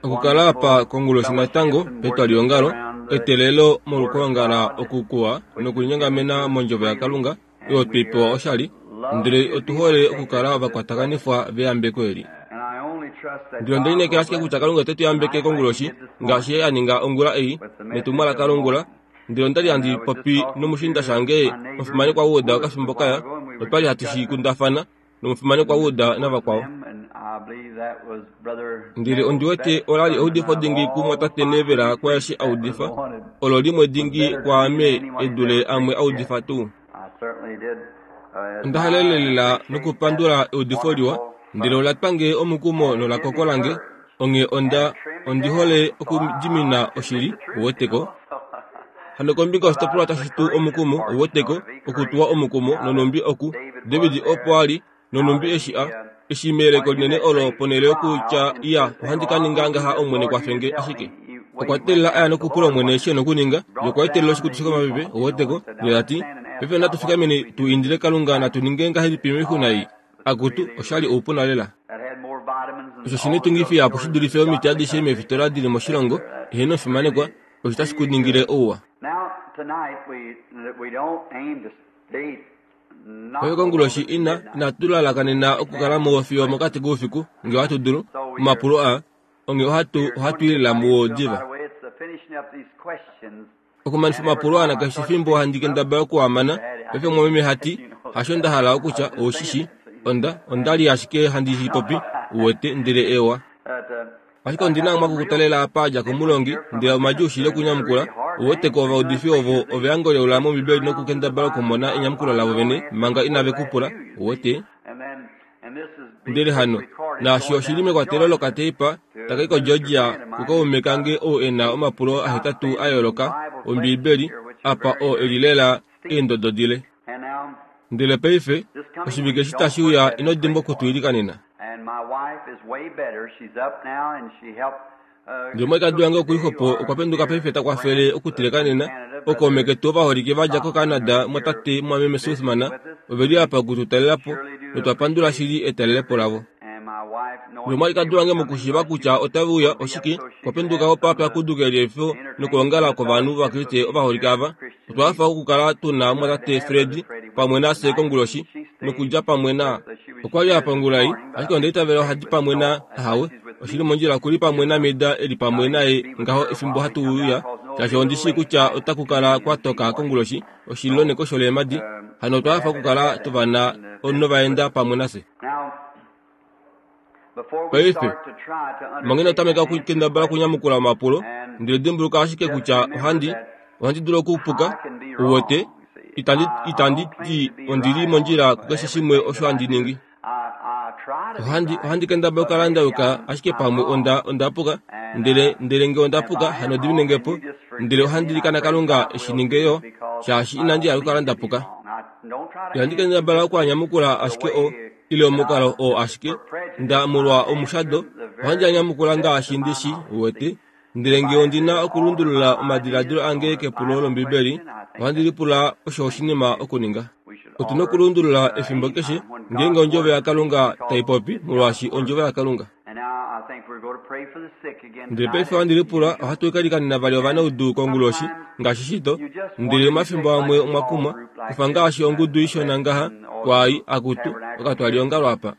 Okukala apa konguloshi natango petwaliongalo, eteelelo molwokwoongala oku kuwa nokulinyongamena mondjovo yaKalunga oyo twei pewa oshali, ndele otu hole okukala ovakwatakanifwa veyambeko eli. Ndele onde lineekela ashike kutya Kalunga ote tu yambeke konguloshi ngaashi Ye a ninga ongula ei netumwalaka longula. Ndele onda li handi popi nomushiinda shange omufimanekwa Wood okafimbo kaya, notwa li hatu shi kundafana nomufimanekwa Wood navakwao. Ndele ondi wete ola li eudifo dingi kumwatate Neville kwaeshi a udifa, olo limwe dingi kwaame e dule amwe a udifa tuu. Onda halelela nokupandula eudifo liwa, ndele ola twa nge omukumo nola kokola nge, onghee onda, ondi hole okudimina oshili, uweteko. Hano kombinga yoshitopolwa tashi tu omukumo, uweteko, okutuwa omukumo, nonhumbi oku, David opo a li, nonhumbi eshi a, eshi meyeleko linene olo ponhele yokutya, Iya, ohandi ka ninga ngaha, Omwene kwafe nge, ashike okwa teelela a ya nokupula Omwene eshi e na okuninga, ye okwa etelela oshikutu shokomapepe, uweteko, ndele ta ti, Paife natu fikameni tu indile Kalunga natu ninge ngahelipi moixuna ei? Akutu, osha li oupuna lela. Osho shi na oitungifi ihapu shi dulife omiti adishe meefitola di li moshilongo, eheno omufimanekwa, osho tashi ku ningile ouwa. Paife konguloshi ina, inatu lalakanena okukala muwo fiyo mokati koufiku, nge ohatu dulu, omapulo aa, onghee ohatu, ohatu i lela muwo diva. Okumanifa omapulo aa nakeshe fimbo handi kendabala oku a mana, paife mumwameme ha ti, Hasho nda hala okutya, ou shi shii, onda, onda li ashike handi shi popi, uwete, ndele ewa. Ashike ondi na omwaka okutalela apa a dja komulongi, ndele omadjuu shili okunyamukula. Uwete ko ovaudifi ovo ove a ngoleula mOmbibeli nokukendabala okumona enyamukulo lavo vene manga inave ku pula, uwete. Ndele hano, naashi oshi li mekwatelo lokateipa taka i koGeorgia kukaume kange ou e na omapulo ahetatu a yooloka Ombiibeli apa oo e li lela eendodo dile. Ndele paife, oshivike eshi tashi uya ino dimbwa oku tu ilikanena. Ndele omwalikadi wange oku li xwepo okwa penduka paife ta kwafele okuteleka nena. Ookaume ketu ovaholike va dja koCanada mwatate mumwameme Sothmann ove li apa oku tu talela po notwa pandula shili etalelepo lavo. Ndele omwalikadi wange mokushiiva kutya otave uya, oshike, okwa penduka opo a pyakuduke liefo nokwoongala kwovanhu Ovakriste ovaholike ava. Otwa hafa okukala tu na omumwatate Fred pamwe nafye konguloshi nokulya pamwe na. Okwa li a pa ongula ei, ashike onda itavela oha di pamwe na, ahawe, oshi li mondjila oku li pamwe naMeda e li pamwe naye ngaho efimbo hatu uya, shaashi ondi shii kutya otaku kala kwa toka konguloshi, oshililo nekosho leemadi. Hano otwa hafa okukala tu va na novaenda pamwe nafye. Paife, manga ino tameka okukendabala okunyamukula omapulo, ndele dimbuluka ashike kutya ohandi, ohandi dulu okupuka, uwete, itandi, itandi ti ondi li mondjila kukeshe shimwe osho handi ningi. Ohandi, ohandi kendabala okukala nda yuka, ashike pamwe onda, onda puka, ndele, ndele nge onda puka, hano dimine nge po, ndele ohandi ilikana Kalunga e shi ninge yo, shaashi inandi hala okukala nda puka. Ihandi kendabala okuanyamukula ashike o, ile omukalo oo ashike nda molwa omushado, ohandi a nyamukula ngaashi ndi shi wete. Ndele nge ondi na okulundulula omadiladilo ange kepulo lOmbibeli, ohandi lipula osho oshinima okuninga. Otu na okulundulula efimbo keshe ngeenge Ondjovo yaKalunga tai popi, molwaashi Ondjovo yaKalunga. Ndele paife ohandi lipula ohatu ka likanena vali ovanaudu konguloshi, ngaashi shito, ndele omafimbo amwe omwa kumwa, kufa ngaashi ongudu ishona ngaha, kwaai, akutu, okatwaliongalo apa.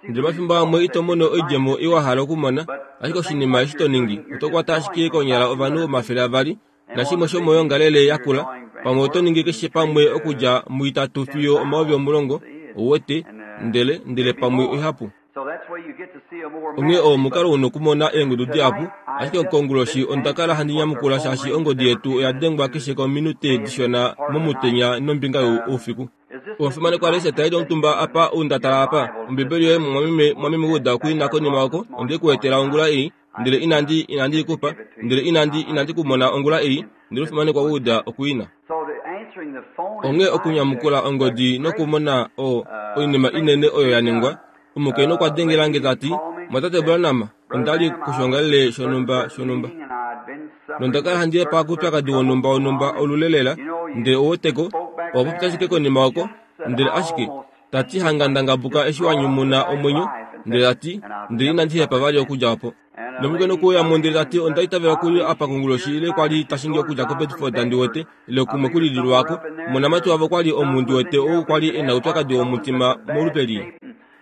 Ndele omafimbo amwe ito mono oidjemo i wa hala okumona, ashike oshinima eshi to ningi, oto kwata ashike konyala ovanhu 200, nashimwe shomoyoongalele yakula, pamwe oto ningi keshe pamwe okudja muitatu fiyo 10,000, ou wete, ndele, ndele pamwe oihapu. Onghee oo omukalo u nokumona eengudu dihapu, ashike konguloshi onda kala handi nyamukula shaashi ongodi yetu oya dengwa keshe kominute dishona momutenya nombinga youfiku. Omufimanekwa Lesa ta li omutumba apa, ou nda tala apa, Ombibeli yoye mumwameme, mumwameme Wood oku i na konima oko, onde ku etela ongula ei. Ndele inandi, inandi i ku pa. Ndele inandi, inandi ku mona ongula ei, ndele omufimanekwa Wood oku i na. Onghee okunyamukula ongodi nokumona o, oinima inene oyo ya ningwa, omukainhu okwa dengela nge ta ti, Mwatate Branham, onda li koshoongalele shonhumba shonhumba. Nonda kala handi hepa koupyakadi wonhumba wonhumba olule lela, ndele ou weteko, owa popya ashike konima oko, ndele ashike. Ta ti hanga nda ngabuka eshi wa nyumuna omwenyo, ndele ta ti, ndele inandi hepa vali okudja opo. Nomukainhu okwe uya mo ndele ta ti, Onda itavela ku li apa konguloshi ile kwa li ta shingi okudja koBedford ndi wete, ile kumwe ku lili lwaako. Omonamati wavo kwa li omu ndi wete ou kwa li e na oupyakadi womutima molupe lii.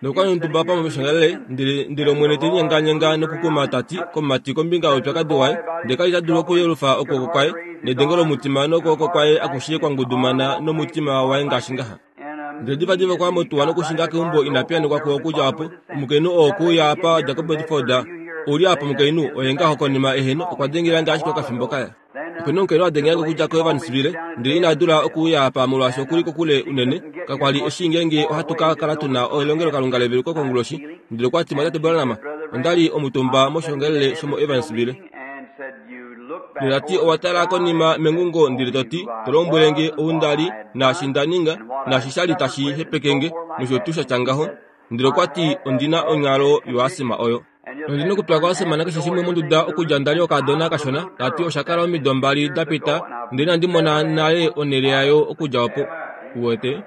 Nokwa nontumba pamwe meshangalele, ndele, ndele Omwene te linyenganyenga nokukuma ta ti komumati kombinga youpyakadi waye, ndele ka li ta dulu okuyelufa okwooko kwaye, nedengo lomutima nokwooko kwaye akushe kwa ngudumana nomutima waye ngaashi ngaha. Ndele divadiva okwa ya motuwa nokushinga keumbo ina piyanekwa kuo okudja opo. Omukainhu oo okwe uya apa wa dja koBedford. Ou li apa omukainhu, oye ngaho konima eheno, okwa dengela nge ashike okafimbo kaya. Ope na omukainhu a dengela nge okudja koEvansville, ndele ina dula okuuya apa molwaashi oku li kokule unene. Kakwa li e shii ngeenge ohatu ka kala tu na elongelokalunga leveluko konguloshi. Ndele okwa ti, Mwatate Branham, onda li omutumba moshoongalele shomoEvansville. Ndele ta ti, Owa tala konima mengungo ndele to ti, to lombwele nge ou nda li, naashi nda ninga, naashi sha li tashi hepeke nge, nosho tuu sha tya ngaho. Ndele okwa ti, Ondi na onghalo yoasima oyo. Nondi na okutula koasima nakeshe shimwe monduda okudja nda li okaadona kashona. Ta ti, Osha kala omido mbali da pita, ndele inandi mona nale onhele yayo okudja opo. Uwete?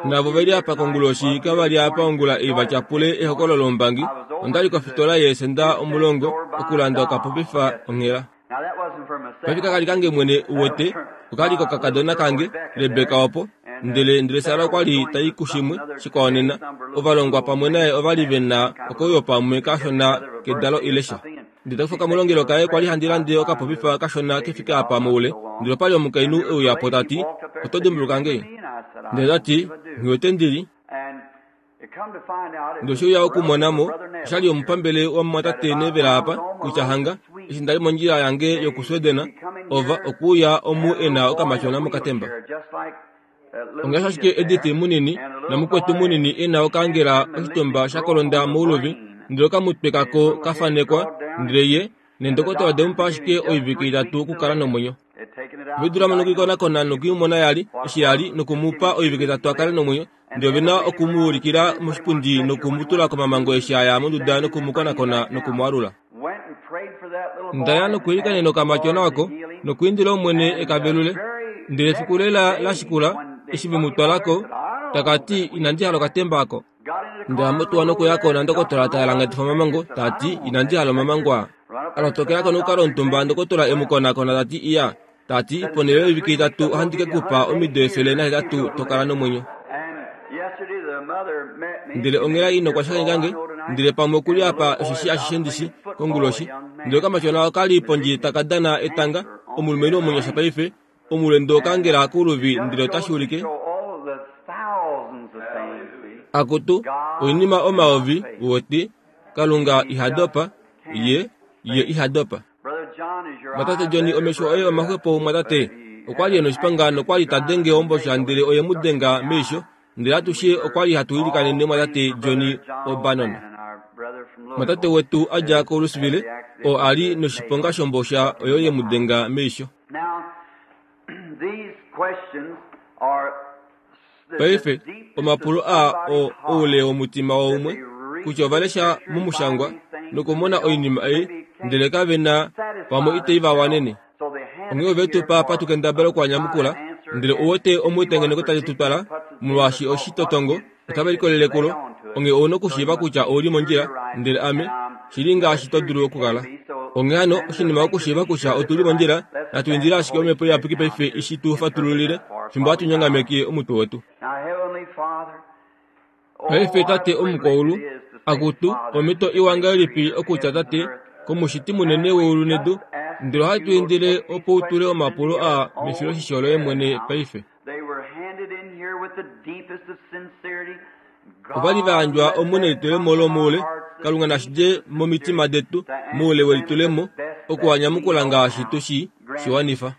Navo ve li apa konguloshi kava li apa ongula ei va tyapule ehokololo lombangi. Onda li kofitola yeesenda omulongo okulanda okapopifa onghela. Paife kaka li kange mwene uwete, oka li kokakadona kange, Rebeka opo. Ndele, ndele Sara okwa li ta i kushimwe shikwao nena. Ovalongwa pamwe naye ova li ve na okauyo pamwe kashona kedalo ile sha. Ndele ta kufa okamulongelo kaye kwa li handi lande okapopifa kashona ke fike apa moule. Ndele opa li omukainhu e uya po ta ti, Oto dimbuluka nge? Ndele ta ti, Nghi wete ndi li. Ndele oshe uya okumona mo, osha li omupambele wamumwatate Neville apa, kutya hanga, eshi nda li mondjila yange yokuSweden, ova, okwe uya omu e na okamatyona mokatemba. Ongaashi ashike Edith munini namukwetu munini e na okaangela oshitumba sha kolonda mouluvi, ndele okamutwe kako ka fanekwa, ndele ye nendokotola ode mu pa ashike oivike itatu okukala nomwenyo. Ove dula mo nokuikonakona noku i mona ya li eshi ya li noku mu pa oivike itatu a kale nomwenyo, ndele ove na oku mu ulikila moshipundi noku mu tula komamango eshi a ya monduda noku mu konakona noku mu alula. Nda ya nokuilikanena okamatyona oko nokuindila Omwene e ka velule. Ndele efiku lela la shikula, eshi ve mu twala ko, taka ti, Inandi hala okatemba oko. Nda ya motuwa nokuya ko nandokotola ta alangatifa omamango, ta ti, Inandi hala omamango aa. A lotokela ko nokukala omutumba, ndokotola e mu konakona, ta ti, Iya. Ta ti, Ponhele yoivike itatu ohandi ke ku pa omido 108 to kala nomwenyo. Ndele onghela ina okwa shakeneka nge, ndele pamwe oku li apa osheshi ashishe ndi shi, konguloshi. Ndele okamatyona oka li pondje taka dana etanga, omulumenhu omunyasha paife, omulendo okangela kouluvi ndele otashi ulike. Akutu, oinima omayovi, uwete, Kalunga iha dopa, Ye, Ye iha dopa. Mwatate Johnny, omesho oye omaxwepo, mwatate. Okwa li e noshipanga nokwa li ta denge ombosha ndele oye mu denga meisho. Ndele atushe okwa li hatu ilikanene mwatate Johnny O'Bannon. Mwatate wetu a dja koLouisville, oo a li noshiponga shombosha oyo ye mu denga meisho. Paife, omapulo aa oo oule womutima waumwe, kutya ova lesha momushangwa nokumona oinima ei, ndele kave na pamwe itai va wanene. Onghee ove tu pa apa tu kendabala oku a nyamukula, ndele ou wete omutengeneko tali tu twala, molwaashi oshitotongo otave likolele kulo, onghee ou na okushiiva kutya ou li mondjila, ndele ame, shi li ngaashi to dulu okukala. Onghee hano, oshinima okushiiva kutya otu li mondjila, natu indile ashike Omhepo Iyapuki paife i shi tu fatululile, fimbo hatu nyongameke omutwe wetu. Paife, Tate Omukwaulu, akutu, omhito iwa ngahelipi okutya Tate, kOmushiti munene weulu nedu, ndele ohatu indile opo u tule omapulo aa mefiloshisho loye mwene paife. Ova li va yandjwa omu nelitulemo lomoule, Kalunga nashi dje momitima detu moule welitulemo oku a nyamukula ngaashi tu shi shi wanifa.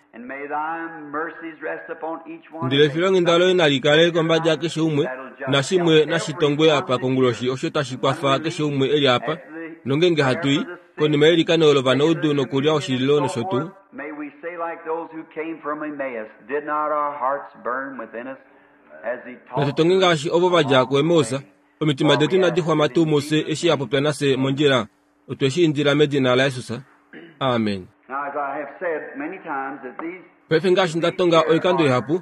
Ndele efilonghenda loye nali kale kombada yakeshe umwe, nashimwe nashi tongwe apa konguloshi osho tashi kwafa keshe umwe e li apa, nongeenge hatu i, konima yeilikano lovanaudu nokulya oshililo nosho tuu. May we say like those who came from Emmaus, did not our hearts burn within us as he Natu talked tonge to us ngaashi ovo va dja along the kuEmaus, way? omitima For detu we inadi ask xwama it tuu in mufye Jesus' eshi a popya name. nafye mondjila? Otwe shi indila medina laJesus. Amen. Now, as I have said many times, that these Paife ngaashi nda tonga oikando ihapu,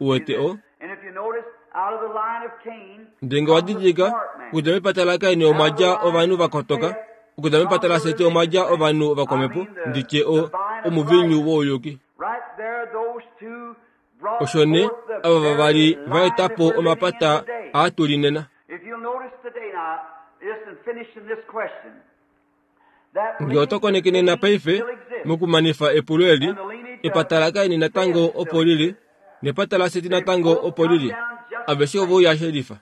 Uwete o. Ndele nge wa didilika, okudja mepata laKain omwa dja ovanhu va kotoka, okudja mepata laSet omwa dja ovanhu vakwamhepo, ndi tye o, omuviinyu wouyuki. Osho nee ava vavali va eta po omapata aa tu li nena. Nge oto koneke nena paife, mokumanifa epulo eli, epata laKain natango opo li li, nepata laSet natango opo li li. Aveshe ove uya shelifa.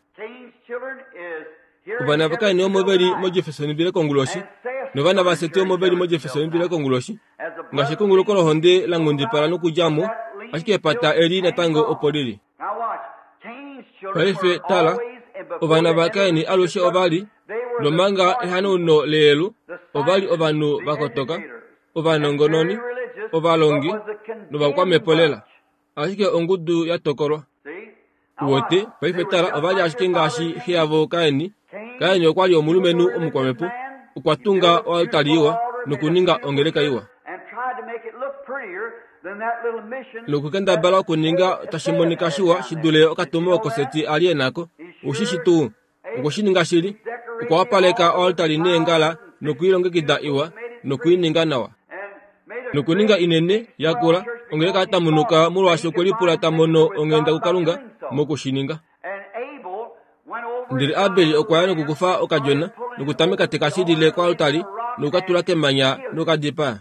Ovana vaKain omo ve li moJeffersonville konguloshi, novana vaSet omo ve li moJeffersonville konguloshi. Ngaashi ekunguluko lohonde la nghundipala nokudja mo, ashike epata eli natango opo li li. Paife tala, ovana vaKain alushe ova li, nomanga ehanauno leyelu, ova li ovanhu va kotoka, ovanongononi, ovalongi novakwamhepo lela. Ashike ongudu ya tokolwa. Uwete, paife tala, ova li ashike ngaashi xe yavo Kain. Kain okwa li omulumenhu omukwamhepo. Okwa tunga oaltari iwa nokuninga ongeleka iwa. Nokukendabala okuninga tashi monika shiwa shi dule okatumo oko Seti a li e nako. Ou shi shi tuu? Okwe shi ninga shili. Okwa wapaleka oaltari neengala noku i longekida iwa noku i ninga nawa. Nokuninga inene, yakula, ongeleka ya tamunuka molwaashi okwe lipula ta mono onghenda kuKalunga moku shi ninga. Ndele Abel okwa ya nokukufa okadjona nokutameka te ka shilile koaltari noku ka tula kemanya noku ka dipaa.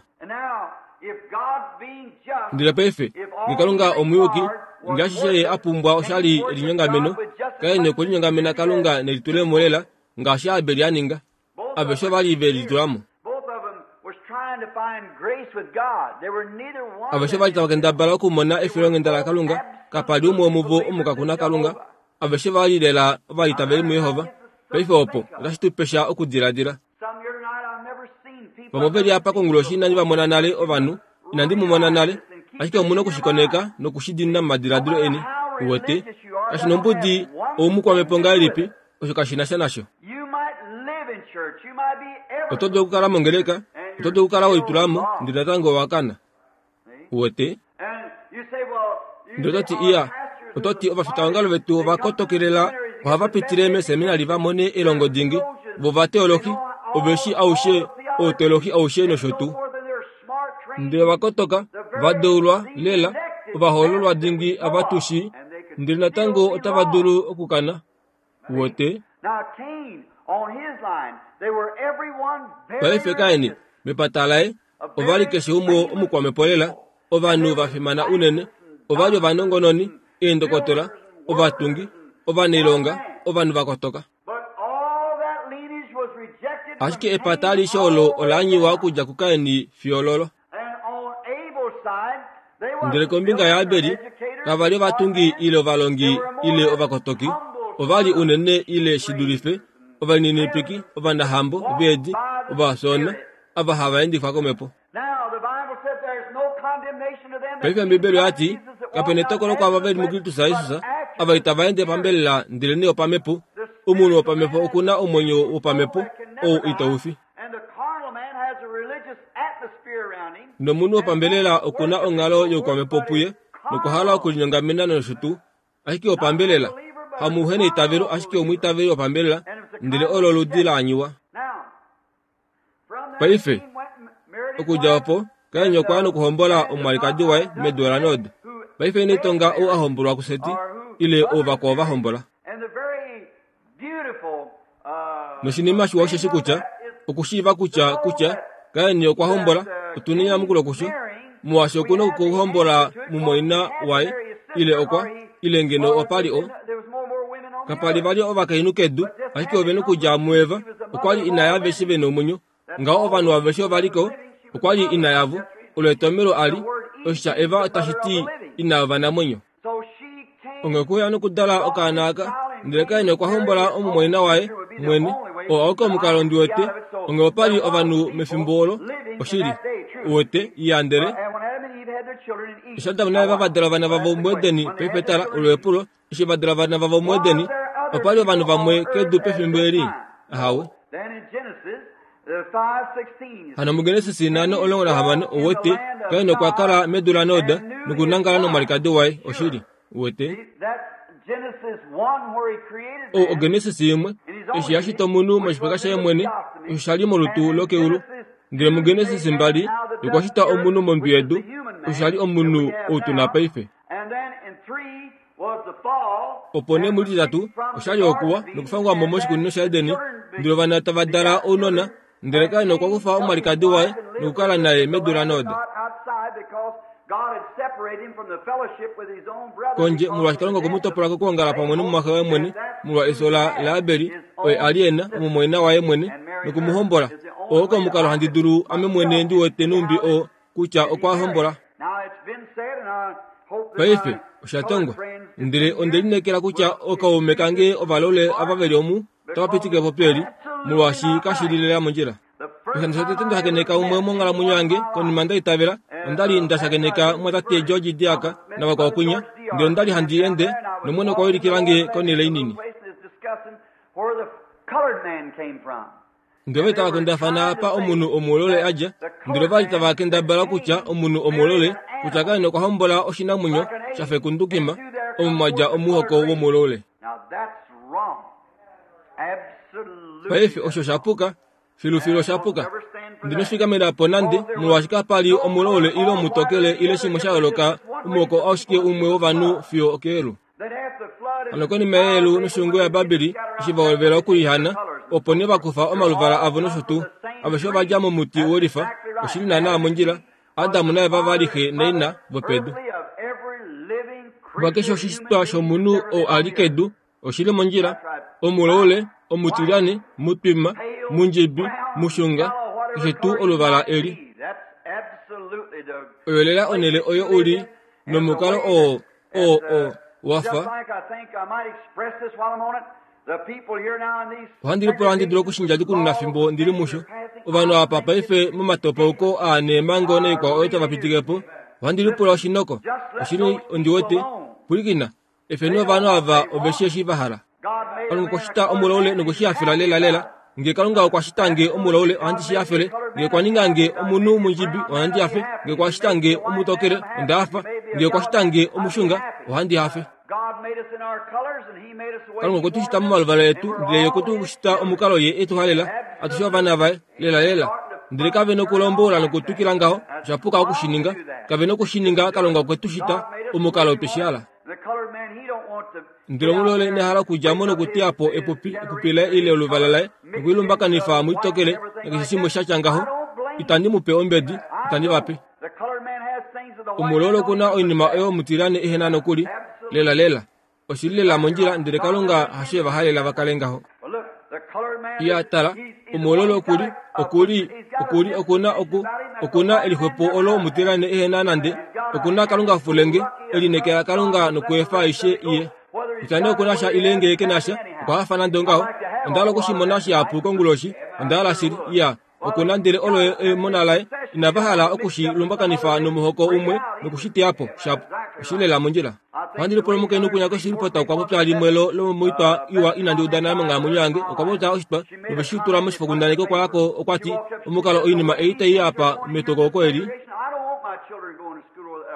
Ndele paife, nge Kalunga omuyuki, nge ashishe ye a pumbwa oshali elinyongameno, Kain okwe linyongamena Kalunga nelitulemo lela ngaashi Abel a ninga. Aveshe ova li ve litula mo. Aveshe ova li tava kendabala okumona efilonghenda laKalunga. Kapa li umwe womuvo omukaku naKalunga. Aveshe va li lela ovaitaveli muJehova. Paife opo otashi tu pe sha okudiladila. Vamwe ove li apa konguloshi inandi va mona nale ovanhu, inandi mu mona nale, ashike omu na oku shi koneka noku shi diinina momadiladilo eni. Uwete? Kashi nombudi oumukwamhepo ngahelipi, osho kashi na sha nasho. Oto dulu okukala mongeleka, oto dulu okukala we litula mo, ndele natango owa kana. Uwete? Ndele oto ti, Iya, oto ti ovafitaongalo vetu ova kotokelela ohava pitile meeseminali va mone elongo dingi, vo ovateolohi, ove shi aushe, outeolohi aushe nosho tuu. Ndele ova kotoka, va deulwa lela, ovahoololwa dingi ava tu shii, ndele natango otava dulu okukana. Uwete? Paife Kain, mepata laye, ova li keshe umwe omukwamhepo lela, ovanhu va fimana unene. Ova li ovanongononi, eendokotola, ovatungi, ovanailonga, ovanhu va kotoka. Ashike epata alishe olo ola anyiwa okudja kuKain fiyo ololo. Ndele kombinga yaAbeli, kava li ovatungi ile ovalongi ile ovakotoki, ova li unene ile shi dulife ovalininipiki, ovanahambo, veedi, ovafyoona, ava hava endifwa komhepo. Paife Ombibeli oya ti, Kape netokolo kwaava ve li muKristus Jesus, ava itava ende pambelela ndelenee opamhepo. Omunhu wopamhepo oku na omwenyo wopamhepo ou itau fi. Nomunhu wopambelela oku na onghalo youkwamhepo puye nokwa hala okulinyongamena nosho tuu, ashike wopambelela hamuheneitavelo ashike omwiitaveli wopambelela, ndele olo oludi la anyiwa. Paife, okudja opo, Kain okwa ya nokuhombola omwalikadi waye medu laNod. Paife ine tonga ou a hombolwa kuSeti, ile ou vakwao va hombola. Noshinima shiwa osheshi kutya, okushiiva kutya, kutya Kain okwa hombola, otu na enyamukulo kusho, molwaashi oku na okuhombola mumwaina waye, ile okwa, ile ngeno opa li o. Kapa li vali ovakainhu kedu, ashike ove nokudja muEva, okwa li ina yaaveshe ve nomwenyo. Ngaho ovanhu aveshe ova li ko, okwa li ina yavo. Olo etomhelo a li, oshitya Eva tashi ti ina yovanamwenyo. Onghee okwe uya nokudala okaana aka, ndele Kain okwa hombola omumwaina waye mwene, oo auke omukalo ndi wete, onghee opa li ovanhu mefimbo olo, oshili, uwete, iya ndele eshi Adam naEva va dala ovana vavo muEdeni, paife tala, olo epulo, eshi va dala ovana vavo muEdeni, opa li ovanhu vamwe kedu pefimbo eli? Ahawe. Hano muGenesis 5:16 uwete, Kain okwa kala medu laNod nokunangala nomwalikadi waye, oshili, uwete. Ou oGenesis imwe, eshi ya shita omunhu moshipaka shaye mwene, osho sha li molutu lokeulu. Ndele muGenesis 2, okwa shita omunhu mondwi yedu, osho sha li omunhu ou tu na paife. Opo nee mulititatu oshali okuwa nokufangwa mo moshikunino shaEden, ndele ovana tava dala ounona, ndele Kain okwa kufa omwalikadi waye nokukala naye medu laNod. Kondje, molwaashi Kalunga okwe mu topola kokwoongala pamwe nomumwaxe waye mwene, molwa efyo laAbel, oye a li e na omumwaina waye mwene, noku mu hombola. Oo oko omukalo handi dulu ame mwene ndi wete nhumbi oo kutya okwa hombola. Paife, osha tongwa. Ndele onde lineekela kutya ookaume kange ovalole ava ve li omu otava pitike po peli, molwaashi kashi li lela mondjila. Oshikando shotete nda shakeneka umwe monghalamwenyo yange konima nda itavela, onda li nda shakeneka mumwatate George Deark navakwao kwinya, ndele onda li handi ende, nOmwene okwa ulikila nge konhele inini. Ndele ova li tava kundafana apa omunhu omuulole a dja, ndele ova li tava kendabala kutya omunhu omuulole, kutya Kain okwa hombola oshinamwenyo sha fekundukima, omo mwa dja omuhoko womuulole. Paife osho sha puka, filufilu osha puka. Ndi nofikamena po nande, molwaashi kapa li omulaule ile omutokele ile shimwe sha yooloka, omuhoko aushike umwe wovanhu fiyo okeelu. Hano konima yeyelu noshungo yaBabeli eshi va hovela okulihana, opo nee va kufa omaluvala avo nosho tuu. Aveshe ova dja momuti wolifa, oshi li naanaa mondjila, Adam naEva va li xe naina vopedu. Vakeshe oshishitwa shomunhu ou a li kedu oshi li mondjila, omulaule, omutilyane, mutwima, mundjibi, mushunga, keshe tuu oluvala eli. Oyo lela onhele oyo u li, nomukalo oo, oo, oo, wa fa. Ohandi lipula ohandi dulu okushinja dikununa fimbo ndi li musho. Ovanhu apa paife momatopauko aa neemhango naikwao oyo tava pitike po, ohandi lipula oshinoko. Oshili ondi wete. Pwilikina, efeni ovanhu ava ove shi eshi va hala. Kalunga okwa shita omulaule nokwe shi hafela lelalela. Nge Kalunga okwa shita nge omulaule, ohandi shi hafele. Nge okwa ninga nge omunhu mundjibi, ohandi hafe. Nge okwa shita nge omutokele, onda hafa. Nge okwa shita nge omushunga, ohandi hafe. Kalunga okwe tu shita momaluvala etu, ndele Ye okwe tu shita omukalo Ye e tu halela, atushe ovana vaye, lelalela. Ndele kave nokulombola nokutwikila ngaho, osha puka oku shi ninga. Kave noku shi ninga, Kalunga okwe tu shita omukalo twe shi hala. Ndele omulole ina hala okudja mo nokuteya po epupi, epupi laye ile oluvala laye, nokuilumbakanifa moitokele nakeshe shimwe sha tya ngaho. Itandi mu pe ombedi, itandi va pe. Omulole oku na oinima oyo omutilyane ehe na nokuli, lelalela. Oshi li lela mondjila, ndele Kalunga hasho e va halela va kale ngaho. Iya, tala, omulole oku li, oku li, oku li, oku na oku, oku na elixwepo olo omutilyane ehe na nande. Oku na Kalunga fulenge, e lineekela Kalunga nokuefa aishe iye. Kutya nee oku na sha ile ngee ke na sha, okwa hafa nande ongaho. Onda hala oku shi mona shihapu konguloshi, onda hala shili. Iya. Oku na ndele olo emona laye, inava hala oku shi lumbakanifa nomuhoko umwe noku shi teya po. Shapu. Oshi lela mondjila. Ohandi lipula omukainhu kwinya koshilipota okwa popya limwe lo lomoitwa iwa inandi uda nale monghalamwenyo yange. Okwa popya oshitwa nove shi tula moshifokundaneki okwa ya ko okwa ti, Omukalo oinima ei tai apa metokauko eli,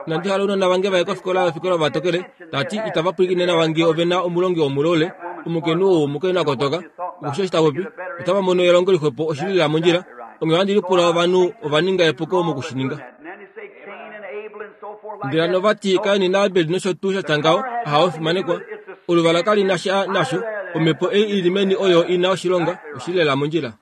Inandi hala ounona vange vaye kofikola yofikola ovatokele, ta ti itava pwilikine nawa ngee ove na omulongi womulaule, omukainhu ou omukainhu a kotoka, okushi eshi ta popi, otava mono elongo lixwepo oshili lela mondjila, onghee ohandi lipula ovanhu ova ninga epuko moku shi ninga. Ndele hano ova ti Kain naAbel nosho tuu sha tya ngaho, ahawe fimanekwa, oluvala kali na sha nasho, omhepo ei i li meni oyo i na oshilonga, oshili lela mondjila.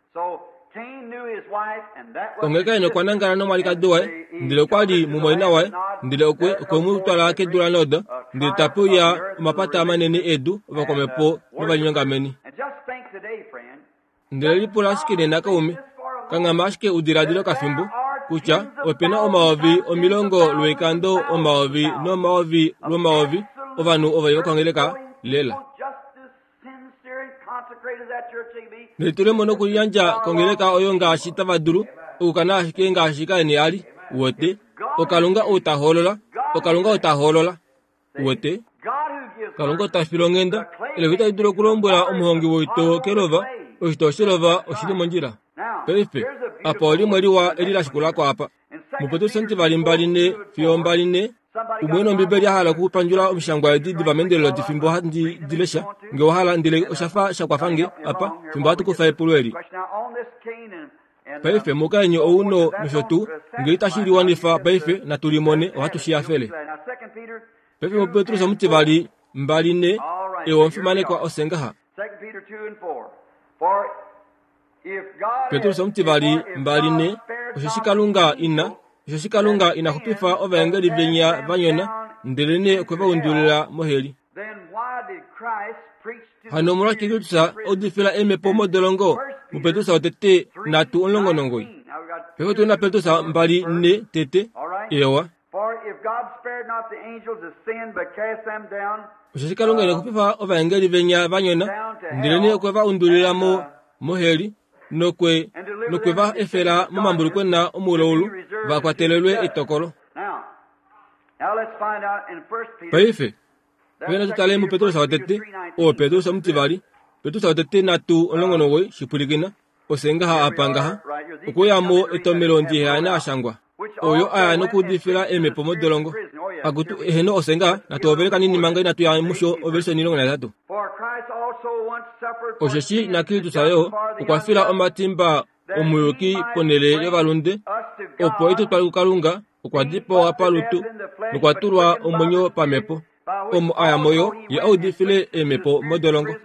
Onghee Kain okwa nangala nomwalikadi waye, ndele okwa li mumwaina waye, ndele okwe, okwe mu twala kedu laNod, ndele tape uya omapata manene edu, ovakwamhepo novalinyongameni. Ndele lipula ashike nena kaume, kanghama ashike u diladile okafimbo, kutya ope na omayovi omilongo lwoikando omayovi nomayovi lwomayovi ovanhu ovo vokongeleka lela. Nelitulemo nokuliyandja kongeleka oyo ngaashi tava dulu okukana ashike ngaashi Kain a li. Uwete? Okalunga ou ta hoolola. Okalunga ou ta hoolola. Uwete? Kalunga ota file onghenda. Elova itali dulu okulombwela omuhongi woitoo kelova, oshitoo shelova oshi li mondjila. Paife, apa olimwe liwa eli la shikula ko apa. MuPetrus omutivali 2 fiyo 24, umwe nOmbibeli a hala okupandjula omishangwa edi diva meendelelo di fimbo handi di lesha, nge owa hala, ndele osha fa sha kwafa nge apa, fimbo hatu kufa epulo eli. Paife, mukainhu ou no, nosho tuu, nge itashi liwanifa paife, natu limone, ohatu shi hafele. Paife muPetrus omutivali 24. Ewa omufimanekwa osengaha. Petrus omutivali 2:4 Osheshi Kalunga ina osheshi Kalunga ina xupifa ovaengeli venya va nyona, ndelenee okwe va undulila moheli. Hano omolwashike Kristus a udifila eemhepo modolongo muPetrus wotete 3:19? Paife otu na Petrus 2:4 tete. Ewa. Osheshi Kalunga ina xupifa ovaengeli venya va nyona, ndelenee okwe va undulila mo moheli nokwe nokwe va efela momambulukwena omuloulu va kwatelelwe etokolo. Paife, paife natu tale muPetrus wotete, oo Petrus omutivali, Petrus wotete 3:19, shipwilikina. Ose ngaha apa ngaha, okwe mo etomelo ndiheyana a shangwa, oyo a ya nokuudifila eemhepo modolongo. Akutu, eheno ose ngaha, natu hovele kanini manga inatu ya musho ovelise 18. Osheshi naKristus yo okwa fila omatimba omuyuki ponhele yovalunde, opo e tu twale kuKalunga, okwa dipawa palutu nokwa tulwa omwenyo pamhepo. Omo a ya mo yo, ye a udifile eemhepo modolongo.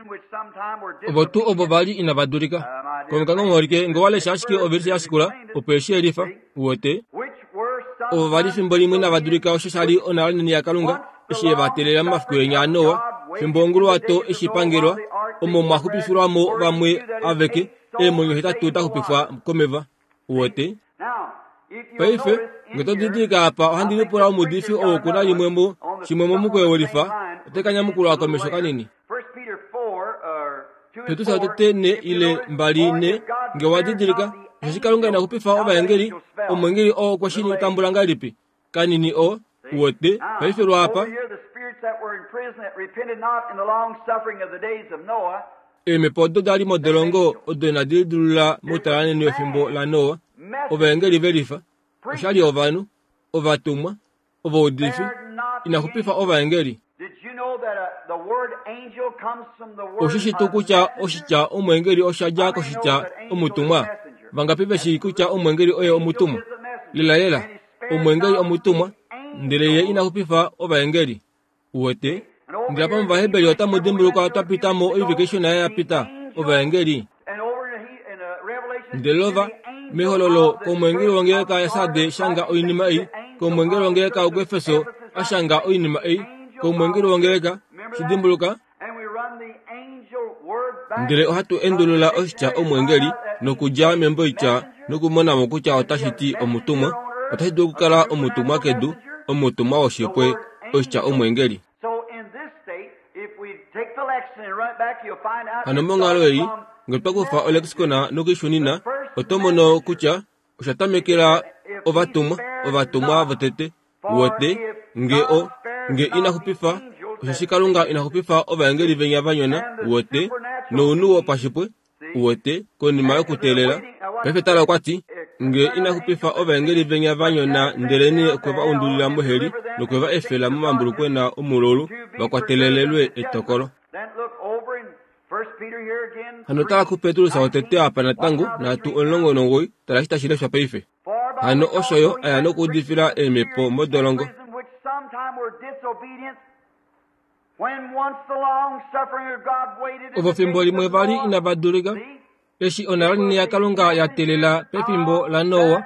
Ovo tuu ovo va li inava dulika. Konga ngongholike nge wa lesha ashike ovelise ya shikula, opo e shi yelifa. Uwete? Ovo va li fimbo limwe inava dulika osho sha li onhalo inene yaKalunga, eshi e va teelela momafiku enya aNoa, fimbo onguluwato eshi pangelwa, omo mwa xupifilwa mo vamwe aveke, eemwenyo hetatu da xupifwa komeva. Uwete? Paife, nge to didilika apa, ohandi lipula omuudifi ou oku na limwe mo, shimwe momukweyo welifa, ote ka nyamukula komesho kanini. Petrus wotete ne ile mbali ne, nge wa didilika, osheshi Kalunga ina xupifa ovaengeli, omwengeli oo okwe shi tambula ngahelipi? Kanini o, uwete, paife lwaapa. Eemhepo odo da li modolongo odo inadi lidilulula moutalanheni wefimbo laNoa, ovaengeli ve lifa, osha li ovanhu, ovatumwa, ovaudifi, ina xupifa ovaengeli. Oshi shi tuu kutya oshitya omweengeli osha dja koshitya omutumwa? Vangapi ve shii kutya omweengeli oye omutumwa? Lelalela, omweengeli omutumwa, ndele ye ina xupifa ovaengeli. Uwete? Ndele apa mOvaheberi otamu dimbulukwa twa pita mo oivike ishona ya pita, ovaengeli. Ndele ova, mehololo, komwengeli wongeleka yaSarde shanga oinima ei, komwengeli wongeleka wokuEfeso a shanga oinima ei, komwengeli wongeleka, shi dimbuluka? Ndele ohatu endulula oshitya omwengeli nokudja memboitya nokumona mo kutya otashi ti omutumwa. Otashi dulu okukala omutumwa kedu, omutumwa woshipwe, oshitya omwengeli. Hano monghalo ei, nge twa kufa olexicon nokuishunina, oto mono kutya osha tamekela ovatumwa, ovatumwa votete, wote, nge o, nge ina xupifa, osheshi Kalunga ina xupifa ovaengeli venya va nyona, wote, nounhu wopashipwe, uwete, konima yokuteelela. Paife tala okwa ti, Nge ina xupifa ovaengeli venya va nyona ndelenee okwe va undulila moheli nokwe va efela momambulukwena omululu va kwatelelelwe etokolo. Hano tala kuPetrus wotete apa natango, nhatu 19, tala eshi tashi leshwa paife. Hano osho yo a ya nokuudifila eemhepo modolongo. Ovo fimbo limwe va li inava dulika, eshi onhalanini yaKalunga ya teelela pefimbo laNoa,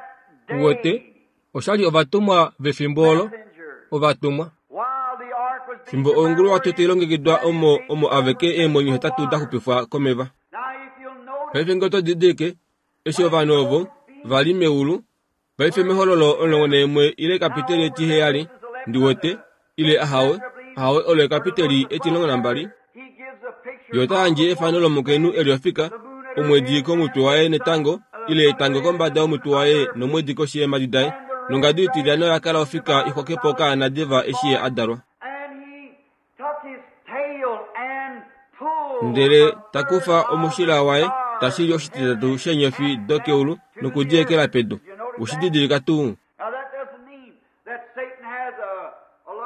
uwete, osha li ovatumwa vefimbo olo, ovatumwa. Fimbo onguluwato tai longekidwa omo omo aveke eemwenyo hetatu da xupifwa komeva. Paife ngee oto didilike, eshi ovanhu ovo va li meulu, Paife mEhololo 11 ile ekapiteli etiheyali, ndi wete, ile ahawe, ahawe olo ekapiteli etimulongo nambali, ye ota yandje efano lomukainhu e li ofika, omwedi komutwe waye netango, ile etango kombada yomutwe waye nomwedi koshi yeemhadi daye, nongadu itilyana oya kala ofika i xwake po okaana diva eshi ye a dalwa. Ndele ta kufa omushila waye, ta shili oshititatu sheenyofi dokeulu noku di ekela pedu. We shi didilika tuu?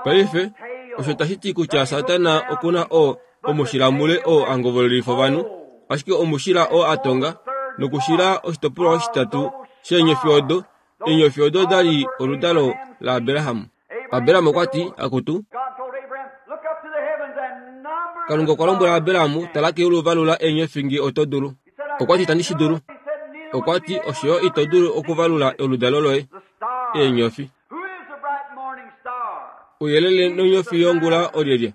Paife, osho tashi ti kutya Satana oku na o, omushila mule oo a ngovololifa ovanhu, ashike omushila oo a tonga nokushila oshitopolwa oshititatu sheenyofi odo, eenyofi odo da li oludalo laAbraham. Abraham okwa ti, Akutu. Kalunga okwa lombwela Abraham, tala keulu valula eenyofi nge oto dulu. Okwa ti itandi shi dulu. Okwa ti osho yo ito dulu okuvalula oludalo loye, eenyofi. Ouyelele nonyofi yongula olyelye?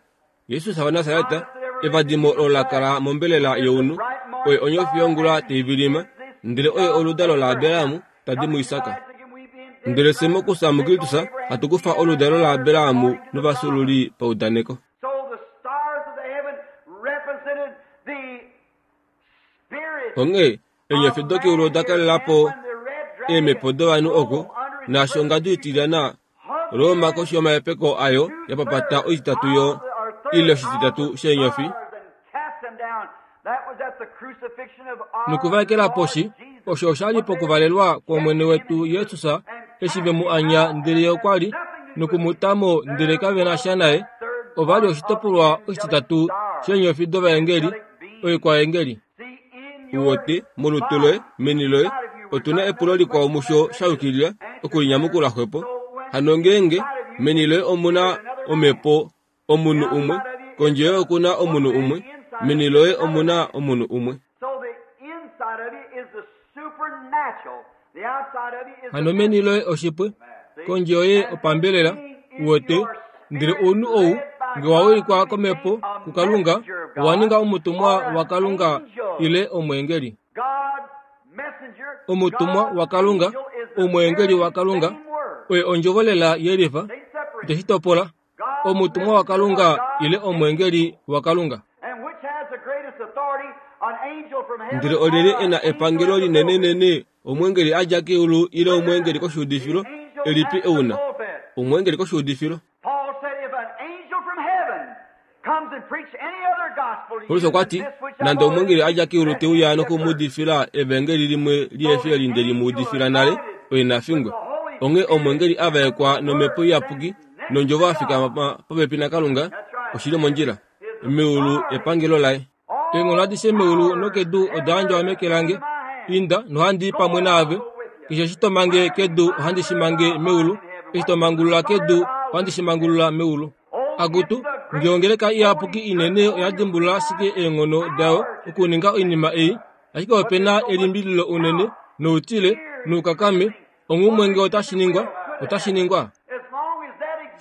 Jesus waNasaret, evadimo olo la kala mombelela younhu, oye onyofi yongula tai vilima, ndele oye oludalo laAbraham ta di muIsak. Ndele fye mokufya muKristus hatu kufa oludalo laAbraham novafyuululi paudaneko. Onghee eenyofi dokeulu oda kalela po eemhepo dovanhu oko, naashi ongadu itilyana Roma koshi yomahepeko ayo ya papata oititatu yo ile oshititatu sheenyofi nokuvaekela poshi osho osha li pokuvalelwa kwOmwene wetu Jesus eshi ve mu anya ndele ye okwa li noku mu ta mo ndele kave na sha naye ova li oshitopolwa oshititatu sheenyofi dovaengeli oikwaengeli Uwote, molutu loye, meni loye, otu na epulo likwao musho sha yukilila okulinyamukula xwepo. Hano ngeenge meni loye omu na omhepo omunhu umwe, kondje yoye oku na omunhu umwe, meni loye omu na omunhu umwe. Hano meni loye oshipwe, kondje yoye opambelela, uwete, ndele ounhu ou nge wa wilikwa komhepo kuKalunga, owa ninga omutumwa waKalunga ile omweengeli. Omutumwa waKalunga, omweengeli waKalunga, oye ondjovo lela yelifa, iteshi topola. Omutumwa waKalunga ile omweengeli waKalunga. Ndele olyelye e na epangelo linenenene, omweengeli a dja keulu ile omweengeli koshuudifilo? Elipi e u na? Omweengeli koshuudifilo. Paulus okwa ti, Nande omweengeli a dja keulu te uya noku mu udifila evangeli limwe lihe fi eli nde li mu udifila nale, oye na fingwe. Onghee omweengeli a vaekwa nOmhepo Iyapuki nondjovo a fikama popepi naKalunga, oshi li mondjila. Meulu epangelo laye. Eenghono adishe meulu nokedu oda yandjwa meke lange. Inda, nohandi i pamwe naave. Keshe eshi to mange kedu ohandi shi mange meulu, eshi to mangulula kedu ohandi shi mangulula meulu. Akutu, nge ongeleka iyapuki inene oya dimbulula ashike eenghono dayo okuninga oinima ei, ashike ope na elimbililo unene, noutile, noukakame, onghumwe nge otashi ningwa, otashi ningwa.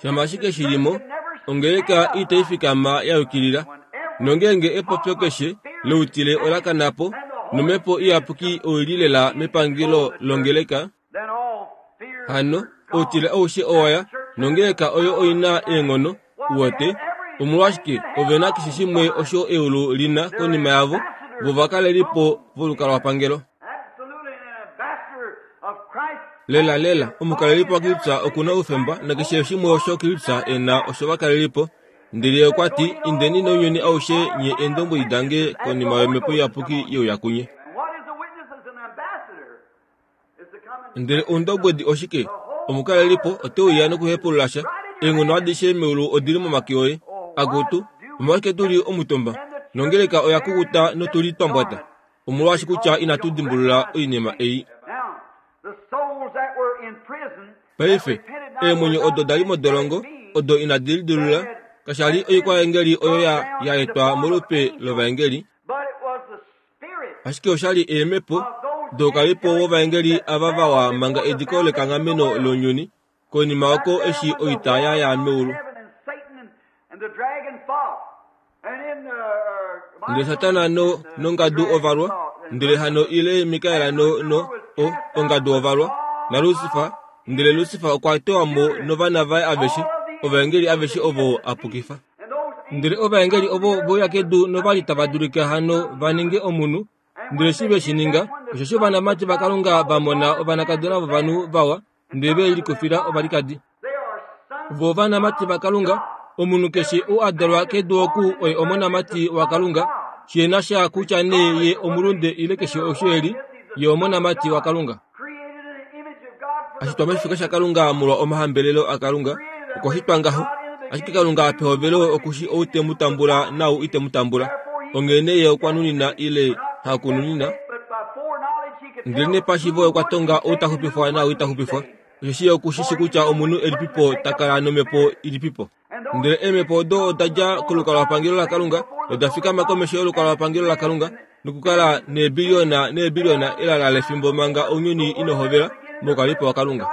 Shama ashike shi li mo, ongeleka itai fikama ya yukilila. Nongeenge epopyo keshe loutile ola kana po, nomhepo iyapuki oi li lela mepangelo longeleka, hano outile aushe owa ya, nongeleka oyo oi na eenghono, uwete, omolwashike ove na keshe shimwe osho eulu li na konima yavo, vo ovakalelipo volukalwapangelo. Lelalela, omukalelipo waKristus oku na oufemba nakeshe shimwe osho Kristus e na oshovakalelipo. Ndele ye okwa ti, Indeni nounyuni aushe nye eendombwedi dange konima yOmhepo Iyapuki ye uya kunye. Ndele oundobwedi oshike? Omukalelipo ote uya nokuhepulula sha. Eenghono adishe meulu odi li momake oye. Akutu, omolwashike tu li omutumba? Nongeleka oya kukuta notu li twa mbwata. Omolwaashi kutya inatu dimbulula oinima ei. Paife, eemwenyo odo da li modolongo, odo inadi lidilulula, kasha li oikwaengeli oyo ya, ya etwa molupe lovaengeli, ashike osha li eemhepo doukalipo wovaengeli ava vawa manga ediko lekanghameno lounyuni, konima oko eshi oita ya ya meulu. Ndele Satana no, nongadu ova lwa, ndele hano ile Mikael no, no, o, ongadu ova lwa, naLusifa, ndele Lusifa okwa tewa mo novana vaye aveshe, ovaengeli aveshe ovo a pukifa. Ndele ovaengeli ovo ve uya kedu nova li tava dulika hano va ninge omunhu, ndele eshi ve shi ninga, osheshi ovanamati vaKalunga va mona ovanakadona vovanhu vawa, ndele ve likufila ovalikadi. Vo ovanamati vaKalunga, omunhu keshe ou a dalwa kedu oku oye omonamati waKalunga, shi na sha kutya nee ye omulunde ile keshe osho e li, ye omonamati waKalunga. A shitwa moshifeka shaKalunga molwa omahambelelo aKalunga, okwa shitwa ngaho. Ashike Kalunga pehovelo oku shi ou te mu tambula naau ite mu tambula. Onghee nee ye okwa nunina ile hakununina, ndelenee pashiivo okwa tonga ou ta xupifwa naau ita xupifwa. Osheshi ye oku shi shi kutya omunhu elipipo ta kala nomhepo ilipipo. Ndele eemhepo odo oda dja kolukalwapangelo laKalunga noda fikama komesho yolukalwapangelo laKalunga nokukala neebiliona neebiliona elala lefimbo manga ounyuni ino hovela moukalipo waKalunga.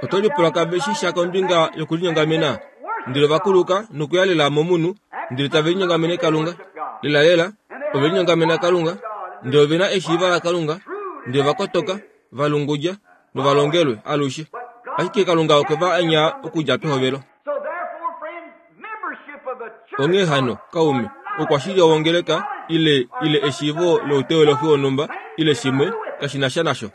Oto lipula kave shi sha kombinga yokulinyongamena? Ndele ova kuluka nokuya lela momunhu, ndele tave linyongamene Kalunga. Lelalela, ove linyongamena Kalunga, ndele ove na eshiiva laKalunga, ndele va kotoka, va lungudja, nova longelwe alushe. Ashike Kalunga okwe va anya okudja pehovelo. Onghee hano, kaume, oukwashilyo wongeleka ile ile eshiivo louteolohi wonhumba ile shimwe kashi na sha nasho.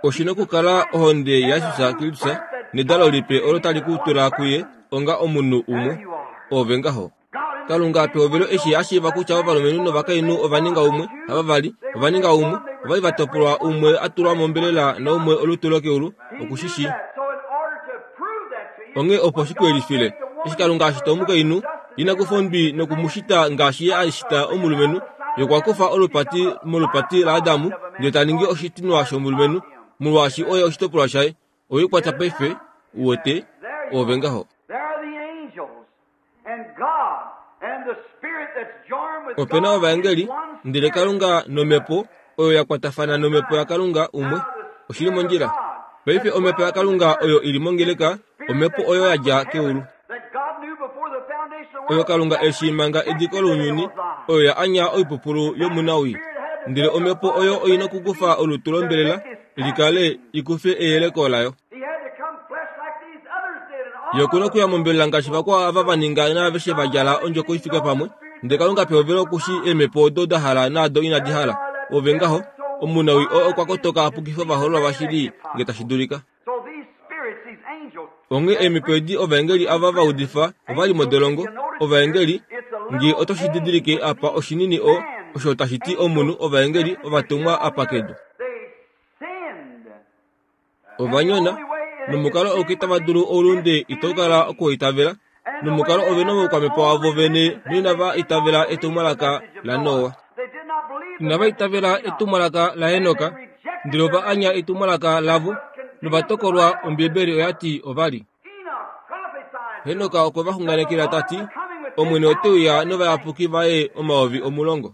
Oshi na okukala ohonde yaJesus Kristus nedalo lipe olo tali ku tula kuye onga omunhu umwe. Ove ngaho. Kalunga pehovelo eshi a shiiva kutya ovalumenhu novakainhu ova ninga umwe, havavali, ova ninga umwe, ova li va topolwa umwe a tulwa mombelela naumwe olutu lokeulu, oku shi shii. Onghee opo shi ku yelifile, eshi Kalunga a shita omukainhu, ina kufa ondwi noku mu shita ngaashi ye a shita omulumenhu, ye okwa kufa olupati molupati laAdamu ndele ta ningi oshitinwa shomulumenhu, molwaashi oye oshitopolwa shaye. Owe kwata paife, uwete, oove ngaho. Ope na ovaengeli, ndele Kalunga nomhepo oyo ya kwatafana nomhepo yaKalunga umwe. Oshi li mondjila. Paife omhepo yaKalunga oyo i li mongeleka, omhepo oyo ya dja keulu. Oyo Kalunga eshi manga ediko lounyuni, oyo ya anya oipupulu yomunawii. Ndele omhepo oyo oi na okukufa olutu lombelela li kale i kufe eyeleko layo. Ye oku na okuya mombelela ngaashi vakwao ava va ninga naaveshe va djala ondjoko i fike pamwe. Ndele Kalunga pehovelo oku shii eemhepo odo da hala naado inadi hala. Ove ngaho, omunawii oo okwa kotoka a pukife ovahoololwa vashili nge tashi dulika. Onghee eemhepo edi ovaengeli ava va udifa ova li modolongo. Ovaengeli, nge oto shi didilike apa oshinini o, osho tashi ti omunhu, ovaengeli ovatumwa apa kedu. Ova nyona, nomukalo auke tava dulu oulunde itau kala okuwaitavela, nomukalo ove na oukwamhepo wavo vene noinava itavela etumwalaka laNoa. Inava itavela etumwalaka laHenok, ndele ova anya etumwalaka lavo, nova tokolwa, Ombibeli oya ti ova li. Henok okwe va xunganekela ta ti, Omwene ote uya novayapuki vaye 10,000.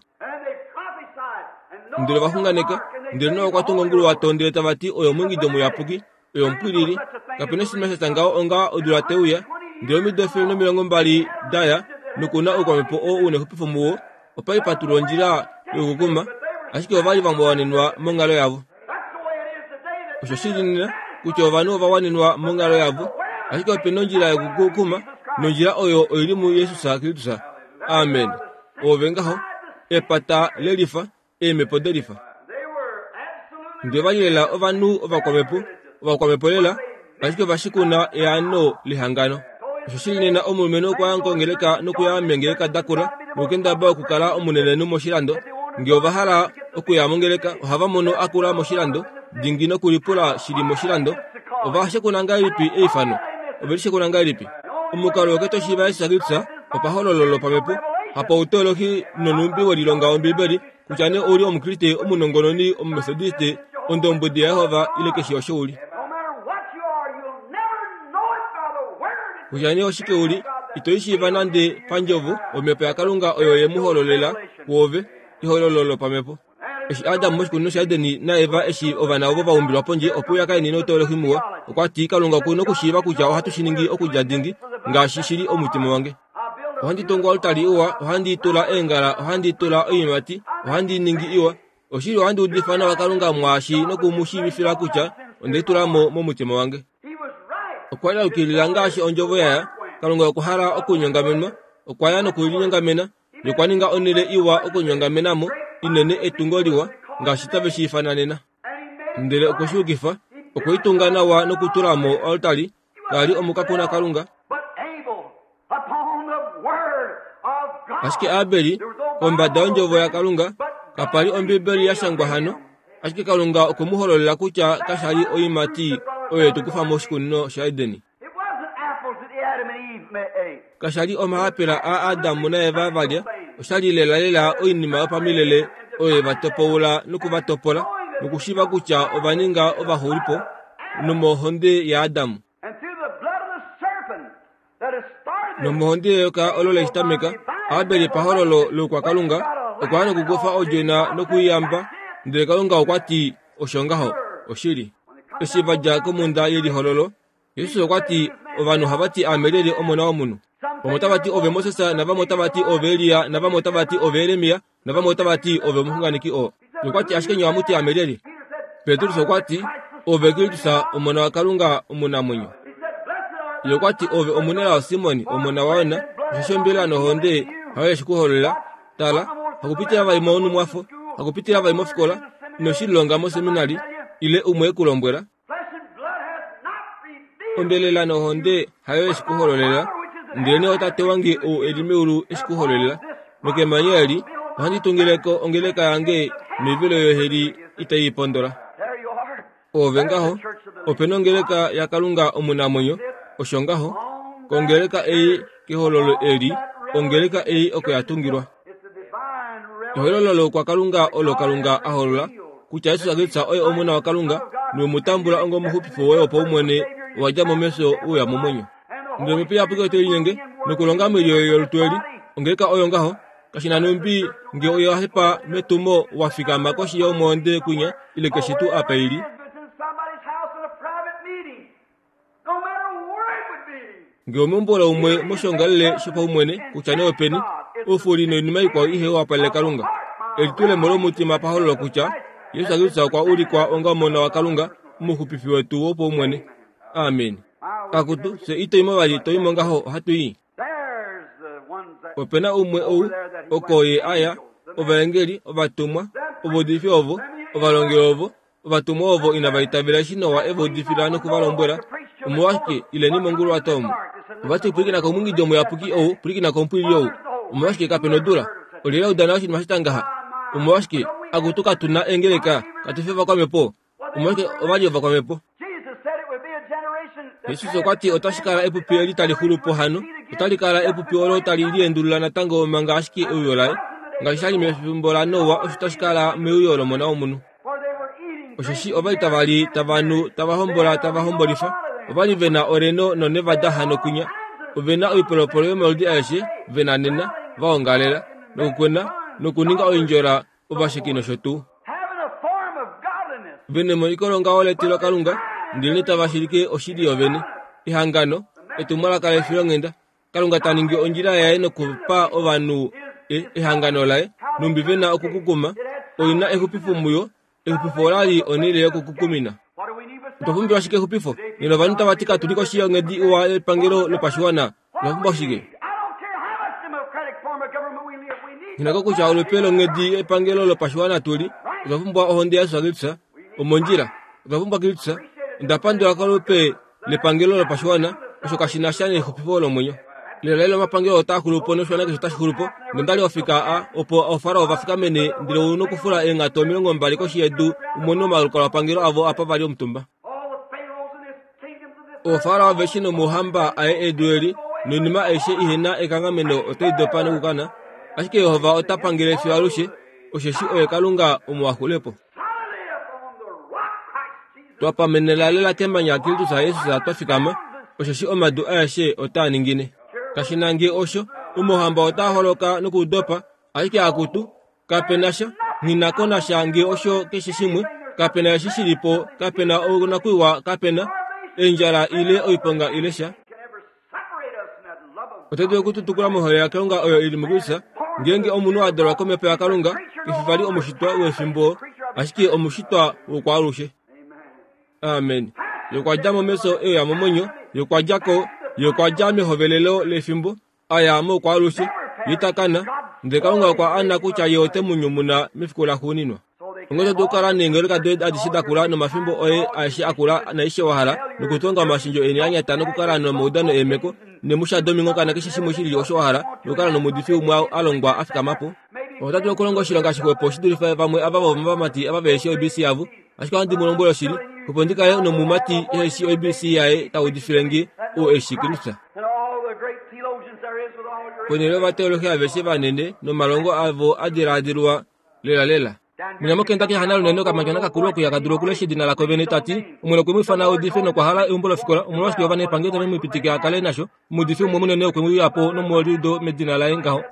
Ndele ova xunganeka, ndele Noa okwa tunga onguluwato ndele tava ti oyo omwiingido muyapuki, oyo omupwilili, kape na oshinima sha tya ngaho onga odula te uya. Ndele omido 120 da ya, noku na oukwamhepo oo u nexupifo muwo, opa li pa tulwa ondjila yokukuma, ashike ova li va wanenwa monghalo yavo. Osho shi li nena kutya ovanhu ova wanenwa monghalo yavo, ashike ope na ondjila yokukuma, nondjila oyo oi li muJesus Kristus. Amen. Oove ngaho, epata lelifa, eemhepo delifa. Ndele ova li lela ovanhu ovakwamhepo, ovakwamhepo lela, ashike ova shikuna eano lehangano. Osho shi li nena omulumenhu okwa ya kongeleka nokuya meengeleka da kula nokukendabala okukala omunenenhu moshilando. Nge ova hala okuya mongeleka, ohava mono a kula moshilando, dingi nokulipula shili moshilando. Ova shekuna ngahelipi eifano? Ove li shekuna ngahelipi? Omukalo woke to shiiva eshi sha Kristus opahololo lopamhepo, hapauteolohi nonhumbi we lilonga Ombibeli, kutya nee ou li Omukriste, omunongononi, Omumetodiste, Ondombwedi yaJehova ile keshe osho u li. Kutya nee oshike u li, ito i shiiva nande pandjovo, Omhepo yaKalunga oyo ye mu hololela kwoove, ehololo lopamhepo. Eshi Adam moshikunino shaEden naEva eshi ovana ovo va umbilwa pondje opo uya kaini nouteolohi muwa, okwa ti Kalunga oku nokushiiva kutya ohatu shi ningi okudja dingi ngaashi shi li omutima wange. Ohandi tungu oaltari iwa, ohandi tula eengala, ohandi tula oiimati, ohandi ningi iwa. Oshili ohandi udifa nawa Kalunga mwaashi noku mu shiivifila kutya onde tula mo momutima wange. Okwa li a yukilila ngaashi ondjovo yaya. Kalunga okwa hala okunyongamenwa, okwa ya nokulinyongamena nokwa ninga onhele iwa okunyongamena mo, inene etungo liwa, ngaashi tave shi ifana nena. Ndele okwe shi yukifa, okwe i tunga nawa nokutula mo oaltari, kali li omukakuna Kalunga. Ashike Abeli, kombada yondjovo yaKalunga, kapa li Ombibeli ya shangwa hano, ashike Kalunga okwe mu hololela kutya kasha li oiimati oyo ye tu kufa moshikunino shaEden. Kasha li omahapela aAdam naEva va lya, osha li lelalela oinima yopamilele oyo ye va topoula noku va topola, nokushiiva kutya ova ninga ovaxulipo. nomohonde yaAdam. Nomohonde yeyoka olo le shi tameka, Abel pahololo loukwakalunga okwa ya nokukufa odjona nokuiyamba, ndele Kalunga okwa ti osho ngaho, oshili. Eshi va dja komhunda yelihololo, Jesus okwa ti, Ovanhu ohava ti aame lyelye Omona wOmunhu? Vamwe otava ti ove Moses, navamwe otava ti ove Elia, navamwe otava ti ove Jeremia, navamwe otava ti ove omuxunganeki oo. Okwa ti ashike nye ohamu ti aame lyelye? Petrus okwa ti, Ove Kristus, Omona waKalunga omunamwenyo. Ye okwa ti, Ove omunelao Simon, omona waYona, osheshi ombelela nohonde hayo ye shi ku hololela. Tala, hakupitila vali monhumwafo, hakupitila vali mofikola, ino shi lilonga moseminari, ile umwe e ku lombwela. Ombelela nohonde hayo ye shi ku hololela, ndelenee oTate wange ou e li meulu e shi ku hololela. Nokemanya eli ohandi tungile ko ongeleka yange noivelo yoheli itai i pondola. Oove ngaho, ope nongeleka yaKalunga omunamwenyo, osho ngaho, kongeleka ei kehololo eli, ongeleka ei oko ya tungilwa. Ehololo loukwakalunga olo Kalunga a holola kutya Jesus Kristus oye Omona waKalunga nowe mu tambula onga omuxupifo woye wopaumwene wa dja mo mefyo we uya momwenyo. Ndele Omhepo Iyapuki ote linyenge nokulonga moilyo yolutu eli, ongeleka oyo ngaho, kashi na numbi nge oya hepa metumo wa fikama koshi yomwoonde kwinya ile keshe tuu apa i li. Nge omeumbo laumwe moshiongalele shopaumwene, kutya nee openi, oufuli noinima ikwao ihe wapalele Kalunga, elitulemo lomutima pahololo kutya Jesus Kristus okwa ulikwa onga Omona waKalunga, Omuxupifi wetu wopaumwene. Amen. Akutu, fye ito i mo vali, to i mo ngaho, ohatu i. Ope na umwe ou oko ye a ya, ovaengeli, ovatumwa, ovaudifi ovo, ovalongi ovo, Ovatumwa ovo inava itavela eshi Noa e va udifila noku va lombwela, Omolwashike, ileni monguluwato omu. Ova ti, Pwilikina komungidi omuyapuki ou, pwilikina komupwilili ou. Omolwashike kape nodula? Olyelye a udana oshinima sha ngaha? Omolwashike, akutu katu na eengeleka, katu fi ovakwamhepo? Omolwashike ova li ovakwamhepo? Jesus okwa ti otashi kala epupi eli tali xulu po hano, otali kala epupi olo tali liendulula natango manga ashike euyo laye. Ngaashi sha li mefimbo laNoa, osho tashi kala meuyo lOmona wOmunhu. Osheshi ova li tava li, tava nu, tava hombola, tava hombolifa. Ova li ve na oReno noNevada hano kwinya. Ove na oipolopolo yomaludi aeshe ve na nena, va ongalela, nokukwena, nokuninga oindjola, ovasheki nosho tuu. Ve nemoniko longaho letilokalunga, ndelenee tava shilike oshili yovene. Ehangano, etumwalaka lefilonghenda, Kalunga ta ningi ondjila yaye nokupa ovanhu e, ehangano laye, numbi ve na okukukuma, oi na exupifo muyo. Exupifo ola li onhele yokukukumina. Otwa pumbiwa shike exupifo? Nena ovanhu tava ti katu li koshi yonghedi iwa yepangelo lopashiwana. Otwa pumbwa shike? Nghi ko kutya olupe longhedi yepangelo lopashiwana tu li, otwa pumbwa ohonde yaJesus Kristus. Omondjila. Otwa pumbwa Kristus. Onda pandula kolupe lepangelo lopashiwana osho kashi na sha nexupifo lomwenyo. Lelalela omapangelo otaa xulu po noshiwana keshe otashi xulu po. Nonda li ofika a opo oofarao va fikamene ndele u nokufula eenghatu 20 koshi yedu u mone omalukalwapangelo avo apa va li omutumba. Oofarao aveshe nomauhamba aye edu eli noinima aishe ihe na ekanghameno otai dopa nokukana, ashike Jehova ota pangele fiyo alushe, osheshi oye Kalunga omuwaxulepo. Twa pamenena lela kemanya Kristus Jesus twa fikama, osheshi omadu aeshe otaa ningine. Kashi na nge osho, omauhamba otaa holoka nokudopa, ashike akutu, kape na sha, nghi na ko na sha nge osho keshe shimwe, kape na eshi shi li po, kape na onakuiwa, kape na eendjala ile oiponga ile sha. Oto dulu okututukula mohole yaKalunga oyo i li muKristus. Ngeenge omunhu a dalwa komhepo yaKalunga, ke fi vali omushitwa wefimbo, ashike omushitwa wokwaalushe. Amen. Ye okwa dja mo mefyo e uya momwenyo, ye okwa dja ko, ye okwa dja mehovelelo lefimbo, a ya moukwaalushe, ye ita kana, ndele Kalunga okwa ana kutya ye ote mu nyumuna mefiku laxuuninwa. Onghee oto dulu okukala neengeleka doye adishe da kula nomafimbo oye aeshe a kula naaishe wa hala, nokutonga omashendjo eni a nyata nokukala nomaudano eemheko nemusha dominghoka nakeshe shimwe shi lili osho wa hala, nokukala nomuudifi umwe a longwa a fikama po. Ota dulu okulonga oshilonga shixwepo shi dulife vamwe ava vomavamati ava vehe shii oibc yavo. Ashike ohandi mu lombwele oshili, opo ndi kale nomumati ehe shii oibc yaye ta udifile nge, ou e shii Kristus. Ponhele yovateolohi aveshe vanene nomalongo avo a dilaadilwa lelalela. Mwinya moKentucky hana lunene okamatyona kakulu okuya ka dulu okulesha edina lako vene ta ti, Omwene okwe mu ifana a udife nokwa hala eumbo lofikola, omolwashike ovanepangelo tave mu pitike a kale nasho? Omuudifi umwe munene okwe uya po nomuoliudo medina laye ngaho.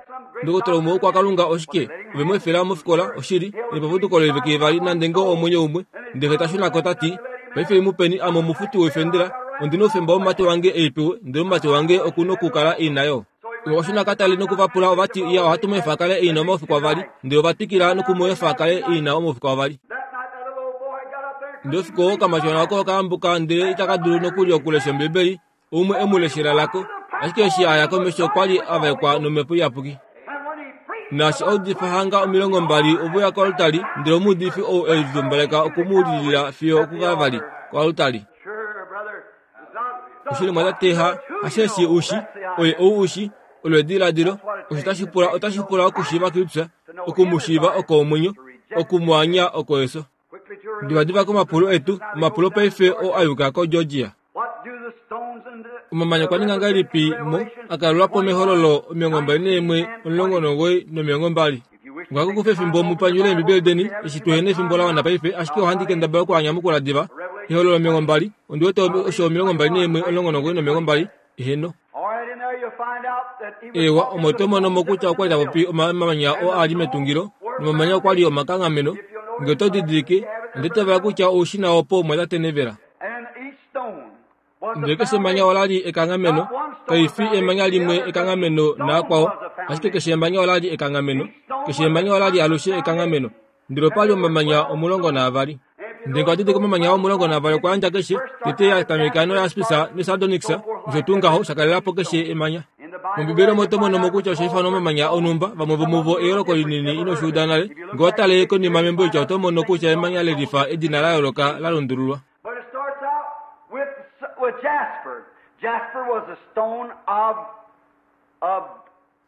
Ndokotola umwe wokwakalunga oshike? Ove mu efela mofikola, oshili, nepapuduko loivike ivali nande ngoo omwenyo umwe. Ndele ta shuna ko ta ti, Paife mu peni ame omufuti woifendela, ondi noufemba womumati wange e i pewe, ndele omumati wange oku nokukala e i na yo. Okwa shuna ka tale noku va pula ova ti, Iya, ohatu mu efa a kale e i na omaufiku avali. Ndele ova twikila noku mu efa a kale e i na omaufiku avali. Ndele oufiku oo okamatyona oko oka yambuka ndele itaka dulu nokuli okulesha Ombibeli, umwe e mu leshela lako. Ashike eshi a ya komesho okwa li a vaekwa nomhepo iyapuki. Naashi a udifa hanga 20 ove uya koaltari, ndele omuudifi ou e litumbaleka oku mu lilila fiyo okukavali koaltari. Oshili mwa tate ha hasheshi ushi, oye ou ushi, olo ediladilo, osho tashi pula otashi pula okushiiva Kristus, oku mu shiiva oko omwenyo, oku mu anya oko efyo. Divadiva komapulo etu, omapulo paife oo a yuka koGeorgia. Omamanya okwa ninga ngahelipi mo a kalelwa po mehololo 21 19 no20? Ngwako kufa efimbo mu panyule Eembibeli deni, eshi tuhe efimbo la wana paife, ashike ohandi kendabala oku a nyamukula diva. Ehololo 20, ondi wete osho 21 19 no20, eheno. Eewa, omo oto mono mo kutya okwa li ta popi omamanya oo a li metungilo, nomamanya okwa li omakanghameno. Nge oto didilike, ondi itavela kutya oushina opo mwa tatenevela. Ndele keshe emanya ola li ekanghameno, kai fi emanya limwe ekanghameno naakwao, ashike keshe emanya ola li ekanghameno. Keshe emanya ola li alushe ekanghameno. Ndele opa li omamanya 12. Ndele okwa didilika omamanya 12 okwa yandja keshe, tete ya tameka noyaspis nesardonyx, nosho tuu ngaho, sha kalela po keshe emanya. MOmbibeli omo to mono mo kutya osha ifanwa omamanya onhumba, vamwe vomuvo eyooloko linini ino shi uda nale. Ngee owa tale konima membo litya oto mono kutya emanya le lifa edina la yooloka la lundululwa. But it starts out with, with jasper. Jasper was a stone of, of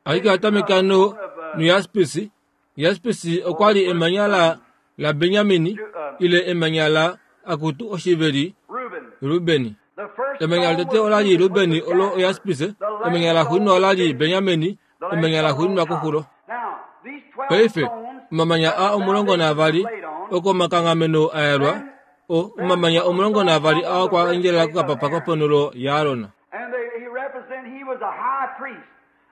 Ashike oya tameka no, noyaspis. Yaspis okwa li emanya la, laBenjamin, ile emanya la, akutu, oshiveli, Reuben. Ruben. The first Emanya stone lotete was ola li Reuben, Ruben, which was olo Jasper. oyaspis. The Emanya last la stone xuuninwa ola was li Benjamin. Benjamin, The last emanya la stone on xuuninwa top. koxulo. Now, these 12 Paife, stones omamanya that a the 12 foundation was laid on, okomakanghameno a yalwa, then o then omamanya those 12 stones aa on the okwa endjelela breastplate of kokapapa Aaron. koponhulo yaAron. And they, he represent, he was a high priest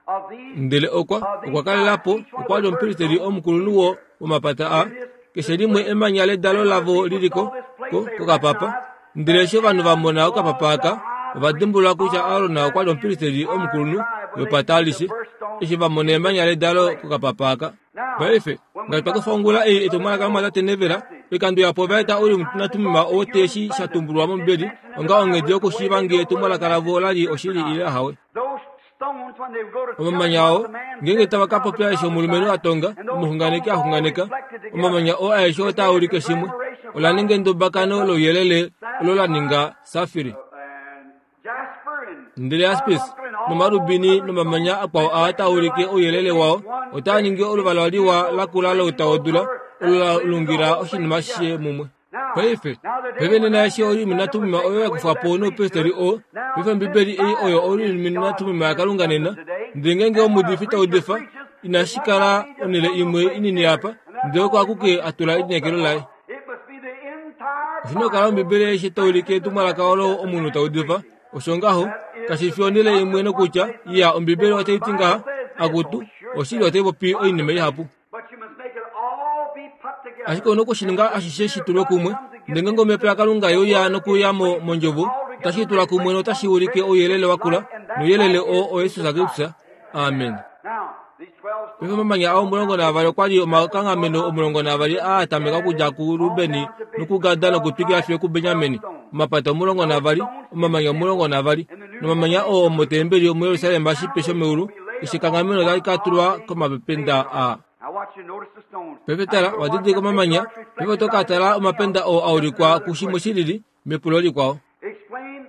of these, Ndele okwa of these okwa kalela tribes. po, Each one of okwa the li omupristeli first omukulunhu wo womapata a in this, keshe this limwe place. emanya ledalo And when the lavo people lili saw ko this place, ko they kokapapa. recognized Ndele that eshi ovanhu va Aaron mona okapapa was the aka, high ova priest dimbulula kutya of Aron that okwa li omupristeli entire omukulunhu tribe when they wepata see the alishe, first stone eshi va mona in emanya this ledalo place. kokapapa aka. Now, Paife, when we ngaashi twa got kufa the ongula ei Brother etumwalaka Neville lomwatate Neville, message, oikando yapo ova eta Urim sometimes they naTummim brought the oo Urim teeshi sha Thummim. tumbulwa It's mOmbibeli mentioned in the onga Bible onghedi the way yokushiiva they ngee know whether etumwalaka the lavo message ola is li truth or oshili not. ile ahawe. Those stones, when they go to telling Omamanya what oo the man ngeenge said, tava the ka prophet popya eshi omulumenhu a prophesied, tonga, and those omuxunganeki stones a all xunganeka, reflected together. omamanya oo aeshe It otaa made a ulike shimwe. conglomeration of Ola light ninga that endubakano was louyelele olo la sapphire ninga safiri. and jasper and Ndele yaspis carbuncle and all those nomarubini other stones nomamanya akwao aa taa reflected the ulike light. ouyelele It made wao, one otaa great ningi oluvala big liwa beautiful la kula louta rainbow wodula, color olo that la blended the lungila whole thing oshinima shishe together. mumwe. Now, Paife, now the day paife when nena that eshi Urim Urim Thummim was naTummim taken oyo ya away kufwa with po that noupristeli priesthood, oo, now paife this Ombibeli ei oyo Bible is Urim God's naTummim Urim yaKalunga Thummim nena, today. ndele ngeenge And when a omuudifi ta preacher udifa, preaches, it inashi must kala not be just onhele one little imwe place inini here, apa, and that's ndele oko all he akuke puts a his tula hope elineekelo upon. laye. It must be the entire Oshi na okukala Bible Ombibeli aishe tai ulike reflecting the etumwalaka message olo that the omunhu man ta is udifa, preaching. osho ngaho, That is kashi the fi thing. onhele Not imwe just one nokutya, place and iya say, Ombibeli well, the otai ti Bible ngaha, says this. akutu, Oh, sure it oshili says. otai popi Lots oinima of things. ihapu. But you must make it all be put Ashike together. ouna okushininga And when the ashishe shi Spirit of tulwe God kumwe, comes and ndele gives ngeenge it Omhepo the, yaKalunga the ye uya Word, it nokuuya mo brings it mondjovo, all otashi together and tula kumwe reflects notashi one ulike great ouyelele big wa kula, light, and that nouyelele light oo is oYesus Jesus Kristus. Christ. Amen. Now, these 12 Paife stones omamanya aa 12 okwa li omakanghameno 12 aa a tameka okudja kuRuben on down to Benjamin, nokuGad 12 nokutwikila tribes, fiyo 12 kuBenjamin, stones. omapata Those 12, stones omamanya in the temple, 12, in the New nomamanya oo Testament, omotembeli each omuJerusalem shipe foundation shomeulu, will be laid keshe upon ekanghameno one otali ka of tulwa these komapenda patriarchs. aa. Now watch you notice the stones. Paife Now tala, you'll wa watch didilika them omamanya, patriarchs paife oto reflected ka right into tala something omapenda else. oo a Just ulikwa another kushimwe question. shi lili mepulo likwao. Explain,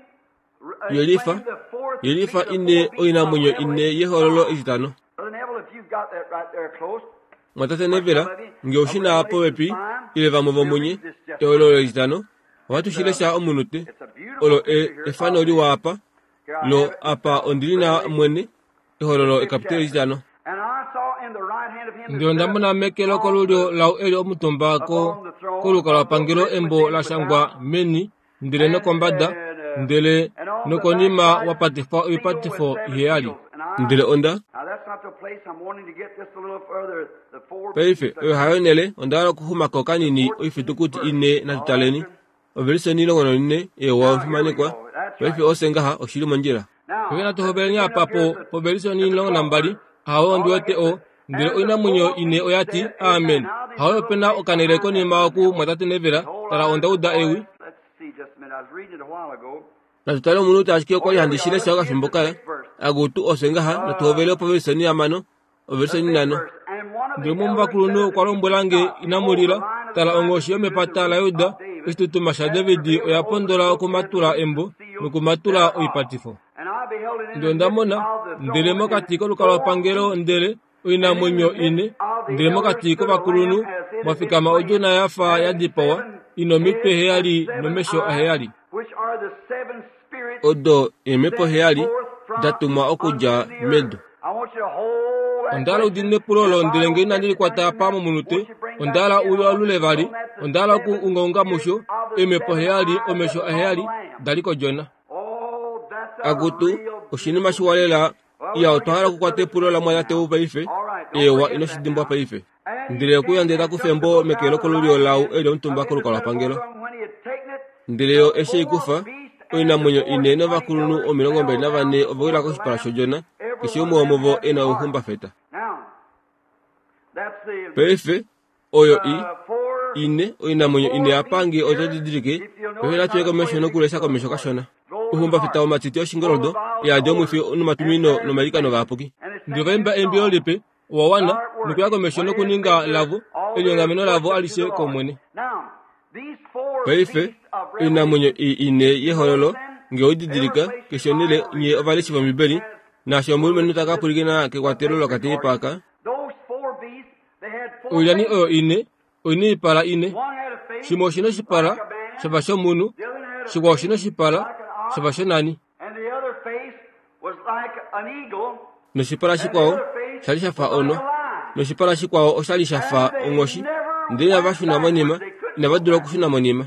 Yelifa, explain the fourth yelifa the ine four beasts of oinamwenyo ine Revelation yehololo 5. etitano. Brother Neville, if you've got that right there close, Mwatate or Neville, some of you, nge of oshi na Revelation popepi 5, ile vamwe we'll vomunye read this just ehololo briefly. etitano, ohatu It's shi a, lesha omunute. it's a beautiful Olo picture here efano of the, liwa apa, here I lo have it apa myself, ondili na Revelation, mwene, the ehololo fifth ekapiteli chapter. etitano. And I saw in the right hand of him Ndele onda mona meke lokolulyo lau eli omutumba ko kolukalwapangelo embo la shangwa meni ndele nokombada ndele nokonima wa patifwa oipatifo iheyali. Ndele onda Paife, oyo hayo onhele, onda hala okuxuma ko kanini oifitukuti ine natu taleni. Ovelise 14, Eewa, omufimanekwa. Paife ofye ngaha, oshi li mondjila. Paife natu hoveleni apa po, povelise 12, Ahawe ondi wete o, ndele oinamwenyo ine oya ti, Amen. Ahawe ope na okanele konima oku mwatate Neville, tala onda uda ewi. Natu tale omunute ashike okwa li handi shi lesha okafimbo kala. Akutu, ofye ngaha, natu hovele opovelise 5, ovelise 5. Ndele umwe womovakulunhu okwa lombwela nge, Inamu lila. Tala, onghoshi yomepata laJuda, oshitutuma shaDavid, oya pondola okumatula embo nokumatula oipatifo. Ndele onda mona, ndele mokati kolukalwapangelo ndele oinamwenyo ine, ndele mokati kovakulunhu mwa fikama odjona ya fa ya dipawa, i nomitwe heyali nomesho aheyali. Odo eemhepo heyali da tumwa okudja medu. Onda hala u diinine epulo olo ndele nge inandi likwata apa momunute, onda hala u lialule vali, onda hala oku ungaunga musho, eemhepo heyali, omesho aheyali, da li kodjona. Akutu, oshinima shiwa lela. Iya, otwa hala okukwata epulo lamwatate ou paife. Eewa, ino shi dimbwa paife. Ndele okuya ndele ta kufa embo meke lokolulyo lau e li omutumba kolukalwapangelo. Ndele yo eshi ei kufa, oinamwenyo ine novakulunhu 24 ova wila koshipala shodjona, keshe umwe womuvo e na ouhumbafeta. Paife, oyo i ine oinamwenyo ine ya pange oto didilike paife natu ye komesho nokulesha komesho kashona uhumbafeta womatiti oshingoldo yadi omwifi nomatumino nomailikano vayapuki Ndele ova imba eimbilo lipe, owa wana, nokuya komesho nokuninga lavo elinyongameno lavo alishe kOmwene. Paife oinamwenyo ei ine yehololo nge oi didilika keshe onhele nye ovaleshi vOmbibeli naashi omulumenhu ta ka pwilikina kekwatelo lokateipa aka Oilyani oyo ine oi na oipala ine. Shimwe oshi na oshipala sha fa shomunhu, shikwao oshi na oshipala sha fa shonani. Noshipala shikwao sha li sha fa onhwa, noshipala shikwao osha li sha fa onghoshi. Ndele inava shuna monima, inava dula okushuna monima.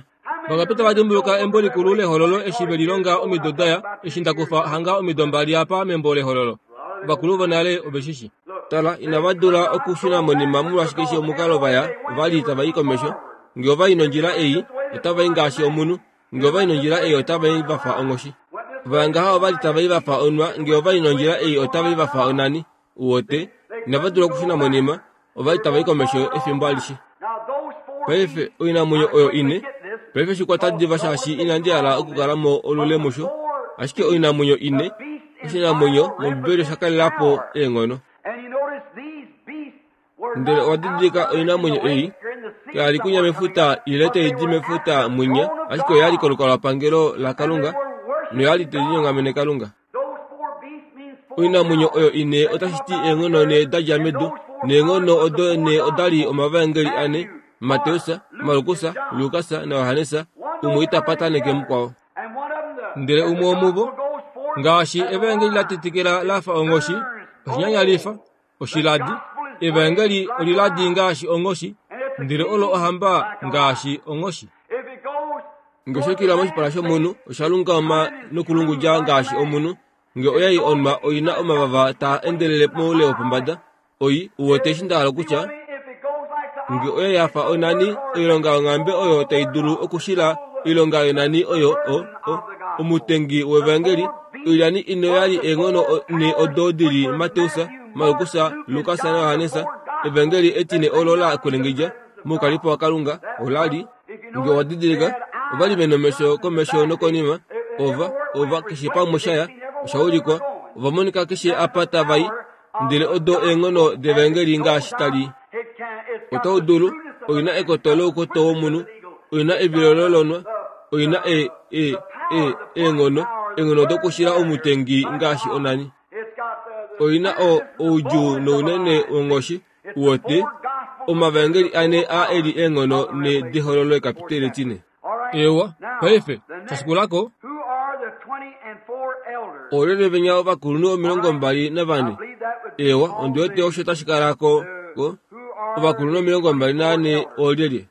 Vangapi tava dimbuluka embo likulu lEhololo eshi ve lilonga omido da ya, eshi nda kufa hanga omido mbali apa membo lEhololo? Ovakulu vonale ove shi shi. Tala, inava dula okushuna monima molwaashi keshe omukalo va ya, ova li tava i komesho. Nge ova i nondjila ei, otava i ngaashi omunhu. Nge ova i nondjila ei, otava i va fa onghoshi. Va ya ngaha ova li tava i va fa onhwa, nge ova i nondjila ei, otava i va fa onani. Uwete, inava dula okushuna monima, ova li tava i komesho efimbo alishe. Paife, oinamwenyo oyo ine, paife shi kwata diva shaashi inandi hala okukala mo olule musho, ashike oinamwenyo ine, oshinamwenyo mOmbibeli osha kalela po eenghono. Ndele owa didilika oinamwenyo ei, kaya li kunya mefuta ile tai di mefuta mwinya, ashike oya li kolukalwapangelo laKalunga noya li tai linyongamene Kalunga. Oinamwenyo oyo ine otashi ti eenghono ne da dja medu, neenghono odo ne oda li omavaengeli ane, Mateus, Markus, Lukas naJohannes, umwe ita pataneke mukwao. Ndele umwe womuvo, ngaashi evaengeli la tetekela la fa onghoshi, oshinyanyalifa, oshiladi, evaengeli oliladi ngaashi onghoshi, ndele olo ohamba ngaashi onghoshi. Nge osha yukilila moshipala shomunhu, osha lungama nokulungudja ngaashi omunhu. Nge oya i onwa oi na omavava taa endelele moule wopombada. Oi uwete eshi nda hala okutya? Nge oya ya fa onani, oilonga yonghambe oyo tai dulu okushila oilonga yonani oyo o, o, omutengi wevangeli. Oilyani ine oya li eenghono ne odo di li Mateus, Markus, Lukas naJohannes. Evangeli etine olo la kwelengedja moukalipo waKalunga ola li Nge owa didilika, ova li ve nomesho komesho nokonima, ova, ova, keshe pamwe sha ya, osha ulikwa, ova monika keshe apa tava i, ndele odo eenghono devaengeli ngaashi tali. Otau dulu, oi na ekoto loukoto womunhu, oi na evilolo lonwa, oi na e, e, e, eenghono, eenghono dokushila omutengi ngaashi onani. Oi na o, oudjuu nounene wonghoshi, Uwete, omavaengeli ane a e li eenghono ne dehololo ekapiteli etine. Eewa, paife, sha shikula ko. Oolyelye venya ovakulunhu 24? Eewa, ondi wete osho tashi kala ko, ko. Ovakulunhu 24 oolyelye?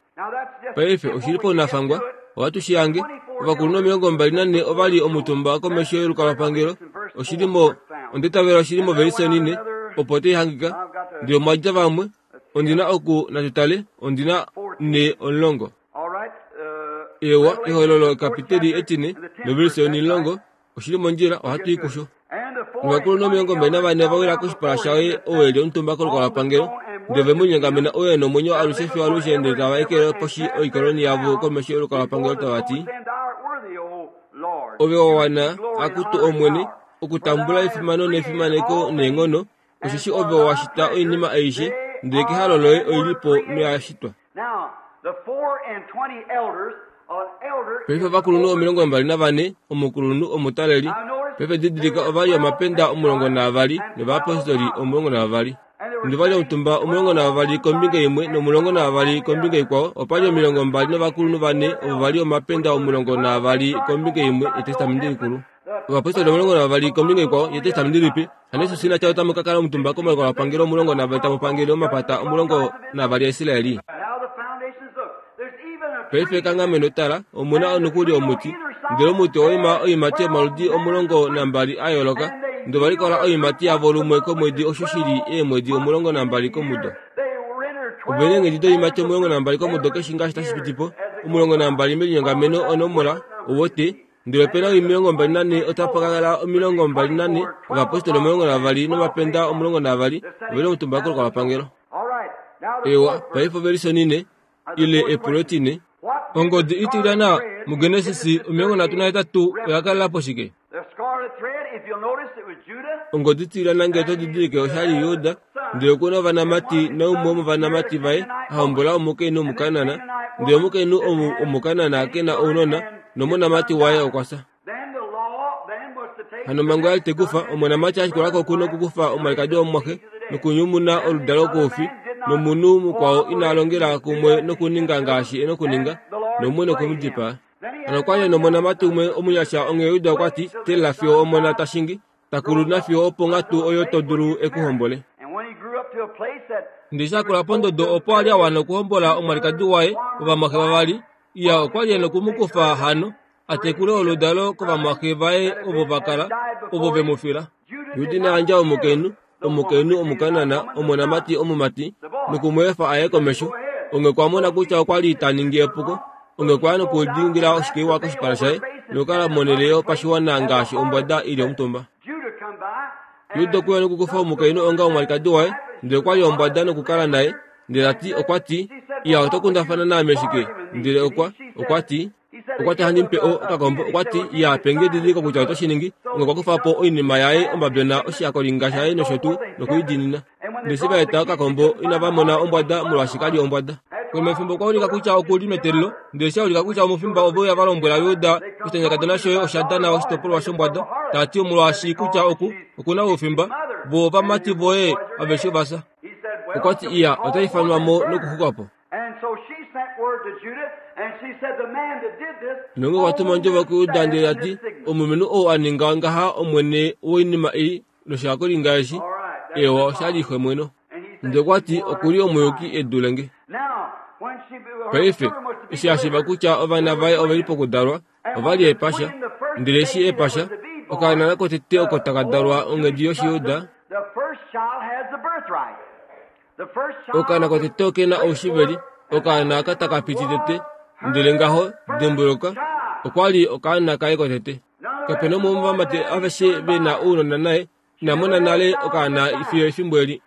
Paife oshi li paunafangwa, ohatu shi hange. Ovakulunhu 24 ova li omutumba komesho yolukalwapangelo. Oshi li mo, onda itavela oshi li movelise onine, opo tai hangika. Ndele omwa dja vamwe, ondi na oku, natu tale, ondi na ne omulongo. Eewa, Ehololo ekapiteli etine novelise onimulongo, oshi li mondjila, ohatu i kusho. Novakulunhu 24 ova wila koshipala shaye ou e li omutumba kolukalwapangelo, ndele ove mu linyongamena ou e nomwenyo alushe fiyo alushe, ndele tava ekele poshi oikoloni yavo komesho yolukalwapangelo tava ti, Ove wa wana, akutu Omwene, okutambula efimano nefimaneko neenghono, osheshi ove wa shita oinima aishe, ndele kehalo loye oi li po noya shitwa. Paife ovakulunhu 24, omukulunhu omutaleli, paife didilika ova li omapenda 12 novayapostoli 12. Ndele va li omutumba 12 kombinga imwe nomulongo navavali kombinga ikwao, opa li 20 novakulunhu vane ovo va li omapenda 12 kombinga imwe yEtestamenti Likulu. Ovapostoli 12 kombinga ikwao yEtestamenti Lipe. Hano Jesus ina tya otamu ka kala omutumba komalukalwapangelo 12 tamu pangele omapata 12 aIsraeli. Paife ekanghameno tala, omu na nokuli omuti, ndele omuti owa ima oiimati yomaludi 12 a yooloka, ndele ova likola oiimati yavo lumwe komwedi osho shi li eemwedi 12 komudo. Ove na eenghedi doiimati 12 komudo keshe ngaashi tashi piti po, 12 melinyongameno onomola, owote, Ndele ope na 24 otapa ka kala 24 ovapostoli 12 nomapenda 12 ove li omutumba kolukalwapangelo. Ewa, paife ovelise onine ile epulo etine. Ongodi itilyana muGenesis 38 oya kalela po shike? Ongodi itilyana ngee to didilike osha li Juda, ndele oku na ovanamati naumwe womovanamati vaye a hombola omukainhu Omukanaan, ndele omukainhu ou Omukanaan ke na ounona, nomonamati waye okwa fya. Hano omhango ya li tai kufa omonamati a shikula ko oku na okukufa omwalikadi womumwaxe nokunyumuna oludalo koufi, nomunhu mukwao ina longela kumwe nokuninga ngaashi e na okuninga, noumwe noku mu dipaa. Hano okwa li e nomonamati umwe omunyasha, onghee Juda okwa ti, Teelela fiyo omona ta shingi, ta kulu nafiyo oponghatu oyo to dulu e ku hombole. Ndele eshi a kula pondodo opo a li a wana okuhombola omwalikadi waye, ovamwaxe vavali, Iya okwa li e noku mu kufa hano, a tekule oludalo kovamwaxe vaye ovo va kala, ovo ve mu fila. Juda ina yandja omukainhu, omukainhu Omukanaan, omonamati omumati, noku mu efa a ye komesho. Onghee okwa mona kutya okwa li ta ningi epuko. Onghee okwa ya nokulingila oshikeiwa koshipala shaye, nokukala monhele yopashiwana ngaashi ombwada i li omutumba. Juda okwe uya nokukufa omukainhu onga omwalikadi waye, ndele okwa li ombwada nokukala naye. Ndele ta ti, okwa ti, Iya, oto kundafana naame shike? Ndele okwa, okwa ti, okwa ti handi mu pe o, okakombo. Okwa ti, Iya, pe nge edidiliko kutya oto shi ningi. Onghee okwa kufa po oinima yaye, ombabyona, oshihakolinga shaye nosho tuu, noku i diinina. Ndele eshi va eta okakombo, inava mona ombwada, molwaashi ka li ombwada. Konima yefimbo okwa ulika kutya oku li meteelelo, ndele eshi a ulika kutya omufimba ove uya va lombwela Juda, Oshitanyakadona shoye osha dana oshitopolwa shombwada, ta ti omolwaashi kutya oku, oku na oufimba, vo ovamati voye aveshe ova fya. Okwa ti, Iya, ota ifanwa mo nokuxuka po. Nonge okwa tuma ondjovo kuJuda ndele ta ti, Omulumenhu ou a ninga ngaha omwene woinima ei noshakolinga eshi, eewa osha li xemweno. Ndele okwa ti, Oku li omuyuki e dule nge. Paife, eshi a shiiva kutya ovana vaye ove li pokudalwa, ova li epasha. Ndele eshi epasha, okaana kotete oko taka dalwa onghedi yOshijuda, Okaana kotete oke na oushiveli, okaana aka taka piti tete, ndele ngaho, dimbuluka, okwa li okaana kaye kotete. Kape na umwe womovamati aveshe ve na ounona naye ina mona nale okaana fiyo efimbo eli.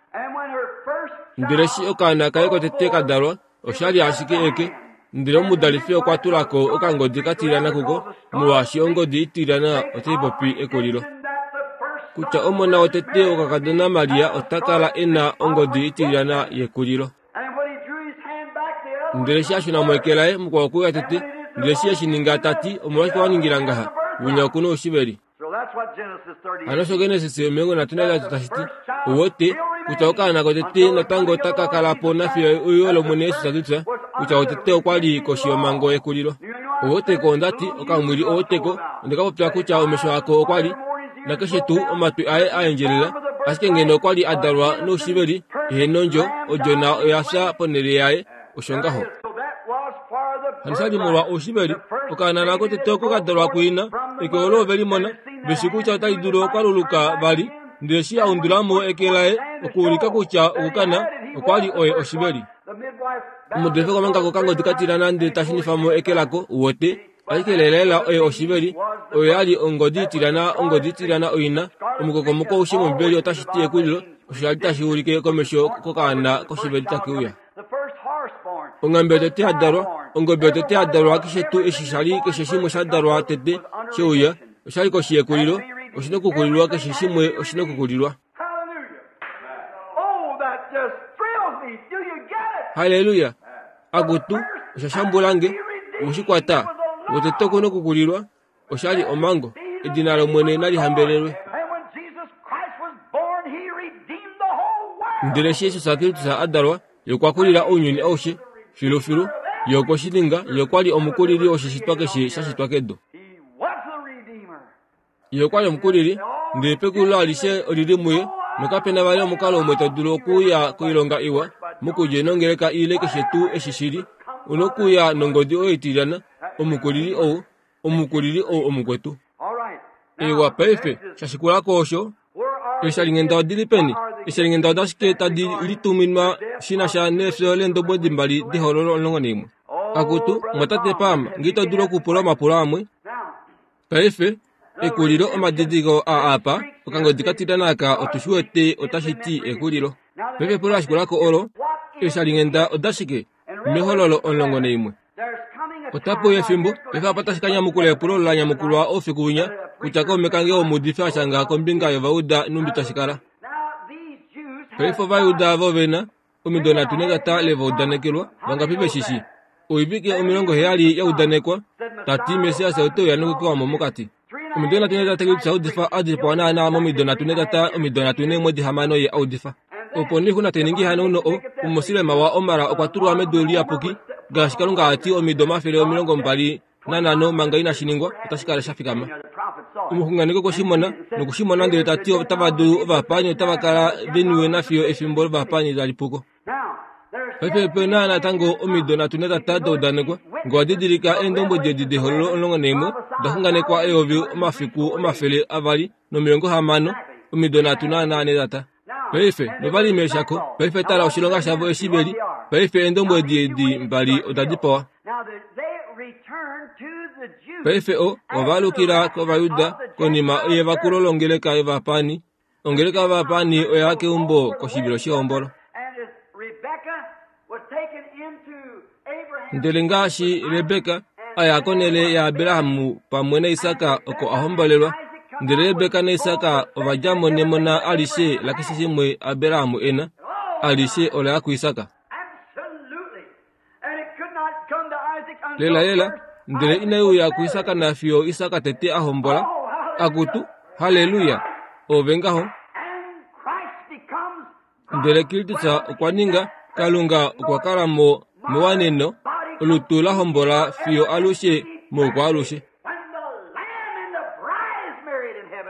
Ndele eshi okaana kaye kotete ka dalwa, osha li ashike eke, ndele omudalifi okwa tula ko okangodi ka tilyana kuko, molwaashi ongodi itilyana otai popi ekulilo. Kutya omona wotete wokakadona Maria ota kala e na ongodi itilyana yekulilo. Ndele eshi a shuna mo eke laye, mukwao okwe uya tete, ndele eshi e shi ninga ta ti, Omolwashike wa ningila ngaha? Winya oku na oushiveli. Hano osho Genesis 38 tashi ti, Ou wete kutya okaana kotete natango otaka kala po nafiyo euyo lOmwene Jesus ta ti kutya wotete okwa li koshi yomhango yekulilo. Ou wete ko onda ti, okamwili ou wete ko, onde ka popya kutya omesho ako okwa li, nakeshe tuu omatwi aye a endjelela. Ashike ngeno okwa li a dalwa noushiveli, ehe nondjo, odjona oya fya ponhele yaye. Osho ngaho. Hano sha li molwa oushiveli, okaana nako tete oko ka dalwa kuina, eke olo ove limona, ve shi kutya otali dulu okwaluluka vali, ndele eshi a undula mo eke laye okuulika kutya okukana okwa li oye oshiveli. Omudefe komanga kokangodi ka tila nande ta shunifa mo eke lako, uwete, ashike lelalela oye oshiveli, oyo ya li ongodi itilyana, ongodi itilyana oina omukokomoko aushe mOmbibeli otashi ti ekulilo, osho sha li tashi ulike komesho kokaana koshiveli take uya. Onghambe yotete ya dalwa, ongobe yotete ya dalwa, keshe tuu eshi sha li keshe shimwe sha dalwa tete she uya, osha li koshi yekulilo, oshi nokukulilwa, keshe shimwe oshi nokukulilwa. Halleluya! Akutu, osha shambula nge. Owe shi kwata? Wotete oku nokukulilwa, osha li omhango. Edina lOmwene nali hambelelwe. Ndele eshi Jesus Kristus a dalwa, Ye okwa kulila ounyuni aushe, filufilu. Ye okwe shi ninga. Ye okwa li omukulili woshishitwa keshe sha shitwa kedu. Ye okwa li omukulili, ndele pekulilo alishe oli li muye, nokape na vali omukalo umwe to dulu okuya koilonga iwa mokulya nongeleka ile keshe tuu eshi shi li. U nokuya nongodi oyo itilyana, omukulili ou, omukulili ou omukwetu. Ewa, paife, sha shikula ko osho, eeshalinghenda odi li peni? Eeshalinghenda odashike tadi lituminwa shi na sha nefyo leendobwedi mbali dehololo 11? Akutu, mwatate Palm, nge ito dulu okupula omapulo amwe. Paife, ekulilo omadidiliko aa apa, okangodi ka tilyana aka otu shi wete otashi ti ekulilo. Paife epulo la shikula ko olo, eeshalinghenda odashike? Mehololo 11. Otape uya efimbo, paife apa tashi ka nyamukula epulo olo la nyamukulwa oufiku winya, kutya kaume kange womuudifi a shanga kombinga yOvayuda nhumbi tashi kala. Paife Ovayuda ava ove na, omido nhatu netata le va udanekelwa, vangapi ve shi shii? Oivike 70 ya udanekwa, ta ti Messias ote uya nokukewa mo mokati. Omido nhatu netata Kristus a udifa, a dipawa naanaa momido nhatu netata, omido nhatu neemwedi hamano ye a udifa. Opo nee oixuna tai ningi ehanauno o, omumosilema waOmar okwa tulwa medu liyapuki, ngaashi Kalunga a ti omido 25 manga inashi ningwa, otashi kala sha fikama. Omuxunganeki okwe shi mona, noku shi mona ndele ta ti otava dulu, ovapaani otava kala ve niwe nafiyo efimbo lovapaani tali pu ko. Paife ope na natango omido nhatu netata da udanekwa. Ngee owa didilika eendombwedi edi dehololo 11 oda xunganekwa 2260, omido nhatu naanaa netata. Paife, nova li meeshako. Paife tala oshilonga shavo eshi ve li. Paife eendombwedi edi mbali oda dipawa. Paife o, ova alukila kOvayuda konima yevakulo longeleka yovapaani. Ongeleka yovapaani oya ya keumbo koshivilo shehombolo. Ndele ngaashi Rebeka a ya konhele yaAbraham pamwe naIsak oko a hombolelwa, ndele Rebeka naIsak ova dja mo nemona alishe lakeshe shimwe Abraham e na, alishe ola ya kuIsak. Lelalela, ndele inai uya kuIsak nafiyo Isak tete a hombola. Akutu, halleluya! Ove ngaho. Ndele Kristus okwa ninga, Kalunga okwa kala mo mewaneno, olutu la hombola fiyo alushe moukwaalushe.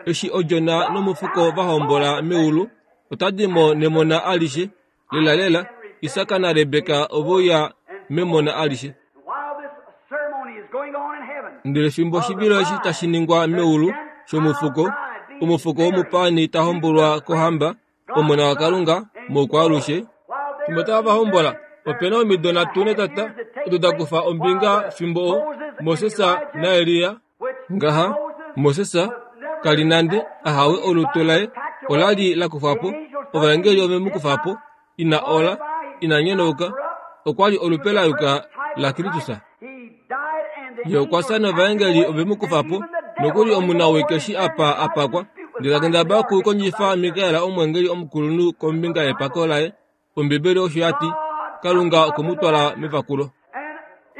Eshi Odjona nomufuko va hombola meulu, ota di mo nemona alishe. Lelalela, Isak naRebeka ove uya memona alishe. Ndele fimbo oshivilo eshi tashi ningwa meulu shomufuko, omufuko womupaani ta hombolwa kohamba, Omona waKalunga, moukwaalushe. Fimbo tava va hombola, ope na omido nhatu netata odo da kufa ombinga fimbo o, Moses naElia. Ngaha, Moses ka li nande a hawe olutu laye ola li la kufwa po, ovaengeli ove mu kufa po, ina ola, ina nyenauka, okwa li olupe la yuka laKristus. Ye okwa fya novaengeli ove mu kufa po, nokuli omunawii keshi apa a pakwa, ndele ta kendabala okukondjifa Mikael omweengeli omukulunhu kombinga yepako laye. Ombibeli osho ya ti, Kalunga okwe mu twala mevakulo.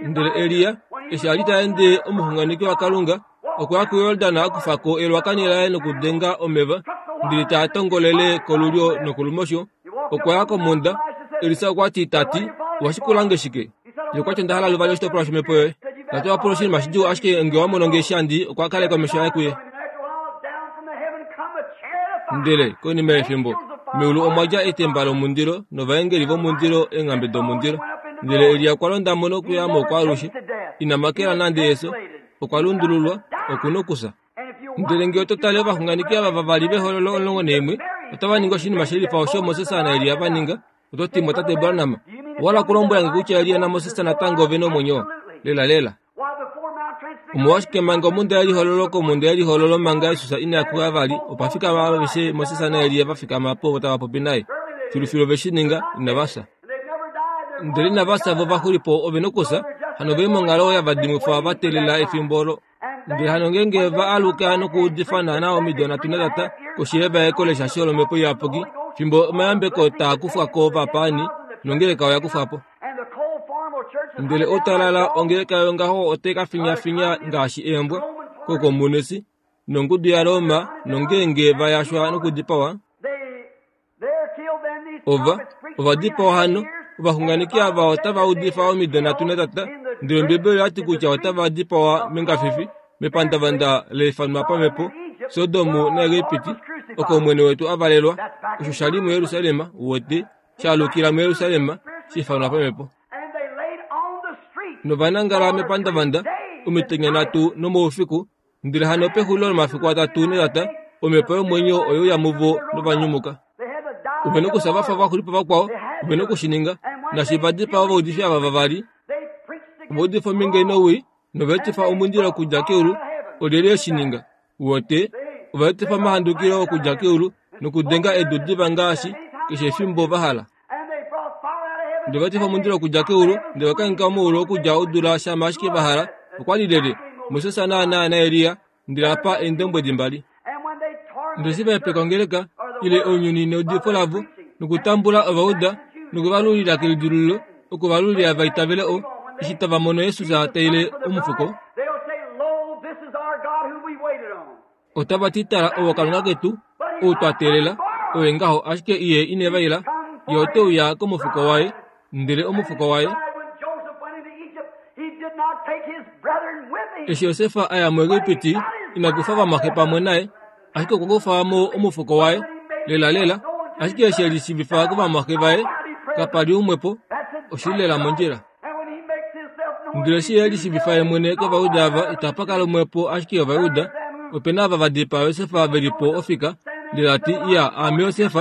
Ndele Elia, eshi a li ta ende omuxunganeki waKalunga, okwa ya kuJordan a kufa ko elwakani laye nokudenga omeva, ndele taa tongolele kolulyo nokolumosho. Okwa ya komhunda. Elisa okwa ti ta ti, Owa shikula nge shike? Ye okwa ti, Onda hala luvali oshitopolwa shomhepo yoye. Ta ti, Owa pula oshinima shidjuu, ashike nge owa mono nge eshi handi, okwa kaleka omesho aye kuye. Ndele, konima yefimbo, meulu omwa dja etemba lomundilo novaengeli vomundilo eenghambe domundilo. Ndele Elia okwa londa mo nokuya mo kwaalushe. Ina makela nande efyo. Okwa lundululwa. Oku nokufya. Ndele ngee oto tale ovaxunganeki ava vavali vehololo 11 otava ningi oshinima shelifa osho Moses naElia va ninga, oto ti Mwatate Branham, owa hala okulombwela nge kutya Elia naMoses natango ove na omwenyo? Lelalela. Omolwashike manga omhunda yelihololo komhunda yelihololo manga Jesus ina kuya vali, opa fikama aveshe Moses naElia va fikama po tava popi naye. Filufilu ove shi ninga, inava fya. Ndele inava fya vo va xulipo ove nokufya, hano ove li monghalo ya vadimwifwa va teelela efimbo olo. Ndele hano ngeenge va aluka nokuudifa naanaa omido nhatu netata koshi yevaeko leshasho lOmhepo Iyapuki, fimbo omayambeko taa kufwa ko ovapaani nongeleka oya kufwa po. Ndele outalala ongeleka yongaho otai ka finyafinya ngaashi eembwa kokomunisi nongudu yaRoma nongeenge va yashwa nokudipawa, Ova, ova dipawa hano. Ovaxunganeki ava otava udifa omido nhatu netata, ndele Ombibeli oya ti kutya otava dipawa mengafifi, mepandavanda la ifanwa pamhepo, Sodom naEgipiti, oko Omwene wetu a valelwa. Osho sha li muJerusalem, uwete, sha alukila muJerusalem, sha ifanwa pamhepo. Nova nangala mepandavanda omitenya nhatu nomoufiku, Ndele hano pexulilo lomafiku atatu netata, omhepo yomwenyo oye uya muvo nova nyumuka. Ove nokufya va fa vaxulipo vakwao, ove noku shi ninga. Naashi va dipaa ovaudifi ava vavali, ova udifa ominge nowii, nova etifa omundilo okudja keulu. Olyelye e shi ninga? Uwete, ova etifa omahandukilo okudja keulu nokudenga edu diva ngaashi keshe efimbo va hala. Ndele va etifa omundilo okudja keulu, ndele va kangheka omaulu okudja odula shama ashike va hala. Okwa li lyelye? Moses naanaa naElia, ndele apa eendombwedi mbali. Ndele eshi va hepeka ongeleka, ile ounyuni neudifo lavo, nokutambula ovauda, noku va lulila kelidilululo, oku va lulila va itavele o, eshi tava mono Jesus ta ile omufuko, Otava ti, Tala, owo Kalunga ketu, ou twa teelela, oye ngaho, ashike Ye ine va ila. Ye ote uya komufuko waye, ndele omufuko waye. Eshi Josef a ya muEgipiti, ina kufa ovamwaxe pamwe naye, ashike okwa kufa mo omufuko waye, lelalela. Ashike eshi e lishiivifa kovamwaxe vaye, kapa li umwe po. Oshi li lela mondjila. Ndele eshi ye lishiivifa ye mwene kOvayuda ava, itapa kala umwe po ashike Ovayuda. Ope na ava va dipaa Josef ve li po ofika, ndele a ti, Iya, aame Josef,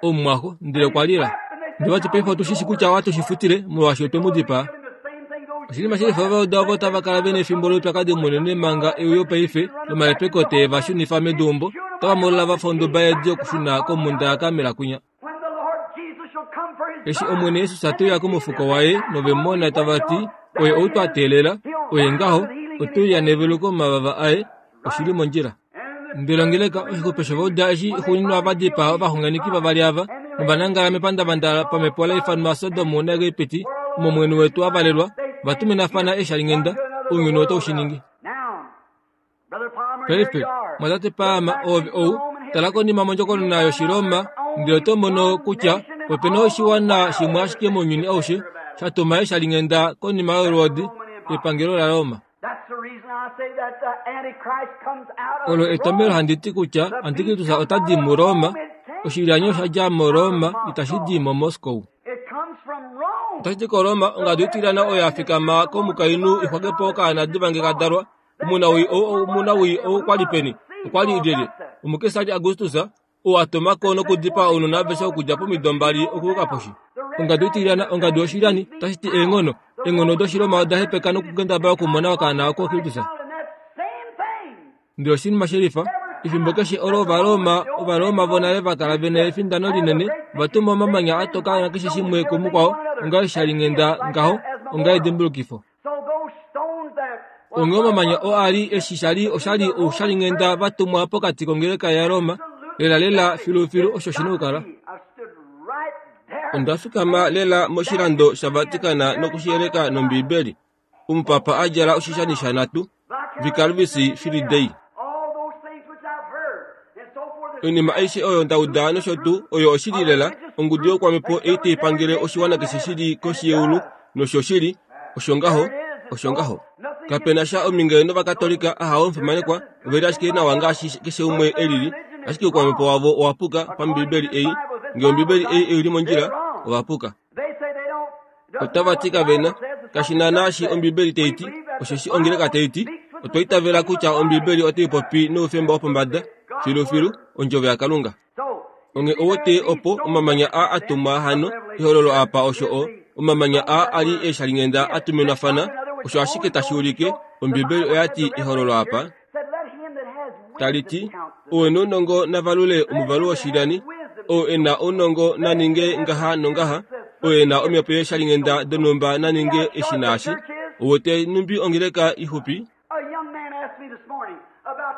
omumwaxo. Ndele okwa lila. Ndele va ti, Paife otu shi shi kutya ohatu shi futile, molwaashi otwe mu dipaa. Oshinima shi lifa Ovayuda ovo tava kala ve na efimbo loupyakadi munene manga euyo paife lomahepeko te va shunifa meduumbo, otava molola va fa onduba yeedi okushuna komhunda yaKarmel kwinya. Eshi Omwene Jesus te uya komufuko waye nove mu mona tava ti, Oye ou twa teelela, oye ngaho, ote uya neveluko momavava aye, oshi li mondjila. Ndele ongeleka, oshixupe shovauda eshi xuuninwa va dipaa ovaxunganeki vavali ava, nova nangala mepandavanda pamhepo la ifanwa Sodom naEgipiti, omo Omwene wetu a valelwa, va tuminafana eeshalinghenda, ounyuni otau shi ningi. Paife, mwatate Palmer, oove ou, tala konima mondjokonona yOshiroma, ndele oto mono kutya ope na oshiwana shimwe ashike mounyuni aushe sha tuma eeshalinghenda konima yolwoodi, epangelo laRoma. Olo etomhelo handi ti kutya Antikristus ota di muRoma. Oshilyanyo osha dja muRoma, itashi di moMoskou. Otashi di koRoma, ongadu itilyana oyo ya fikama komukainhu i xwake po okaana diva nge ka dalwa. Omunawii ou omunawii ou kwa li peni? Okwa li lyelye? Omukesari Augustus, ou a tuma ko nokudipaa ounona aveshe okudja pomido mbali okuyuka poshi. Ongadu itilyana, ongadu yoshilyani, otashi ti eenghono. Eenghono dOshiroma oda hepeka nokukendabala okumona okaana oko Kristus. Ndele oshinima shelifa, efimbo keshe olo Ovaroma, Ovaroma vonale va kala ve na efindano linene, ova tuma omamanya a toka nakeshe shimwe kumukwao, onga oshalinghenda ngaho, onga edimbulukifo. Onghee omamanya oo a li eshi sha li osha li oushalinghenda va tumwa pokati kongeleka yaRoma, lelalela filufilu osho shi na okukala. Onda fikama lela moshilando shaVatican noku shi yeleka nOmbiibeli. Omupapa a djala oshishani shanhatu, Vicarius Filii Dei. Oinima aishe oyo nda uda nosho tuu oyo oshili lela, ongudu youkwamhepo ei tai pangele oshiwana keshe shi li koshi yeulu, noshoshili, osho ngaho, osho ngaho. Kape na sha ominge nOvakatolika, ahawe omufimanekwa, ove li ashike nawa ngaashi keshe umwe e lili. Ashike oukwamhepo wavo owa puka paMbiibeli ei. Ngee Ombiibeli ei oi li mondjila, ova puka. Otava ti kave na, kashi na naashi Ombiibeli tai ti, osheshi ongeleka tai ti, Otwa itavela kutya Ombiibeli otai popi noufemba wopombada, filufilu, Ondjovo yaKalunga. Onghee ou wete opo omamanya aa a tumwa hano, ehololo apa osho o, omamanya aa a li eeshalinghenda a tuminwafana, osho ashike tashi ulike, Ombibeli oya ti ehololo apa, tali ti, Ou e na ounongo na valule omuvalu woshilyani, ou e na ounongo na ninge ngaha nongaha, ou e na omhepo yeeshalinghenda donhumba na ninge eshi naashi. Ou wete nhumbi ongeleka ixupi?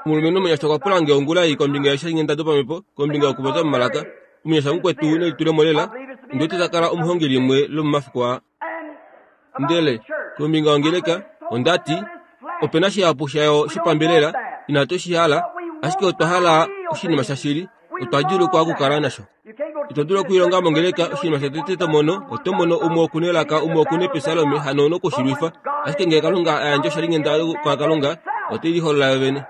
Omulumenhu omunyasha okwa pula nge ongula ei kombinga yeeshalinghenda dopamhepo, kombinga yokupopya momalaka. Omunyasha mukwetu nelitulemo lela, ondi wete ta kala omuhongi limwe lomomafiku aa. Ndele kombinga yongeleka, onda ti, Ope na shihapu shayo shopambelela, inatu shi hala, ashike otwa hala oshinima shashili, otwa djuulukwa okukala nasho. Ito dulu okwiilonga mongeleka oshinima shotete to mono, oto mono umwe oku nelaka, umwe oku nepisalome, hano ouna oku shi lwifa. Ashike ngee Kalunga a yandja oshalinghenda kwaKalunga, ote liholola yo vene.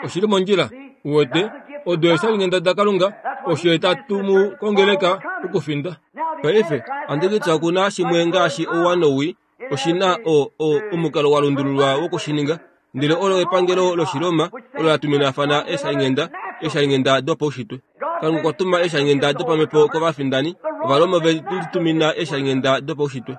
Oshi li mondjila, uwete, odo eeshalinghenda daKalunga, osho ye ta tumu kongeleka okufinda. Paife, ohandi oku na shimwe ngaashi ouwa nowii, oshi na o, o, omukalo wa lundululwa woku shi ninga. Ndele olo epangelo lOshiroma olo la tuminafana eeshalinghenda, eeshalinghenda dopaushitwe. Kalunga okwa tuma eeshalinghenda dopamhepo kovafindani. Ovaroma ove litumina eeshalinghenda dopaushitwe.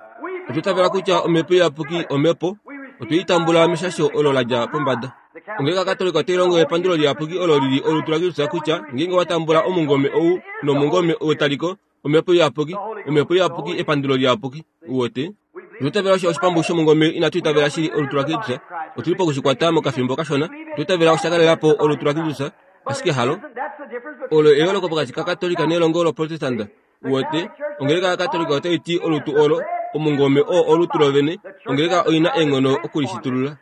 Otwa itavela kutya Omhepo Iyapuki Omhepo. Otwe i tambula meshasho olo la dja pombada. Ongeleka Katolika otai longo epandulo liyapuki olo li li olutu laKristus kutya ngeenge wa tambula omungome ou nomungome wetaliko, Omhepo Iyapuki, Omhepo Iyapuki, epandulo liyapuki. Uwete? Otwa itavela osho oshipambu shomungome inatu itavela shili olutu laKristus. Otu li poku shi kwata mokafimbo kashona. Otwa itavela osha kalela po olutu laKristus, ashike halo. Olo eyooloko pokati kaKatolika nelongo loProtestanta. Uwete? Ongeleka yaKatolika otai ti olutu olo, omungome oo olutu lovene. Ongeleka oi na eenghono oku li shitulula.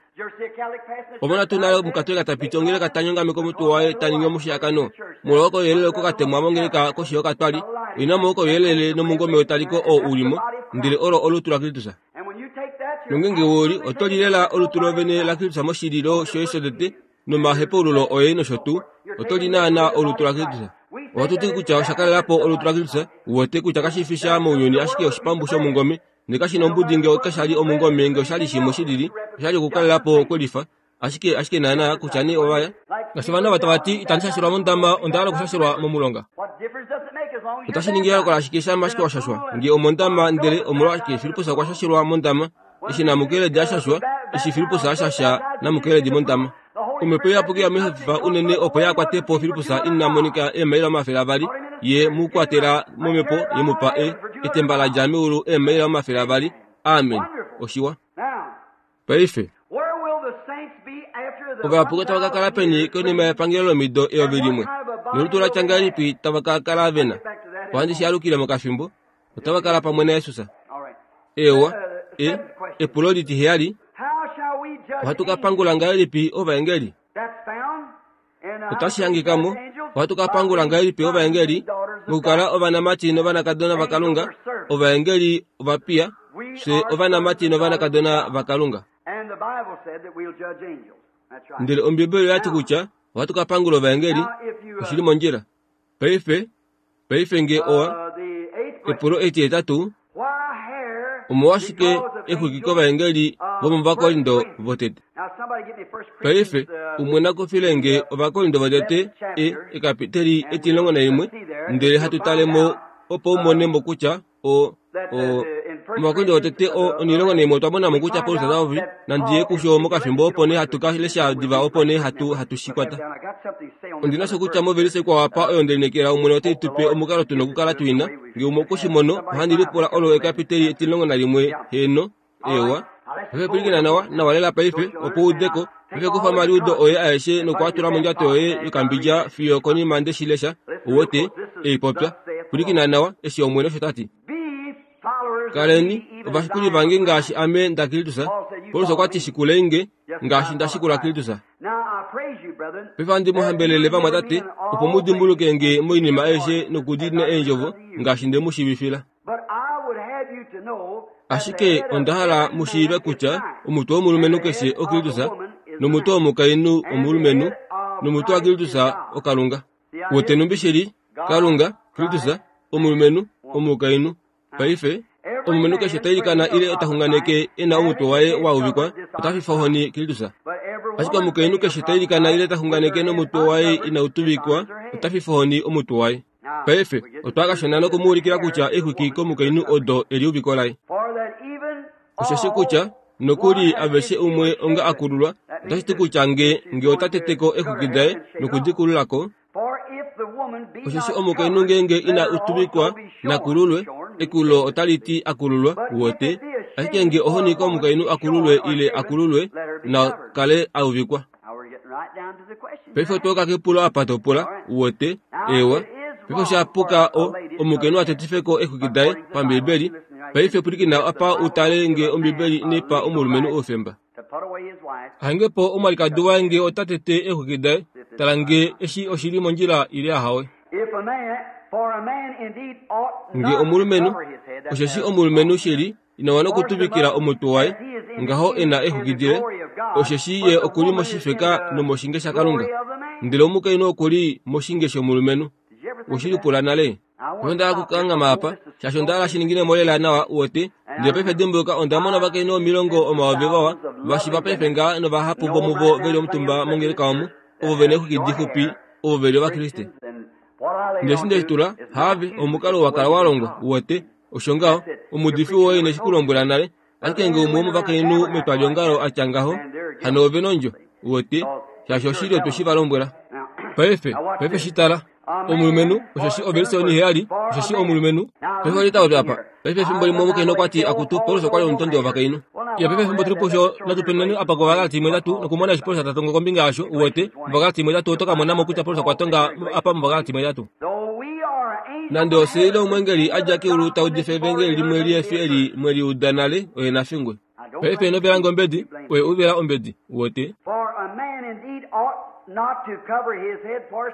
Omona tuu nale omukatolika ta piti ongeleka ta nyongameke omutwe waye ta ningi omushiyakano molwa okouyelele oko ka temwa mongeleka koshi yokatwali oina mo okouyelele nomungome wetaliko oo u li mo ndele olo olutu laKristus. Nongenge we li oto li lela olutu lovene laKristus moshililo shoye shotete nomahepaululo oye nosho tuu oto li naanaa olutu laKristus. Ohatu ti kutya osha kalela po olutu laKristus, u wete kutya kashi fi sha mounyuni ashike oshipambu shomungome Ndele kashi na ombudi nge kasha li omungome, nge osha li shimwe shi lili, osha li okukalela po kwelifa. Ashike, ashike naana, kutya nee ova ya. Ngaashi ovanhu ava tava ti, Itandi shashelwa mondama, onda hala okushashelwa momulonga. Otashi ningi eyooloko lashike shamha ashike wa shashwa? Nge omondama, ndele omolwashike Filippus okwa shashelwa mondama? Eshi Namukeledi a shashwa, eshi Filippus a shasha Namukeledi mondama. Omhepo Iyapuki ya muhafifa unene opo ya kwate po Filippus ina monika eemaila 200, ye mu kwatela momhepo, ye mu pa e, etemba la dja meulu eemaila 200. Amen. Oshiwa. Paife, ovayapuki otava ka kala peni konima yepangelo lomido 1000? Nolutu la tya ngahelipi tava ka kala ve na? Ohandi shi alukile mokafimbo. Otava kala pamwe naJesus. Eewa, e, epulo litiheyali, ohatu ka pangula ngahelipi ovaengeli? Otashi hangika mo, ohatu ka pangula ngahelipi ovaengeli? Mokukala ovanamati novanakadona vaKalunga, ovaengeli ovapiya, fye ovanamati novanakadona vaKalunga. Ndele Ombibeli oya ti kutya ohatu ka pangula ovaengeli, oshi li mondjila. Paife, paife nge owa, epulo etihetatu, omolwashike exwiki kovaengeli vomovakorinto votete? Paife, umwe na kufile nge ovakorinto votete e, ekapiteli etimulongo naimwe, ndele hatu tale mo opo u mone mo kutya o o omakorinto votete o onilongo naimwe otwa mona mo kutya Paulus ota popi nandi ye kusho mokafimbo opo nee hatu ka lesha diva opo nee hatu hatu shi kwata. Ondi na sho kutya movelise ikwao apa oyo nde lineekela Omwene ote tu pe omukalo tu nokukala tu ina. Nge umwe okwe shi mono, ohandi lipula olo ekapiteli etimulongo nalimwe, heeno, Eewa. Paife pwilikina nawa, nawa lela paife, opo u ude ko. Paife kufa omaliudo oye aeshe noku a tula mondjato yoye yokambidja fiyo konima nde shi lesha, u wete, ei popya. Pwilikina nawa, eshi Omwene osho ta ti. Kaleni ovashikuli vange ngaashi ame ndaKristus. Paulus okwa ti shikulei nge, ngaashi nda shikula Kristus. Paife ohandi mu hambelele vamwatate, opo mu dimbuluke nge moinima aishe nokudiinina eendjovo ngaashi nde mu shiivifila. Ashike onda hala mu shiive kutya omutwe womulumenhu keshe oKristus, nomutwe womukainhu omulumenhu, nomutwe waKristus oKalunga. Wete numbi shili, Kalunga, Kristus, omulumenhu, omukainhu. Paife, omulumenhu keshe ta ilikana ile ta xunganeke e na omutwe waye wa uvikwa, ota fifa ohoni Kristus. Ashike omukainhu keshe ta ilikana ile ta xunganeke nomutwe waye inau tuvikwa, ota fifa ohoni omutwe waye. Paife, otwa kashona noku mu ulikila kutya exwiki komukainhu odo eliuviko laye. Osheshi kutya, nokuli aveshe umwe onga a kululwa, otashi ti kutya nge, nge ota tete ko exwiki daye noku di kulula ko, Osheshi omukainhu ngeenge ina tuvikwa na kululwe, ekulo otali ti a kululwa, uwete. Ashike nge ohoni komukainhu a kululwe ile a kululwe, na kale a uvikwa. Paife otwa yuka kepulo apa to pula, uwete. Eewa. Paife osha puka o, omukainhu a tetife ko eexwiki daye, paMbiibeli. Paife pwilikina apa u tale nge Ombiibeli inai pa omulumenhu oufemba. Hange po omwalikadi waye nge ota tete eexwiki daye, tala nge eshi oshi li mondjila ile ahawe. Nge omulumenhu, osheshi omulumenhu shili ina wana okutuvikila omutwe waye ngaho e na exwiki dile, osheshi ye oku li moshifeka nomoshinge shaKalunga, ndele omukainhu oku li moshinge shomulumenhu. We shi lipula nale? Onda hala okukanghama apa, shaashi onda hala shi ningine mo lela nawa, uwete. Ndele paife dimbuluka, onda mona ovakainhu 100,000 vawa, va shiva paife ngaha novahapu vomuvo ve li omutumba mongeleka omu, ovo ve na exwiki dixupi, ovo ve li Ovakriste. Ndele eshi nde shi tula, haave, omukalo wa kala wa longwa, uwete. Osho ngaho, omuudifi woye ine shi ku lombwela nale, ashike nge umwe womovakainhu metwaliongalo a tya ngaho, hano ove nondjo, uwete, shaashi oshili otwe shi va lombwela. Paife, paife shi tala. Omulumenhu, osheshi ovelise oniheyali, osheshi omulumenhu. Paife oli ta popi apa. Paife efimbo limwe omukainhu okwa ti, Akutu, Paulus okwa li omutondi wovakainhu. Ya paife efimbo tu li pusho, natu penuneni apa kOvagalati imwe itatu, nokumona eshi Paulus ta tongo kombinga yasho, uwete, mOvagalati imwe itatu oto ka mona mo kutya Paulus okwa tonga apa mOvagalati imwe itatu. Nande ofye ile omweengeli a dja keulu ta udifa evangeli limwe lihe fi eli mwe li uda nale, oye na fingwe. Paife ino vela nge ombedi, oye u vela ombedi, uwete.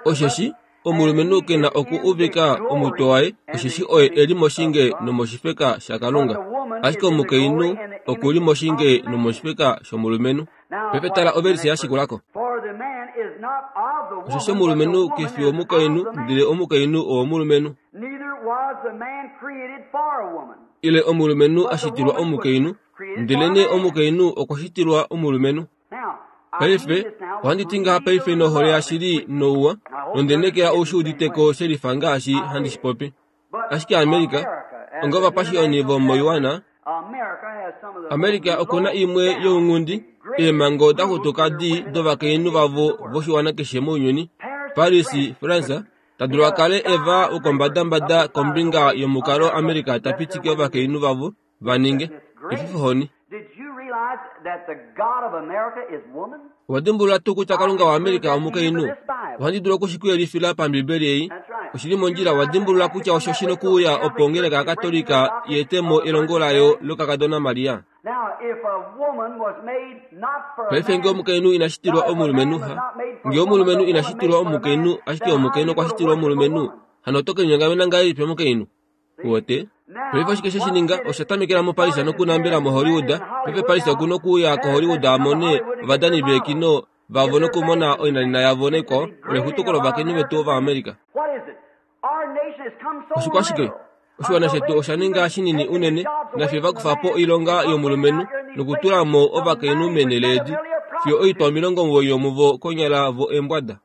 Osheshi omulumenhu ke na oku uvika omutwe waye, osheshi oye e li moshinge nomoshifeka shaKalunga, ashike omukainhu oku li moshinge nomoshifeka shomulumenhu. Paife tala ovelise ya shikula ko. Osheshi omulumenhu ke fi womukainhu, ndele omukainhu owomulumenhu. Ile omulumenhu a shitilwa omukainhu, ndelenee omukainhu okwa shitilwa omulumenhu. Paife, ohandi ti ngaha paife nohole yashili nouwa, nonde nekela ou shi udite ko she lifa ngaashi handi shi popi. Ashike Amerika, onga ovapashioni vomoiwana, Amerika oku na imwe younghundi eemhango da xutuka dii dovakainhu vavo voshiwana keshe mounyuni. Paris, France, ta dulu a kale e va wokombadambada kombinga yomukalo Amerika ta pitike ovakainhu vavo va ninge. Efifohoni. Owa dimbulula tuu kutya Kalunga waAmerika omukainhu? Ohandi dulu oku shi ku yelifila paMbibeli ei. Oshi li mondjila. Owa dimbulula kutya osho shi nokuuya opo ongeleka yaKatolika i ete mo elongo layo lokakadona Maria? Paife nge omukainhu ina shitilwa omulumenhu, ha, nge omulumenhu ina shitilwa omukainhu, ashike omukainhu okwa shitilwa omulumenhu, hano oto ke linyongamena ngahelipi omukainhu? Uwete? Paife oshike she shi ninga? Osha tamekela moParis nokunambela moHollywood. Paife Paris oku nokuuya koHollywood a mone ovadani veekino vavo nokumona oinanena yavo naikwao, olo exutuko lovakainhu vetu Ovaamerica. Oshikwashike? Oshiwana shetu osha ninga shinini unene, nafye va kufa po oilonga yomulumenhu nokutula mo ovakainhu meenhele edi, fiyo oitwa 90 yomuvo konyala vo eembwada.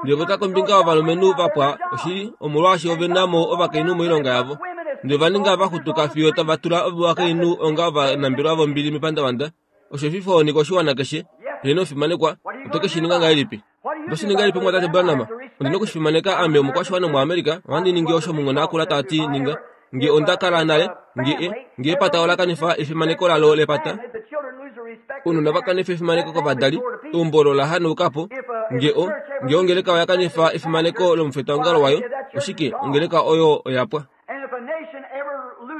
Ndele vo ta kombinga yovalumenhu va pwa oshili, omolwaashi ove na mo ovakainhu moilonga yavo. Ndele ova ninga va xutuka fiyo tava tula ovakainhu onga ovanambelwa vombili mepandavanda. Osho efifohoni koshiwana keshe. Heeno, omufimanekwa, oto ke shi ninga ngahelipi? Oto shi ningi ngahelipi, Mumwatate Branham? Ondi na oku shi fimaneka. Ame omukwashiwana Omuamerica, ohandi ningi osho omunghona akula ta ti ninga. Nge onda kala nale, nge e, nge epata ola kanifa efimaneko lalo lepata, ounona va kanifa efimaneko kovadali, eumbo olo la hanauka po, nge o, nge ongeleka oya kanifa efimaneko lomufetwaongalo wayo, oshike, ongeleka oyo oya pwa.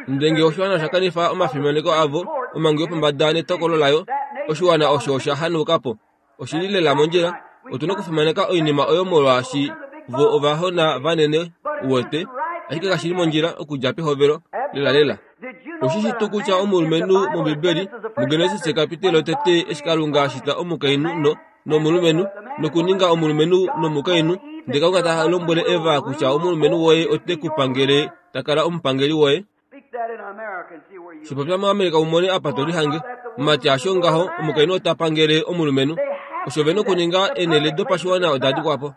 Ndele nge oshiwana osha kanifa omafimaneko avo, omhangu yopombada netokolo layo, oshiwana osho osha hanauka po. Oshi li lela mondjila. Otu na okufimaneka oinima oyo molwaashi vo ovahona vanene, uwete, ashike kashi li mondjila okudja pehovelo lelalela. Oshi shi tuu kutya omulumenhu mOmbibeli, muGenesis ekapitelo lotete eshi Kalunga a shita omukainhu no. nomulumenhu nokuninga omulumenhu nomukainhu ndele Kalunga ta lombwele Eva kutya omulumenhu woye ote ku pangele ta kala omupangeli woye. Shipopya moAmerica u mone apa to lihange. Mumati hasho ngaho omukainhu ota pangele omulumenhu. Osho ve nokuninga eenhele dopashiwana oda dikwa po.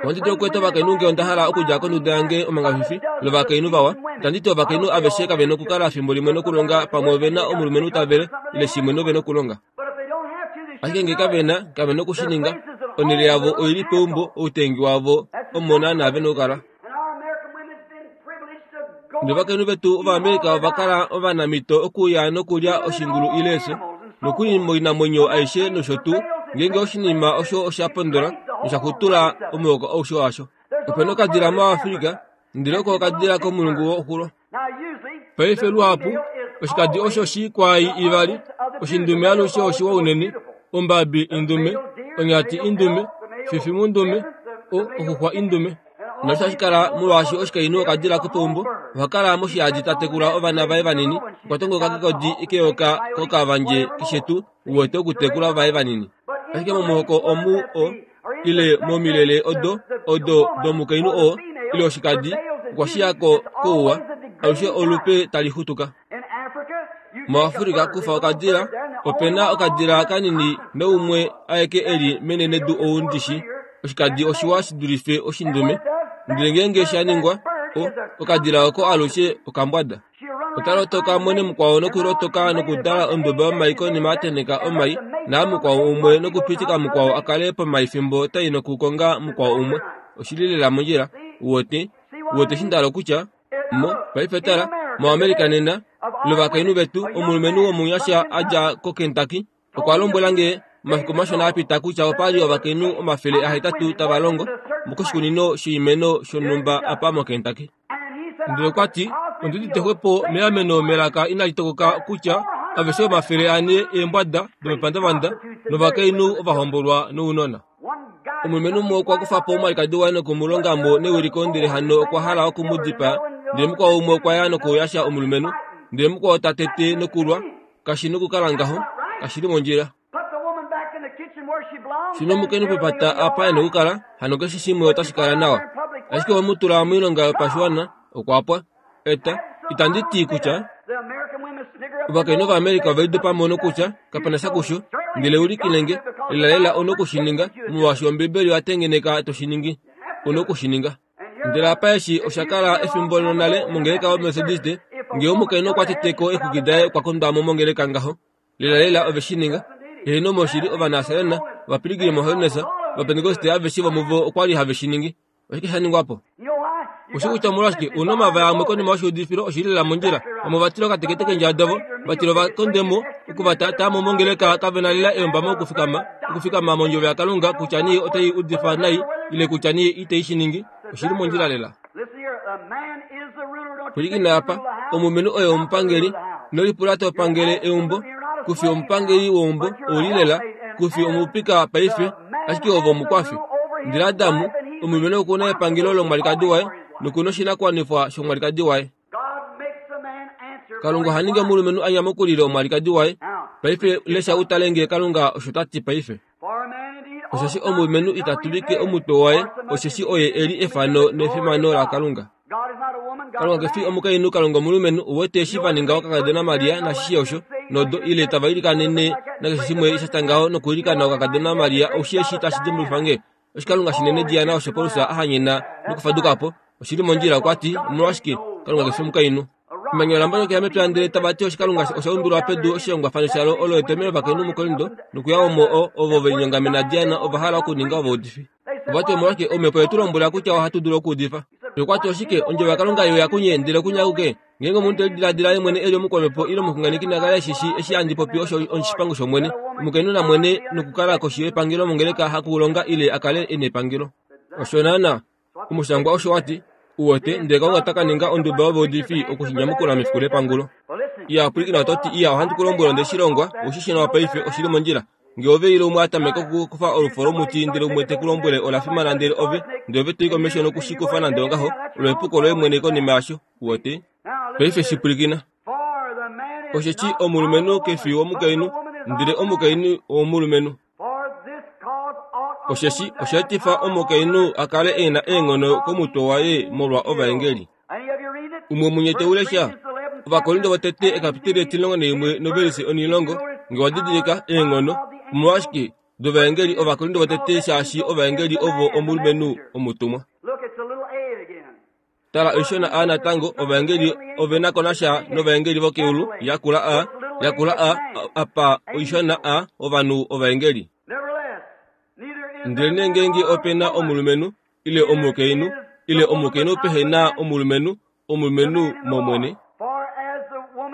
Ohandi dulu okweeta ovakainhu ngee onda hala okudja konduda yange omangafifi lovakainhu vawa. Itandi ti ovakainhu aveshe kave nokukala fimbo limwe nokulonga pamwe ove na omulumenhu ta vele ile shimwe nove nokulonga. Ashike ngee kave na, kave noku shi ninga. Onhele yavo oi li peumbo, outengi wavo omo naanaa ve nokukala. Novakainhu vetu Ovaamerica ova kala ovanamhito okuya nokulya oshingulu ile efyo, nokuli moinamwenyo aishe nosho tuu, ngeenge oshinima osho osha pondola nosha xutula omuhoko aushe washo. Ope na okadila moAfrica, ndele oko okadila komulungu woxulo. Paife luhapu oshikadi osho shii kwaai ivali, oshindume alushe oshiwa unene, ombabi indume, onyati indume, fifimundume, o oxuxwa indume. Nosho hashi kala molwaashi oshikainhu okadila kopeumbo oha kala moshihadi ta tekula ovana vaye vanini okwa tongoka kekodi keyoka kokavandje keshe tuu uwete okutekula vaye vanini. Ashike momuhoko omu o ile momilele odo odo domukainhu oo ile oshikadi okwa shiya ko kouwa alushe olupe tali xutuka. MoAfrika kufa okadila ope na okadila kanini naumwe aeke e li menenedu ou ndishi oshikadi oshiwa shi dulife oshindume ndele ngeenge sha ningwa o okadila oko alushe okambwada. Ota lotoka mwene mukwao nokulotoka nokudala onduba yomai konima a tenheka omai naa mukwao umwe nokupitika mukwao a kale pomai fimbo tai nokukonga mukwao umwe. Oshi li lela mondjila. Uwete? Uwete eshi nda hala okutya? Mo, paife tala, moAmerica nena, lovakainhu vetu, omulumenhu womunyasha a dja koKentucky, okwa lombwela nge omafiku mashona a pita kutya opa li ovakainhu 800 tava longo koshikunino shoimeno shonhumba apa moKentucky. Ndele okwa ti, Ondi udite xwepo meameno melaka inali tokoka kutya aveshe 400 eembwada domepandavanda novakainhu ovahombolwa nounona. Omulumenhu umwe okwa kufa po omwalikadi waye noku mu longa mo newiliko ndele hano okwa hala oku mu dipaa. Ndele mukwao umwe okwa ya nokuyasha omulumenhu, ndele mukwao ta tete nokulwa. Kashi nokukala ngaho, kashi li mondjila. Shino omukainhu pepata apa e nokukala, hano keshe shimwe otashi kala nawa. Ashike owe mu tula moilonga yopashiwana, okwa pwa. Eta, itandi ti kutya ovakainhu Ovaamerica ove lidopa mo nokutya kape na sha kusho, ndele ulikile nge, lelalela ou na oku shi ninga, molwaashi Ombibeli oya tengeneka to shi ningi. Ou na oku shi ninga. Ndele apa eshi osha kala efimbo lonale mongeleka yoMethodiste, ngee omukainhu okwa tete ko eexwiki daye okwa kondwa mo mongeleka ngaho. Lelalela ove shi ninga. Heeno moshili Ovanasarena, Ovapiligrim Holiness, Ovapentekoste aveshe vomuvo okwa li have shi ningi. Oshike sha ningwa po? Oshi kutya omolwashike u na omavaya amwe konima yoshiudifilo oshi li lela mondjila. Vamwe ova tila okatekete keendjala davo, va tila ova konde mo, oku va taataa mo mongeleka kave na lela eyombamo okufikama, okufikama mondjovo yaKalunga kutya nee otai udifa nai ile kutya nee itei shi ningi. Oshi li mondjila lela. Pwilikina apa, omulumenhu oye omupangeli. Ino lipula to pangele eumbo. Ku fi omupangeli weumbo, ou li lela. Ku fi omupika paife, ashike ove omukwafi. Ndele Adam, omulumenhu oku na epangelo lomwalikadi waye noku na oshinakuwanifwa shomwalikadi waye. Kalunga oha ningi omulumenhu a nyamukulile omwalikadi waye. Paife lesha u tale ngee Kalunga osho ta ti paife. Osheshi omulumenhu ita tulike omutwe waye, osheshi oye e li efano nefimano laKalunga. Kalunga ke fi omukainhu, Kalunga omulumenhu. Uwete eshi va ninga okakadona Maria nashishe osho, nodo, ile tava ilikanene nakeshe shimwe sha tya ngaho nokuilikana okakadona Maria, oushi eshi tashi dimbulukifa nge? Oshikalunga shinene Diana osho Paulus a hanyena nokufaduka po. Oshi li mondjila, okwa ti, Omolwashike, Kalunga ke fi omukainhu. Emanya ola mbonyokela mepya ndele tava ti oshikalunga osha undulwa pedu oshihongwafano shalo olo etomheno lovakainhu muKorinto nokuya omo o, ovo ve linyongamena Diana ova hala okuninga ovaudifi. Ova ti omolwashike omhepo ye tu lombwela kutya ohatu dulu okuudifa. Okwa ti oshike ondjovo yaKalunga ye uya kunye ndele kunye akuke? Ngeenge omunhu te lidiladila ye mwene e li omukwamhepo ile omuxunganeki na kale eshi shii eshi handi popi osho oshipango shOmwene. Omukainhu na mwene nokukala koshi yepangelo mongeleka hakulonga ile a kale e nepangelo. Osho naanaa Omushangwa osho wa ti, Uwete, ndele Kalunga ota ka ninga onduba yovaudifi oku shi nyamukula mefiku lepangulo. Iya, pwilikina oto ti, Iya, ohandi ku lombwele onde shi longwa, ou shi shi nawa paife, oshi li mondjila. Nge ove ile umwe a tameka okukufa olufo lomuti ndele umwe te ku lombwele ola fimana ndele ove, ndele ove to i komesho noku shi kufa nande ongaho, olo epuko loye mwene konima yasho. Uwete? Paife shi pwilikina. Osheshi omulumenhu ke fi womukainhu, ndele omukainhu owomulumenhu. Osheshi osha etifa omukainhu a kale e na eenghono komutwe waye molwa ovaengeli. Umwe munye te u lesha? Ovakorinto votete ekapiteli 11 novelise 10, nge wa didilika eenghono, omolwashike dovaengeli Ovakorinto votete shaashi ovaengeli ovo omulumenhu omutumwa. Tala oishona a natango ovaengeli ove na ko nasha novaengeli vokeulu yakula a yakula a apa oishona a ovanhu ovaengeli. Ndelenee ngeenge ope na omulumenhu ile omukainhu ile omukainhu pehe na omulumenhu, omulumenhu mOmwene.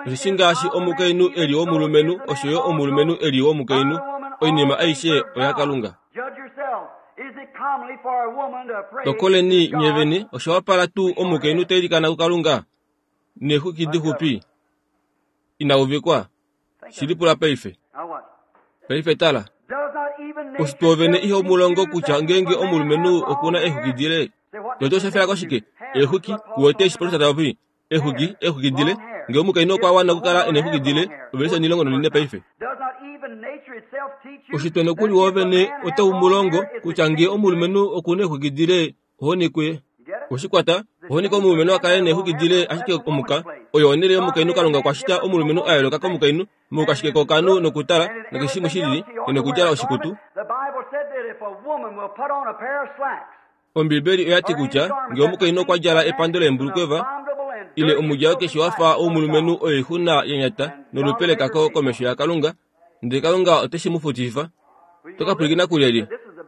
Osheshi ngaashi omukainhu e li womulumenhu, osho yo omulumenhu e li womukainhu. Oinima aishe oyaKalunga. Tokoleni nye vene, osha wapala tuu omukainhu ta ilikana kuKalunga neexwiki dixupi ina uvikwa? Shi lipula paife. Paife tala. Oshitwe ovene iho mu longo kutya ngeenge omulumenhu oku na eexwiki dile, Toto osha fela koshike? Eexwiki, kuwete eshi Paulus ta popi? Eexwiki, eexwiki dile. Ngee omukainhu okwa wana okukala e na eexwiki dile, ovelise 14 paife. Oshitwe nokuli woovene otau mu longo kutya ngee omulumenhu oku na eexwiki dile, ohoni kuye. Oshikwata, ohoni komulumenhu a kale e na eexwiki dile ashike omuka. Oyo onhele yomukainhu Kalunga okwa shita omulumenhu a yooloka komukainhu moukashike kookanhu nokutala nakeshe shimwe shi lili, e nokudjala oshikutu. Ombiibeli oya ti kutya ngee omukainhu okwa djala epando leembulukweva ile omudjalo keshe wa fa womulumenhu oixuna ya nyata nolupe lekako komesho yaKalunga, ndele Kalunga ote shi mu futifa. Oto ka pwilikina kulyelye?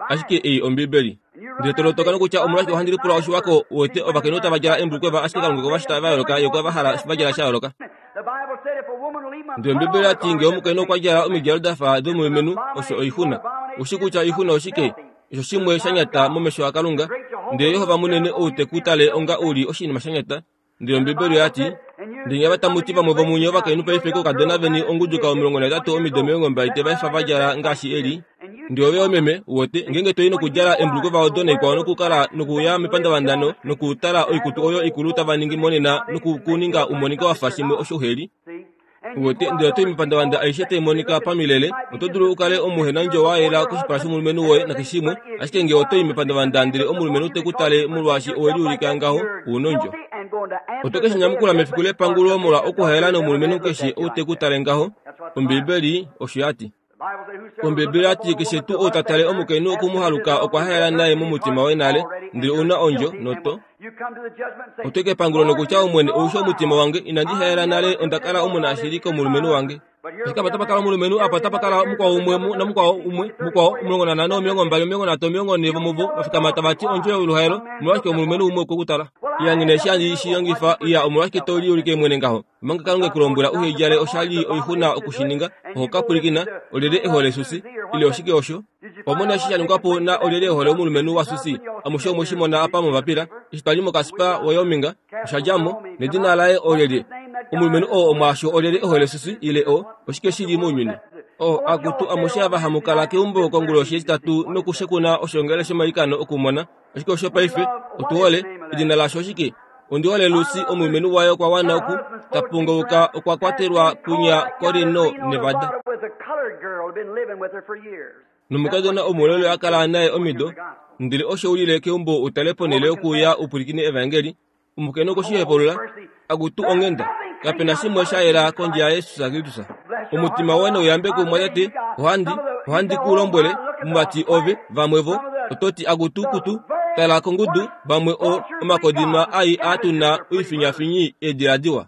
Ashike ei Ombiibeli. Ndele to lotoka nokutya omolwashike ohandi lipula oshiwako wete ovakainhu tava djala eembulukweva ashike Kalunga okwe va shita va yooloka ye okwe va hala va djala sha yooloka. Ndele Ombiibeli oya ti ngee omukainhu okwa djala omidjalo da fa domulumenhu osho oixuna. Oushi kutya oixuna oshike? Osho shimwe sha nyata momesho aKalunga, ndele Jehova munene ou te ku tale onga u li oshinima sha nyata. Ndele Ombibeli oya ti, Ndele nye tamu ti vamwe vomunye ovakainhu paife koukadona veni onguduka 18 omido 20 te va efa va djala ngaashi eli. Ndele ove omeme, u wete, ngeenge to i nokudjala embulukwe odo naikwao nokukala nokuya mepandavandano nokutala oikutu oyo ikulu tava ningi monena noku ku ninga u monike wa fa shimwe osho uhe li. Uwete, ndele oto i mepandavanda aishe tai monika pamilele, oto dulu u kale omuhenandjo wa yela koshipala shomulumenhu woye nakeshe shimwe, ashike nge oto i mepandavanda ndele omulumenhu te ku tale molwaashi owe liulika ngaho, u nondjo. Oto ke shi nyamukula mefiku lepangulo molwa okuhaela nomulumenhu keshe ou te ku tale ngaho, Ombiibeli osho ya ti. Ombiibeli oya ti keshe tuu ou ta tale omukainhu oku mu haluka okwa haela naye momutima waye nale, ndele ou na ondjo, noto. Oto kepangulo nokutya Omwene ou shi omutima wange, inandi haela nale, onda kala omunashili komulumenhu wange. Ashike apa otapa kala omulumenhu, apa otapa kala mukwao umwe namukwao umwe, mukwao, 15, 20, 30, 40 vomuvo va fikama tava ti ondjo yoluhaelo, omolwashike omulumenhu umwe okwe ku tala? Iya, nghi na eshi handi shi longifa, iya, omolwashike to liulike mwene ngaho? Omanga Kalunga e ku lombwela uhe djale oshali oixuna oku shi ninga, oho ka pwilikina, Olyelye e hole Susi? Ile oshike osho? Owa mona eshi sha ningwa po na olyelye e hole omulumenhu waSusi? Amushe omwe shi mona apa mombapila, eshi twa li moKaspa, Wyoming, osha dja mo, nedina laye olyelye? Omulumenhu oo omwaasho olyelye e hole Susi ile o, oshike shi li mounyuni? O, akutu, amushe ava hamu kala keumbo konguloshi yEtitatu nokushekuna oshoongalele shomailikano okumona Oshike osho paife? Otu hole. Edina lasho oshike? Ondi hole Lucy, omulumenhu waye okwa wana oku ta pungauka okwa kwatelwa kunya koReno, Nevada. Nomukadona omulele a kala naye omido, ndele osho u lile keumbo u tale ponhele yokuuya u pwilikine evaengeli, Omukainhu okwe shi hepulula, Akutu onghenda, kape na shimwe sha yela kondje yaJesus Kristus. Omutima woye nau yambekwe mumwatate, ohandi, ohandi ku lombwele, mumati ove, vamwe vo, oto ti akutu kutu, tala kongudu, vamwe o, omakodinwa ai aa tu na oifinyafinyi eedila diwa.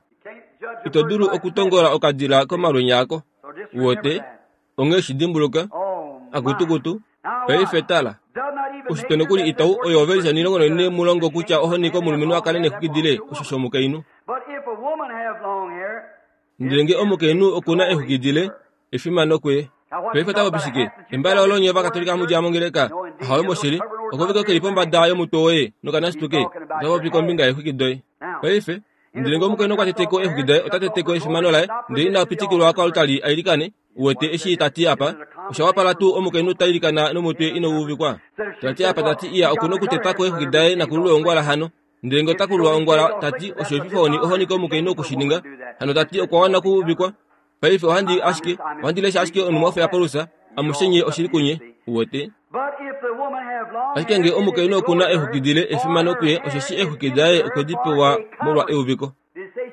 Ito dulu okutongola okadila komalwenya ako. Uwete? Onghee shi dimbuluka, akutukutu, paife tala. Ushitwe nokuli itau oyo ovelisa nilongo noine mu longo kutya ohoni komulumenhu a kale nexwikidile osho shomukainhu. Ndele nge omukainhu oku na exwikidile, efimano kuye. Paife ota popi shike? Embale olo nye Ovakatolika hamu djala mongeleka? Ahowe moshili, okovike ke li pombada yomutwe woye nokanasituke, ota popi kombinga yeexwiki doye. Paife, Ndele ngee omukainhu okwa tete ko eexwiki daye, ota tete ko efimano laye, ndele ina pitikilwa koaltari a ilikane. Uwete eshi ta ti apa? Osha wapala tuu omukainhu ta ilikana nomutwe inau uvikwa? Ta ti apa ta ti iya oku na okuteta ko eexwiki daye nakululwe ongwala hano. Ndele ngee ota kululwa ongwala, ta ti osho efifohoni ohoni komukainhu oku shi ninga. Hano ta ti okwa wana okuuvikwa. Paife ohandi ashike, ohandi lesha ashike onhumwafo yaPaulus, amushe nye oshili kunye. Uwete? Ashike nge omukainhu oku na exwiki dile, efimano kuye, osheshi eexwiki daye okwe di pewa molwa euviko.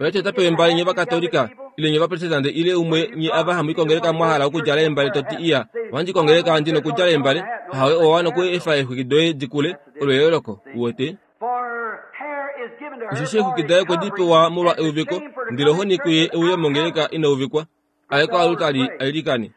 Oya ti ota pewa embale nye Ovakatolika, ile nye Ovaprotestante ile umwe nye ava hamu i kongeleka mwa hala okudjala eembale to ti iya, ohandi kongeleka ndi nokudjala eembale. Ahawe, owa wana oku efa eexwiki doye di kule, olo eyooloko. Uwete? Osheshi eexwiki daye okwe di pewa molwa euviko, ndele ohoni kuye e uye mongeleka ina uvikwa, a ye koalutali a ilikane.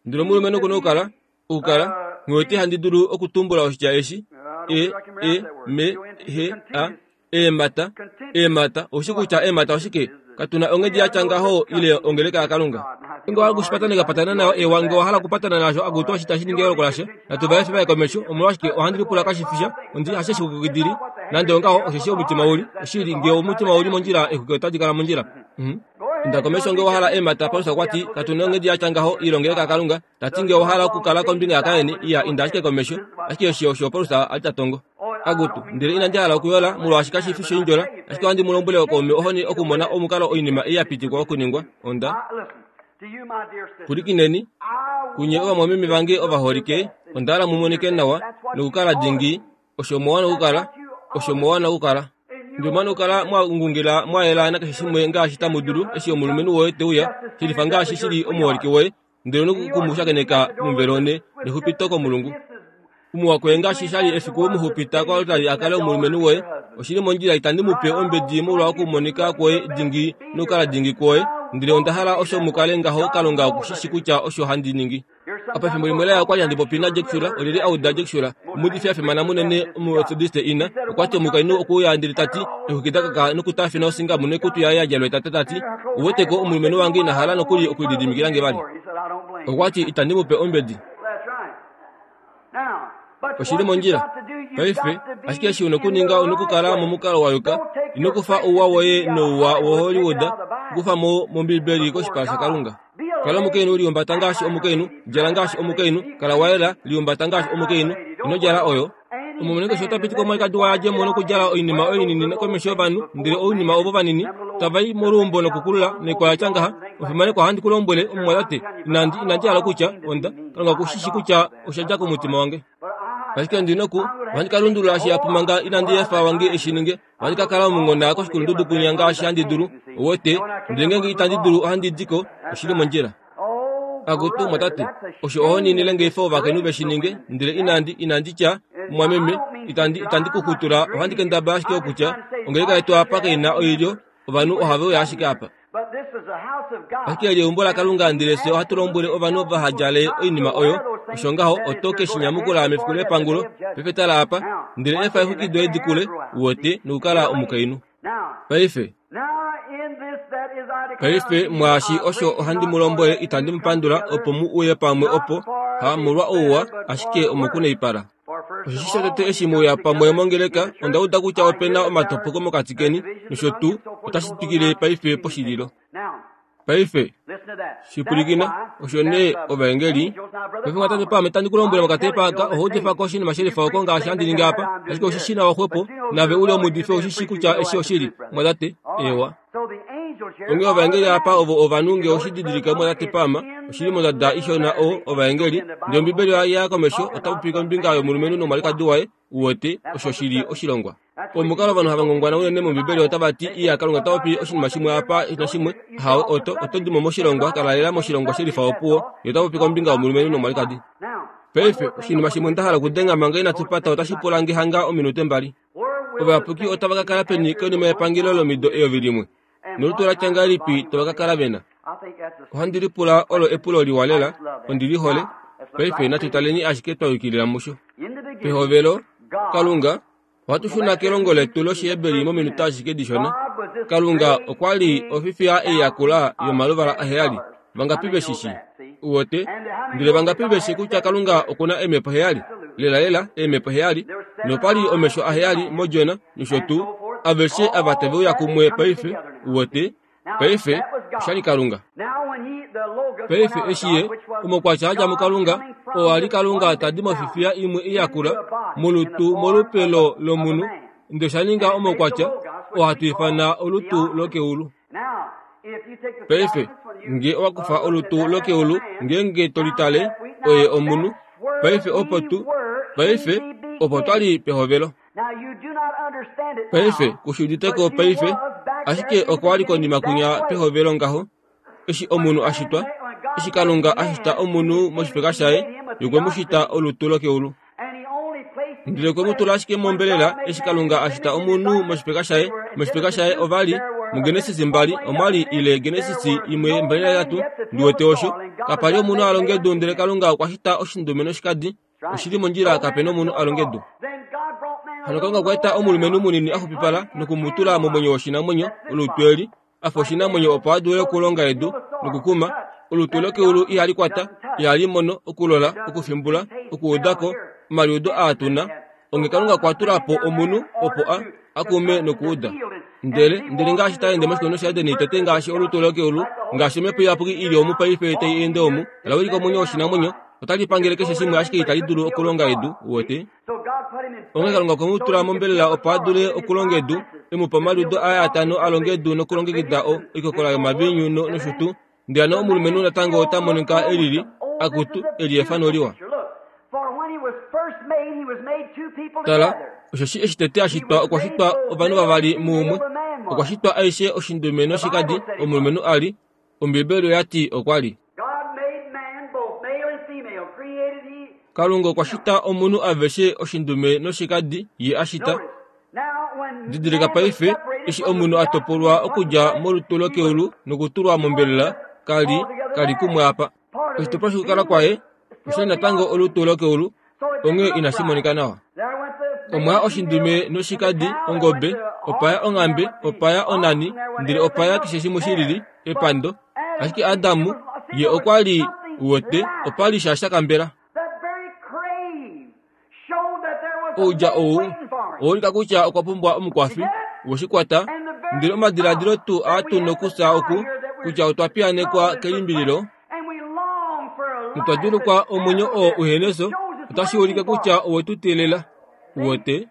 Ndele omulumenhu oku na okukala, okukala, nghi wete handi dulu okutumbula oshitya eshi, e, e, me, he, a, eemhata, eemhata, oushi kutya eemhata oshike? Katu na onghedi ya tya ngaho ile ongeleka yaKalunga. Nge owa hala okushi patana nayo, ewa, nge owa hala okupatana naasho, akutu osho itashi ningi eyooloko lasha. Natu va efe va ye komesho. Omolwashike, ohandi lipula kashi fi sha. Ondi, hasheshi kukidili, nande ongaho, osheshi omutima uli, oshili, nge omutima uli mondjila, exwiki otadi kala mondjila. Uh-huh. Inda komesho nge owa hala eemhata. Paulus okwa ti, Katu na onghedi ya tya ngaho ile ongeleka yaKalunga. Ta ti nge owa hala okukala kombinga yaKain, iya, inda ashike komesho. Ashike osho osho Paulus a li ta tongo. Akutu, ndele inandi hala okuyola, molwaashi kashi fi shoindjola, ashike ohandi mu lombwele okaume ohoni okumona omukalo oinima ei ya pitikwa okuningwa. Onda. Pwilikineni, kunye ovamwameme vange ovaholike, onda hala mu monike nawa nokukala dingi, osho mwa wana okukala, osho mwa wana okukala. Ndele mwa wana okukala mwa ngungila mwa yela nakeshe shimwe ngaashi tamu dulu, eshi omulumenhu woye te uya, shilifa ngaashi shi li omuholike woye, ndele noku mu shakeneka momuvelo nexupito komulungu. Omuwa koye ngaashi sha li efiku we mu xupita koaltari a kale omulumenhu woye, oshi li mondjila itandi mu pe ombedi molwa okumonika kwoye dingi nokukala dingi kwoye, ndele onda hala osho mu kale ngaho Kalunga oku shi shi kutya osho handi ningi. Apa efimbo limwe laya okwali handi popi naJack Shuler, olyelye a uda Jack Shuler, omuudifi a fimana munene Omumetodiste ina, okwa ti omukainhu okwe uya ndele ta ti, Exwiki da kaka nokutaafina osinga noikutu yaye ya djalwa etata ta ti, Uwete ko, omulumenhu wange ina hala nokuli okulididimikila nge vali. Okwa ti, Itandi mu pe ombedi. Oshi li mondjila. Paife, ashike eshi u na okuninga u na okukala momukalo wa yuka. Ino kufa ouwa woye nouwa woHollywood, kufa mo mOmbibeli koshipala shaKalunga. Kala omukainhu, lihumbata ngaashi omukainhu, djala ngaashi omukainhu, kala wa yela, lihumbata ngaashi omukainhu. Ino djala oyo. Omulumenhu keshe ota piti komwalikadi waye a dje mo nokudjala oinima oyo inini komesho yovanhu, ndele oinima ovo vanini tava i moluumbo nokukulula noikwa ya tya ngaha. Omufimanekwa, ohandi ku lombwele, omumwatate, inandi, inandi hala okutya, onda, Kalunga oku shi shii kutya osha dja komutima wange. Ashike ondi noku, ohandi ka lundulula shihapu manga inandi efa wange e shi ninge. Ohandi ka kala omunghona koshikulundudu kwinya ngaashi handi dulu, uwete, ndele ngeenge itandi dulu ohandi di ko, oshi li mondjila. Akutu, mwatate, osho ohoni nile nge ovakainhu ve shi ninge, ndele inandi, inandi tya, mumwameme, itandi, itandi ku xutula, ohandi kendabala ashike okutya, ongeleka yetu apa kai na oilyo, ovanhu ohave uya ashike apa. Ashike eli eumbo laKalunga, ndele fye ohatu lombwele ovanhu vaha djale oinima oyo, osho ngaho oto ke shi nyamukula mefiku lepangulo. Paife tala apa, ndele efa exwiki doye di kule, uwete, nokukala omukainhu. Paife, paife mwaashi osho ohandi mu lombwele itandi mu pandula opo mu uye pamwe opo, ha molwa ouwa, ashike omokunaipala. Osheshi shotete eshi mu uya pamwe mongeleka, onda uda kutya ope na omatopoko mokati keni, nosho tuu, otashi twikile paife poshililo. Paife, shi pwilikina, osho nee ovaengeli. Paife mwatate paame tandi ku lombwele mokatepa aka, oho udifa ko oshinima shelifa oko ngaashi handi ningi apa, ashike oshi shi nawa xwepo, nave u li omuudifi ou shi shii kutya eshi oshili, mwatate. Eewa. Onghee ovaengeli apa ovo ovanhu nge oshi didilika mwatate paama, oshi li mondada ishona o, ovaengeli. Ndele Ombibeli oya ya komesho, ota popi kombinga yomulumenhu nomwalikadi waye, uwete, osho shi li oshilongwa. Omukalo ovanhu hava ngongwana unene mOmbibeli otava ti, Iya, Kalunga ota popi oshinima shimwe apa nashimwe. Hawe, oto, oto di mo moshilongwa, kala lela moshilongwa shelifa opuwo. Ye ota popi kombinga yomulumenhu nomwalikadi. Paife, oshinima shimwe nda hala okudenga manga inatu pata otashi pula nge hanga ominute mbali. Ovayapuki otava ka kala peni konima yepangelo lomido 1000? Nolutu la tya ngahelipi tava ka kala ve na? Ohandi lipula olo epulo liwa lela, ondi li hole. Paife natu taleni ashike twa yukilila musho. Pehovelo, Kalunga, ohatu shuna kelongo letu lOshiheberi mominute ashike dishona. Kalunga okwa li ofifiya ei yakula yomaluvala aheyali. Vangapi ve shi shii? Uwete? Ndele vangapi ve shi kutya Kalunga oku na eemhepo heyali? Lelalela, eemhepo heyali. Nopa li omesho aheyali mOdjona, nosho tuu. Aveshe ava tave uya kumwe paife, uwete. Paife, osha li Kalunga. Paife eshi Ye, omaukwatya a dja muKalunga, oo a li Kalunga ta di mofifiya imwe iyakula, molutu molupe lo, lomunhu, ndele osha ninga omaukwatya, oo hatu ifana olutu lokeulu. Paife, nge owa kufa olutu lokeulu, ngeenge to litale, Oye omunhu. Paife opo tu, paife opo twa li pehovelo. Paife, ku shi udite ko paife, ashike okwa li konima kwinya pehovelo ngaho, eshi omunhu a shitwa, eshi Kalunga a shita omunhu moshifeka shaye, ye okwe mu shita olutu lokeulu. Ndele okwe mu tula ashike mombelela eshi Kalunga a shita omunhu moshifeka shaye. Moshifeka shaye ova li, muGenesis 2 omwa li ile Genesis 1:23, ndi wete osho. Kapa li omunhu a longa edu ndele Kalunga okwa shita oshindume noshikadi. Oshi li mondjila kape nomunhu a longa edu. Hano Kalunga okwa eta omulumenhu munini a xupipala noku mu tula momwenyo woshinamwenyo, olutu eli, a fa oshinamwenyo opo a dule okulonga edu nokukuma. Olutu lokeulu ihali kwata, ihali mono, okulola, okufimbula, okuuda ko, omaliudo aa tu na. Onghee Kalunga okwa tula po omunhu opo a, a kume nokuuda. Ndele, ndele ngaashi ta ende moshikunino shaEden tete ngaashi olutu lokeulu, ngaashi omhepo iyapuki i li omu paife tai ende omu, la wilika omwenyo woshinamwenyo, otali pangele keshe shimwe ashike itali dulu okulonga edu, uwete. Onghee Kalunga okwe mu tula mombelela opo a dule okulonga edu, e mu pa omaliudo aye atano a longe edu nokulongekida o, oikokola yomaviinyu no, nosho tuu. Ndele hano omulumenhu natango ota monika e lili, akutu, e li efano liwa. Tala, osheshi eshi tete a shitwa okwa shitwa ovanhu vavali muumwe. Okwa shitwa aishe oshindume noshikadi, omulumenhu a li. Ombiibeli oya ti okwa li. Kalunga okwa shita omunhu aveshe oshindume noshikadi ye a shita. Didilika paife, eshi omunhu a topolwa okudja molutu lokeulu nokutulwa mombelela, ka li, ka li kumwe apa. Oshitopolwa shokukala kwaye osha li natango olutu lokeulu, onghee inashi monika nawa. Omwa ya oshindume noshikadi, ongobe, opa ya onghambe, opa ya onani, ndele opa ya keshe shimwe shi lili, epando. Ashike Adam, ye okwa li wete, opa li sha sha kambela. Oudja ou owa ulika kutya okwa pumbwa omukwafi we shi kwata, ndele omadiladilo tuu aa tu nokufya oku kutya otwa piyaanekwa kelimbililo notwa djuulukwa omwenyo oo uhena efyo, otashi ulike kutya owe tu teelela. Uwete?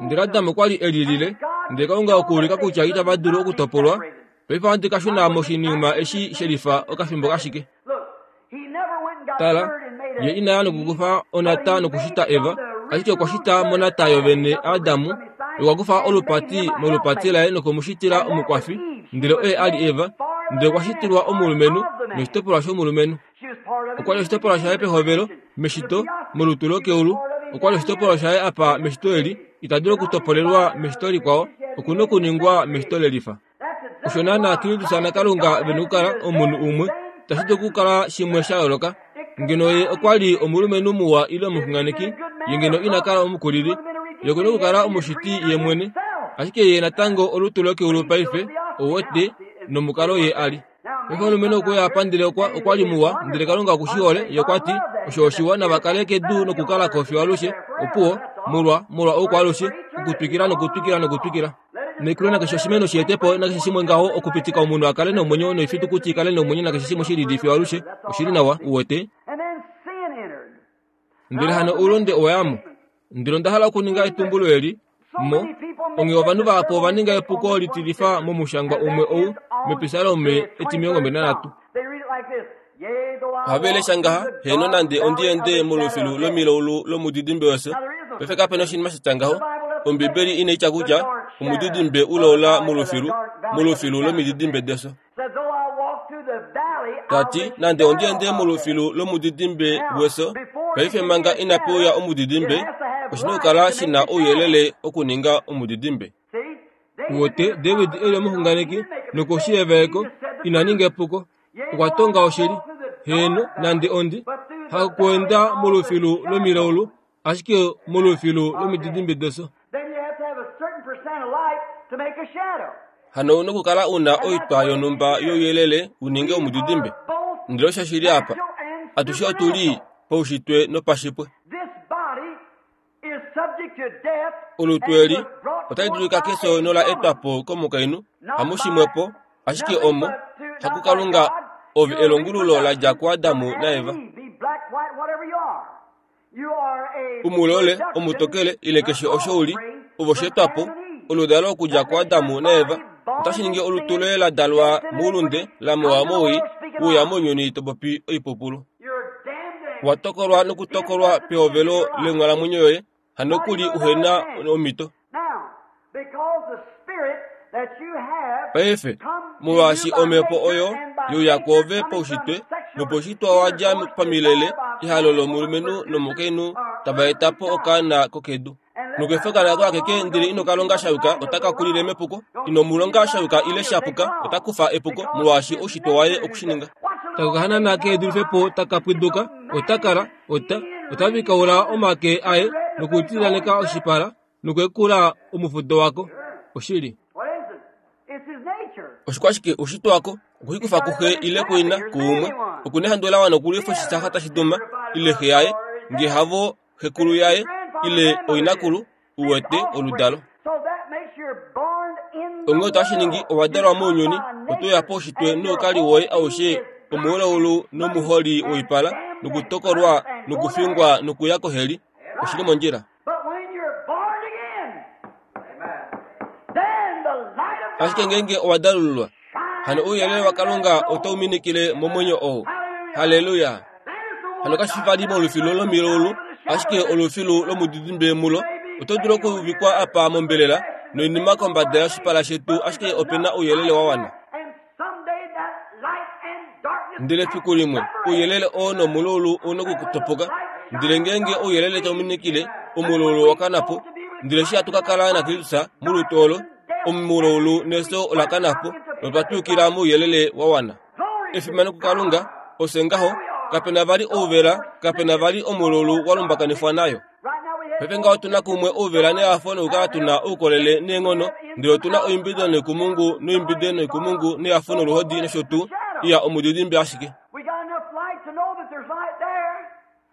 Ndele Adam okwa li e lilile, ndele Kalunga okuulika kutya itava dulu okutopolwa. Paife ohandi ka shuna moshinima eshi shelifa okafimbo kashike. Tala, ye ina ya nokukufa onata nokushita Eva, ashike okwa shita monata yovene Adamu, okwa kufa olupati molupati laye noku mu shitila omukwafi, ndele oye a li Eva, ndele okwa shitilwa omulumenhu noshitopolwa shomulumenhu. Okwa li oshitopolwa shaye pehovelo, meshito, molutu lokeulu. Okwa li oshitopolwa shaye apa meshito eli, ita dulu okutopolelwa meshito likwao, oku na okuningwa meshito lelifa. Osho naanaa Kristus naKalunga ve na okukala omunhu umwe, itashi dulu okukala shimwe sha yooloka. Ngeno ye okwa li omulumenhu muwa ile omuxunganeki, ye ngeno ina kala omukulili. Ye oku na okukala omushiti ye mwene. Ashike ye natango olutu lokeulu paife, ou wete, nomukalo ye a li. Paife omulumenhu okwe uya apa ndele okwa, okwa li muwa, ndele Kalunga oku shi hole. Ye okwa ti, Osho oshiwa, nava kale kedu nokukala ko fiyo alushe. Opuwo, molwa, molwa oukwaalushe, okutwikila nokutwikila nokutwikila. Noikulo nakeshe oshimeno shi ete po nakeshe shimwe ngaho okupitika omunhu a kale nomwenyo noifitukuti i kale nomwenyo nakeshe shimwe shi lili fiyo alushe. Oshi li nawa, uwete. Ndele hano oulunde owa ya mo. Ndele onda hala okuninga etumbulo eli, mo, onghee ovanhu vahapu ova ninga epuko litilifa momushangwa umwe ou mEpisalome etimilongombali-nanhatu. Ohave lesha ngaha, Heeno, nande ondi ende molufilu lomilaulu lomudidimbe wefyo. Paife kape na oshinima sha tya ngaho. Ombibeli inai tya kutya omudidimbe ulaula molufilu, molufilu lomididimbe defyo. Ta ti, Nande ondi ende molufilu lomudidimbe wefyo, paife manga inape uya omudidimbe, oshi na okukala shi na ouyelele okuninga omudidimbe. Wote, David e li omuxunganeki, nokoshi yevaeko, ina ninga epuko. Okwa tonga oshili. Heeno, nande ondi hakuenda molufilu lomilaulu, ashike molufilu lomididimbe defyo. Hano ou na okukala u na oitwa yonhumba youyelele u ninge omudidimbe. Ndele osho shi li apa. Atushe otu li paushitwe nopashipwe. Olutu eli otali dulika kefyo nola etwa po komukainhu, hamushimwepo, ashike omo, hakuKalunga, ove elongululo la dja kuAdam naEva. Umulole, omutokele, ile keshe osho u li, ove osheetwa po, oludalo okudja kuAdam naEva. Otashi ningi olutu loye la dalwa moulunde, la mewa mowii, we uya mounyuni to popi oipupulu. Owa tokolwa nokutokolwa pehovelo lenghalamwenyo yoye, hanokuli uhena omhito. Paife, molwaashi omhepo oyo youya kwoove paushitwe, nopaushitwe wa dja pamilele, ehalo lomulumenhu nomukainhu tava eta po okaana kokedu. Nokefa okaana ako akeke ndele ino ka longa sha yuka, otaka kulile mepuko. Ino mu longa sha yuka ile sha puka, ota kufa epuko, molwaashi oushitwe waye oku shi ninga. Taka kahanana ke dulife po taka pwiduka, ota kala, ota, ota vikaula omake aye nokutililaneka oshipala nokwekula omufudo wako. Oshili. Oshikwashike oushitwe wako okuhikufa kuxe ile kuina kuumwe oku nehandu la wana okulwifa oshisaha tashi duma ile xe yaye nge havo xekulu yaye ile oinakulu uwete oludalo. Onghee otashi ningi owa dalwa mounyuni, oto uya poushitwe noukali woye aushe omuulaulu nomuholi woipala nokutokolwa nokufingwa nokuya koheli. Oshi li mondjila. Ashike ngeenge owa dalululwa, hano ouyelele waKalunga otau minikile momwenyo ou. Halleluya! Hano kashi fi vali molufilu lomilaulu, ashike olufilu lomudidimbe mulo. Oto dulu okuuvikwa apa mombelela noinima kombada yoshipala shetu, ashike ope na ouyelele wa wana. Ndele fiku limwe ouyelele oo nomulaulu ou na okutopoka. Ndele ngeenge ouyelele tau minikile, omulaulu owa kana po. Ndele eshi hatu ka kala naKristus molutu olo, omulaulu nefyo ola kana po, notwa twikila mouyelele wa wana. Efimano kuKalunga, ofye ngaho, kape na vali ouvela, kape na vali omulaulu wa lumbakanifwa nayo. Paife ngaho otu na kumwe ouvela nehafo nokukala tu na oukolele neenghono, ndele otu na oimbido noikumungu noimbide noikumungu nehafo noluhodi nosho tuu. Iya, omudidimbe ashike.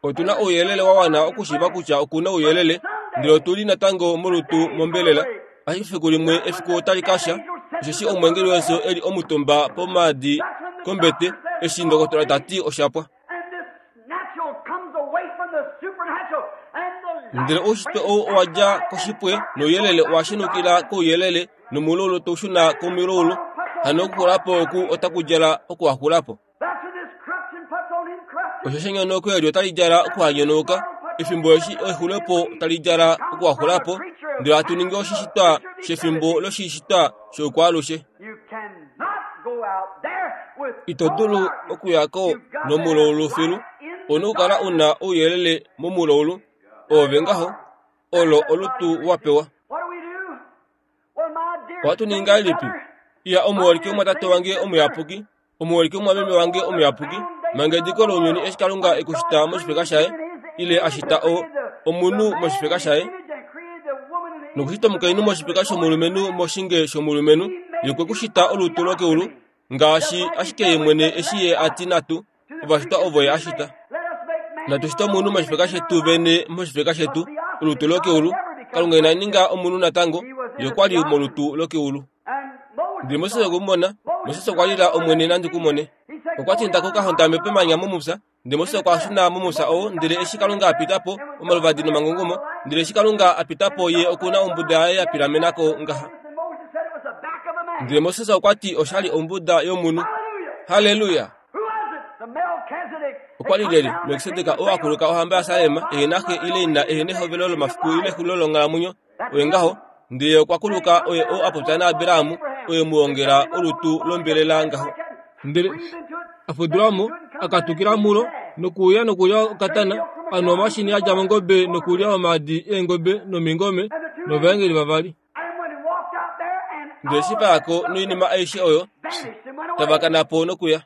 Otu na ouyelele wa wana okushiiva kutya oku na ouyelele, ndele otu li natango molutu mombelela. Ashike efiku limwe efiku otali ka sha, osheshi omweengeli wefyo e li omutumba pomaadi kombete, eshi ndokotola ta ti osha pwa. Ndele oushitwe ou owa dja koshipwe, nouyelele owa shenukila kouyelele, nomulaulu tau shuna komilaulu. Hano okuxula po oku otaku djala okuhaxula po. Osheshi enyonauko eli otali djala okuhanyonauka, efimbo eshi exulepo tali djala okuhaxula po, ndele hatu ningi oshishitwa shefimbo loshishitwa shoukwaalushe. Ito dulu okuya ko nomulaulu filu. Ou na okukala u na ouyelele momulaulu. Oove ngaho. Olo olutu wa pewa. Ohatu ningi ngahelipi? Iya, omuholike omwatate wange omuyapuki, omuholike omwameme wange omuyapuki, manga ediko lounyuni eshi Kalunga e ku shita moshifeka shaye, ile a shita o, omunhu moshifeka shaye, nokushita omukainhu moshifeka shomulumenhu moshinge shomulumenhu, ye okwe ku shita olutu lokeulu, ngaashi ashike ye mwene eshi ye a ti natu, ovashitwa ovo ye a shita. Natu shite omunhu moshifeka shetu vene moshifeka shetu, olutu lokeulu. Kalunga ina ninga omunhu natango, ye okwa li molutu lokeulu. Ndele Moses okwe mu mona, Moses okwa lila Omwene nandi ku mone. Okwa ti nda ko ka hondame pemanya momupya, ndele Moses okwa shuna momupya oo, ndele eshi Kalunga a pita po, omaluvadi nomangungumo, ndele eshi Kalunga a pita po ye oku na ombuda yaye ya pilamena ko ngaha. Ndele Moses okwa ti osha li ombuda yomunhu. Halleluya! Okwa li lyelye Melkisedek oo a kuluka ohamba yaSalem, ehe na xe ile ina, ehe nehovelo lomafiku ile exulilo longhalamwenyo? Oye ngaho, ndele ye okwa kuluka oye oo a popya naAbraham, oye mu ongela olutu lombelela ngaho. Ndele a fudula mo, a katukila mulo, nokuuya nokulya okatana, a nwa omashini a dja mongobe nokulya omaadi eengobe nomingome novaengeli vavali. Ndele eshi va ya ko noinima aishe oyo, tava kana po nokuya.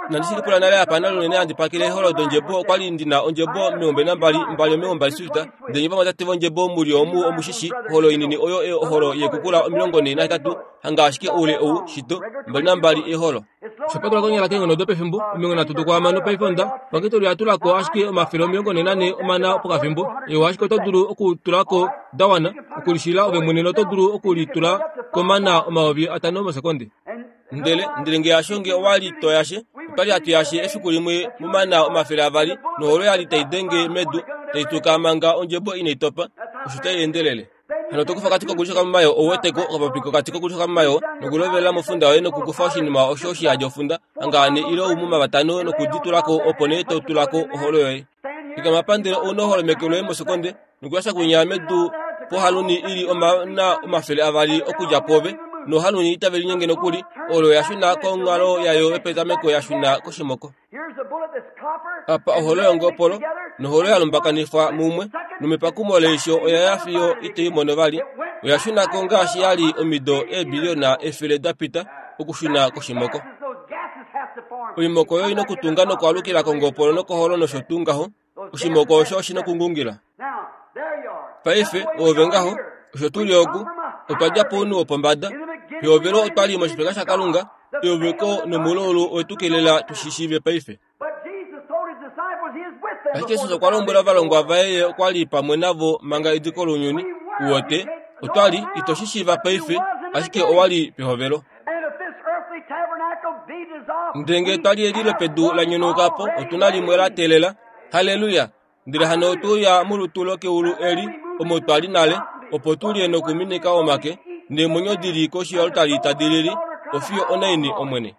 Inandi shi lipula nale apa nale unene handi pakele eeholo dondjebo. Okwa li ndi na ondjebo 12, mbali omilongo suita. Ndele nye vamwatate vondjebo mu li omu omu shi shii, oholo inini oyo oholo yeekukula 48, hanga ashike oule ou, shito, 22 eeholo. Osha patulwa konyala keenghono dopefimbo 30 dokwaamano paife onda pangitoli oya tula ko ashike 144 omana pokafimbo. Ewa, ashike oto dulu okutula ko da wana okulishila ove mwene noto dulu okulitula komana 5000 mosekonde. Ndele, ndele nge hasho nge owa li to yashe, otwa li hatu yashe efiku limwe momana 200, noholo ya li tai denge medu, tai tuka manga ondjebo inai topa, osho tai endelele. Hano to kufa okati kokulishoka momayoo, ou wete ko, okapopi kokati kokulishoka momayoo, nokulovelela mofunda yoye nokukufa oshinima osho shi yadi ofunda, hanga ane ile oumuma vatano noku di tula ko, opo nee to tula ko oholo yoye. Fikama apa ndele ou na oholo meke loye mosekonde, nokuyasha kwinya medu pohaluni i li omana 200 okudja pwoove, nohaluni itave linyenge nokuli, olo ya shuna konghalo yayo yopetameko ya shuna koshimoko. Apa oholo yongopolo noholo ya lumbakanifwa mumwe, nomepakumo leisho oya ya fiyo ito i mono vali. Oya shuna ko ngaashi ya li omido eebiliyona 100 da pita, okushuna koshimoko. Oimoko oyo i nokutunga nokwaalukila kongopolo nokoholo nosho tuu ngaho. Oshimoko osho oshi nokungungila. Paife, oove ngaho, osho tu li oku, otwa dja pounhu wopombada. Pehovelo otwa li moshifeka shaKalunga, euveko nomulaulu owe tu kelela tu shi shiive paife. Ashike Jesus okwa lombwela ovalongwa vaye ye okwa li pamwe navo manga ediko lounyuni. Uwete, otwa li, ito shi shiiva paife, ashike owa li pehovelo. Ndele ngee twa li eli lopedu la nyonauka po, otu na limwe la teelela. Halleluya! Ndele hano otwe uya molutu lokeulu eli, omo twa li nale, opo tu lye nokuminika omake, neemwenyo di li koshi yoaltari tadi lili, Ofiyo onaini, Omwene?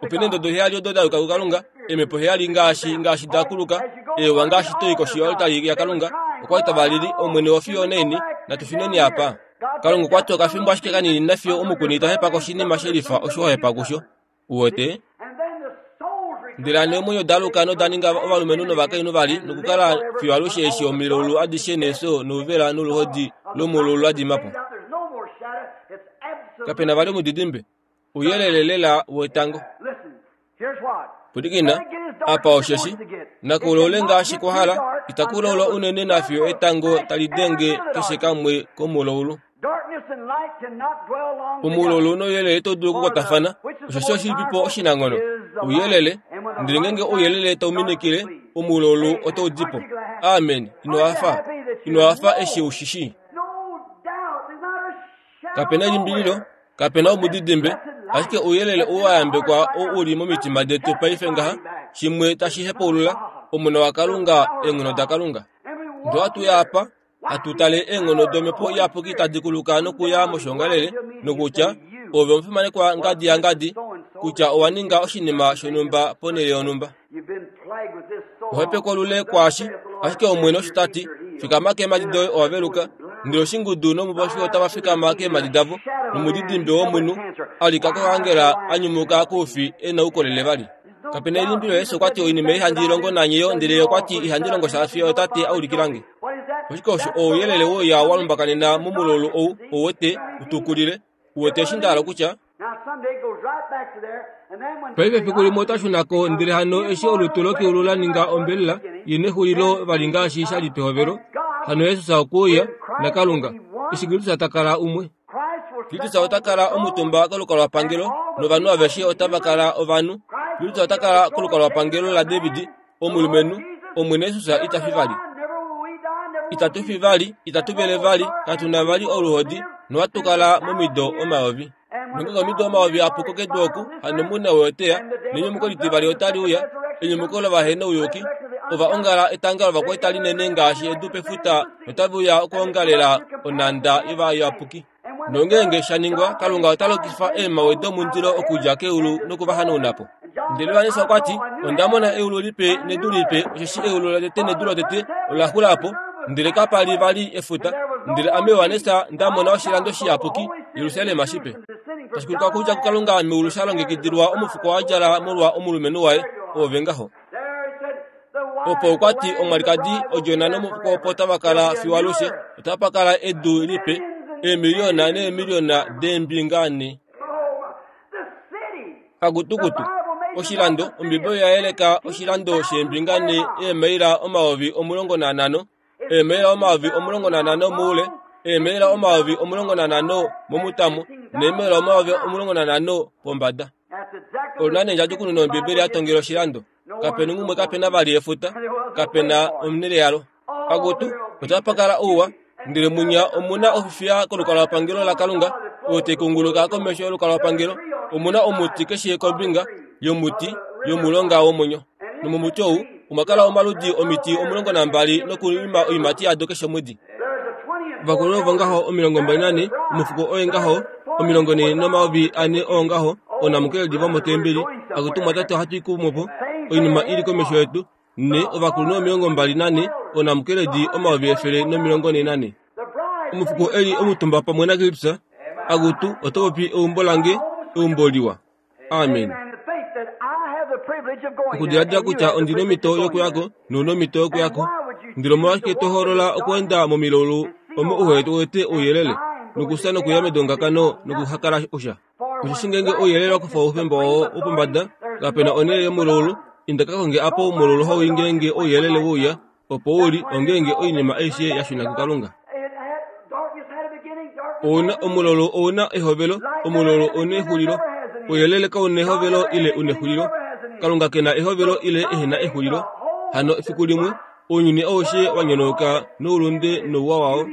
Ope na eendodo heyali odo da yuka kuKalunga, eemhepo heyali ngaashi, ngaashi da kuluka, eewa ngaashi to i koshi yoaltari yaKalunga, okwa li tava lili, Omwene, ofiyo onaini? Natu shuneni apa. Kalunga okwa ti okafimbo ashike kanini nafiyo omukuni ta hepa koshinima shelifa osho wa hepa kusho. Uwete? Ndele hano eemwenyo da aluka noda ninga ovalumenhu novakainhu vali nokukala fiyo alushe eshi omilaulu adishe neefyo nouvela noluhodi lomulaulu la dima po. Kape na vali omudidimbe. Ouyelele lela wetango. Pwilikina, apa osheshi, naku laule ngaashi kwa hala, itaku laula unene nafiyo etango tali denge keshe kamwe komulaulu. Omulaulu nouyelele ito dulu okukwatafana, osheshi oshilipipo oshinanghono? Ouyelele. Ndele ngeenge ouyelele tau minikile, omulaulu otau di po. Amen. Ino hafa? Ino hafa eshi u shi shii? Kape na elimbililo, kape na omudidimbe, ashike ouyelele ou wa yambekwa oo u li momitima detu paife ngaha, shimwe tashi hepaulula, Omona waKalunga, eenghono daKalunga. Ndele ohatu uya apa, hatu tale eenghono dOmhepo Iyapuki tadi kuluka nokuya moshiongalele, nokutya, Ove omufimanekwa ngadi yangadi, kutya owa ninga oshinima shonhumba ponhele yonhumba. Ohepeko lule kwaashi, ashike Omwene osho ta ti, Fikama keemhadi doye owa veluka. Ndele oshingudu nomupofi otava fikama keemhadi davo, nomudidimbe womunhu a lika kokaangela a nyumuka koufi e na oukolele vali. Kape na elimbilo Jesus okwa ti oinima ei handi i longo nanye yo, ndele ye okwa ti ihandi longo sha fiyo Tate a ulikila nge. Oshike osho ouyelele wouya wa lumbakanena momulaulu ou, ou wete, u tukulile? U wete eshi nda hala okutya? Paife efiku limwe ota shuna ko, ndele hano eshi olutu lokeulu la ninga ombelela i nexulilo vali ngaashi sha li pehovelo, hano Jesus okwe uya, naKalunga, eshi Kristus ta kala umwe. Kristus ota kala omutumba kolukalwapangelo, novanhu aveshe otava kala ovanhu. Kristus ota kala kolukalwapangelo laDavid, omulumenhu, Omwene Jesus ita fi vali. Itatu fi vali, itatu vele vali, katu na vali oluhodi, nohatu kala momido omayovi. Nongeenge omido omayovi a puko kedu oku, hano mune woyoteya, nenyumuko litivali otali uya, enyumuko lovahenouyuki. Ova ongala etanga lovakwaita linene ngaashi edu pefuta notave uya okwoongalela onhanda yovayapuki. Nongeenge sha ningwa, Kalunga ota lokifa eemhawe domundilo okudja keulu noku va hanauna po. Ndele Johannes okwa ti, Onda mona eulu lipe nedu lipe, osheshi eulu lotete nedu lotete ola xula po, ndele kapa li vali efuta. Ndele ame Johannes nda mona oshilando shiyapuki, Jerusalem shipe, tashi kuluka okudja kuKalunga meulu sha longekidilwa omufuko wa djala molwa omulumenhu waye. Oove ngaho. Opo okwa ti omwalikadi odjona nomufuko opo tava kala fiyo alushe, otapa kala edu lipe, eemiliyona neemiliyona deembinga ne. Kakutukutu, oshilando, Ombiibeli oya yeleka oshilando sheembinga ne eemaila 15, eemaila 15 moule, eemaila 15 momutamo neemaila 15 pombada. Olu na endjadjukununo yOmbibeli ya tongela oshilando. Kape na umwe kape na vali efuta, kape na omunele yalo. Akutu, otapa kala ouwa, ndele munya omu na ofifiya kolukalwapangelo laKalunga, oyo tai kunguluka komesho yolukalwapangelo. Omu na omuti keshe kombinga yomuti yomulonga womwenyo. Nomomuti ou omwa kala omaludi omiti 12 nokuima oiimati yado keshe omwedi. Ovakulunhu ovo ngaho 24, omufuko oye ngaho 4 400 oo ngaho oonamukeledi vomotembeli. Akutu mwatate ohatu i kumwe po, oinima i li komesho yetu. Ne ovakulunhu 24, oonamukeledi 144. Omufuko e li omutumba pamwe naKristus, Akutu, oto popi eumbo lange, eumbo liwa. Amen. Okudiladila kutya ondi nomhito yokuya ko nou nomhito yokuya ko. Ndele omolwashike to hoolola okweenda momilaulu omo uhe wete ouyelele, nokufya nokuya medongakano nokuhakala osha? Osheshi ngeenge ouyelele wa kufa oufemba wao wopombada, kape na onhele yomulaulu, inda ka konge apa oumulaulu hau i ngeenge ouyelele we uya, opo u li ongeenge oinima aishe ya shuna kuKalunga. Ouna omulaulu ou na ehovelo, omulaulu ou na exulilo. Ouyelele kau na ehovelo ile u nexulilo. Kalunga ke na ehovelo ile ehe na exulilo. Hano efiku limwe ounyuni aushe wa nyonauka noulunde nouwa wao.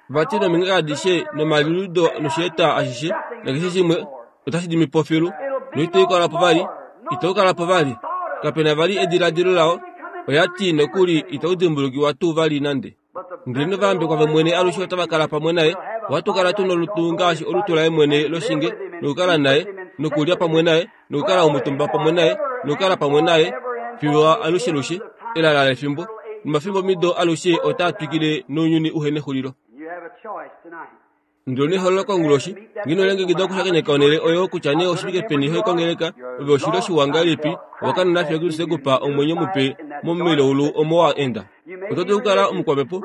Vati nomingaka adishe nomaliudo nosheeta ashishe nakeshe shimwe otashi dimi po filu noitau kala po vali, itau kala po vali. Kape na vali ediladilo lao, oya ti nokuli itau dimbulukiwa tuu vali nande. Ndele novayambekwa vOmwene alushe otava kala pamwe naye. Ohatu kala tu nolutu ngaashi olutu laye mwene loshinge, nokukala naye, nokulya pamwe naye, nokukala omutumba pamwe naye, nokukala pamwe naye fiyo alushelushe, elala lefimbo nomafimbomido alushe otaa twikile nounyuni uhe nexulilo. Ndele nehololo konguloshi, ngeno lengekida okushakeneka onhele oyo kutya nee oshivike peni ho kongeleka, ove oshilyo shiwa ngahelipi, owa kanona fiyo Kristus e ku pa omwenyo mupe momilaulu omo wa enda. Oto dulu okukala omukwamhepo,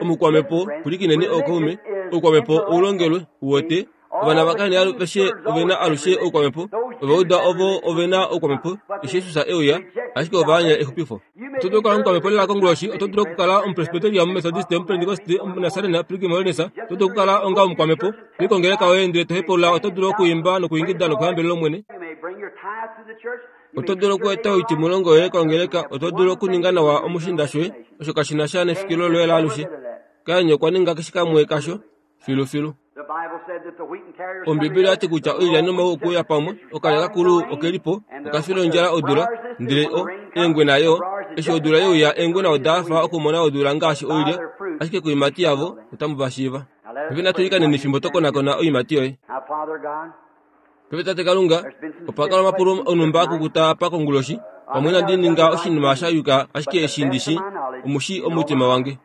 omukwamhepo, pwilikineni ookaume, oukwamhepo oulongelwe, uwete, Ovana vaKain aveshe ove na alushe oukwamhepo. Ovauda ovo ove na oukwamhepo eshi Jesus e uya, ashike ova anya exupifo. Oto dulu okukala omukwamhepo lela konguloshi. Oto dulu okukala Omupresbyteria, Omumethodiste, Omupentekoste, Omunasarena, Pilgrim Holiness. Oto dulu okukala onga omukwamhepo. To i kongeleka yoye ndele to hepaulula. Oto dulu okuimba nokuingida nokuhambelela Omwene. Oto dulu okueta oitimulongo yoye kongeleka. Oto dulu okuninga nawa omushiinda shoye. Osho kashi na sha nefikilo loye laalushe. Kain okwa ninga keshe kamwe kasho. Filufilu. Ombibeli oya ti kutya oilya nomau okuuya pamwe, okalya kakulu oke li po, oka fila ondjala odula, ndele o, eengwena yo, eshi odula ye uya eengwena oda hafa okumona odula ngaashi oilya, ashike koiimati yavo otamu va shiiva. Paife natu ilikaneni fimbo to konakona oiimati yoye. Paife Tate Kalunga, opa kala omapulo onhumba a kukuta apa konguloshi, pamwe inandi ninga oshinima sha yuka ashike eshi ndi shi, omu shii omutima wange.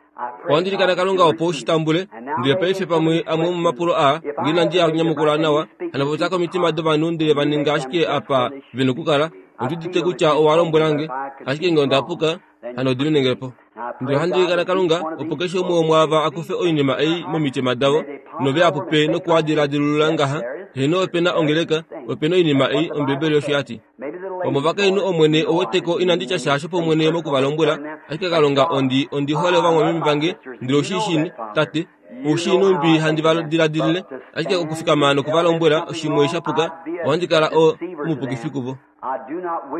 Ohandi ilikana Kalunga opo u shi tambule, ndele paife pamwe amwe omomapulo aa, nge inandi a nyamukula nawa, hano popya komitima dovanhu ndele va ninga ashike apa ve nokukala. Ondi udite kutya owa lombwela nge, ashike nge onda puka, hano diminenge po. Ndele ohandi ilikana Kalunga opo keshe umwe womwaava a kufe oinima ei momitima davo, nove a pupe noku a diladilulula ngaha, Heeno, ope na ongeleka, ope na oinima ei, Ombibeli osho ya ti. Omovakainhu Omwene oweteko inandi tya sha shopomwene moku va lombwela, ashike Kalunga ondi ondi hole ovamwameme vange, ndele ou shii shini, Tate, ou shii nhumbi handi va diladilile, ashike okufikama noku va lombwela oshimwe sha puka, ohandi kala o, omupukifi kuvo.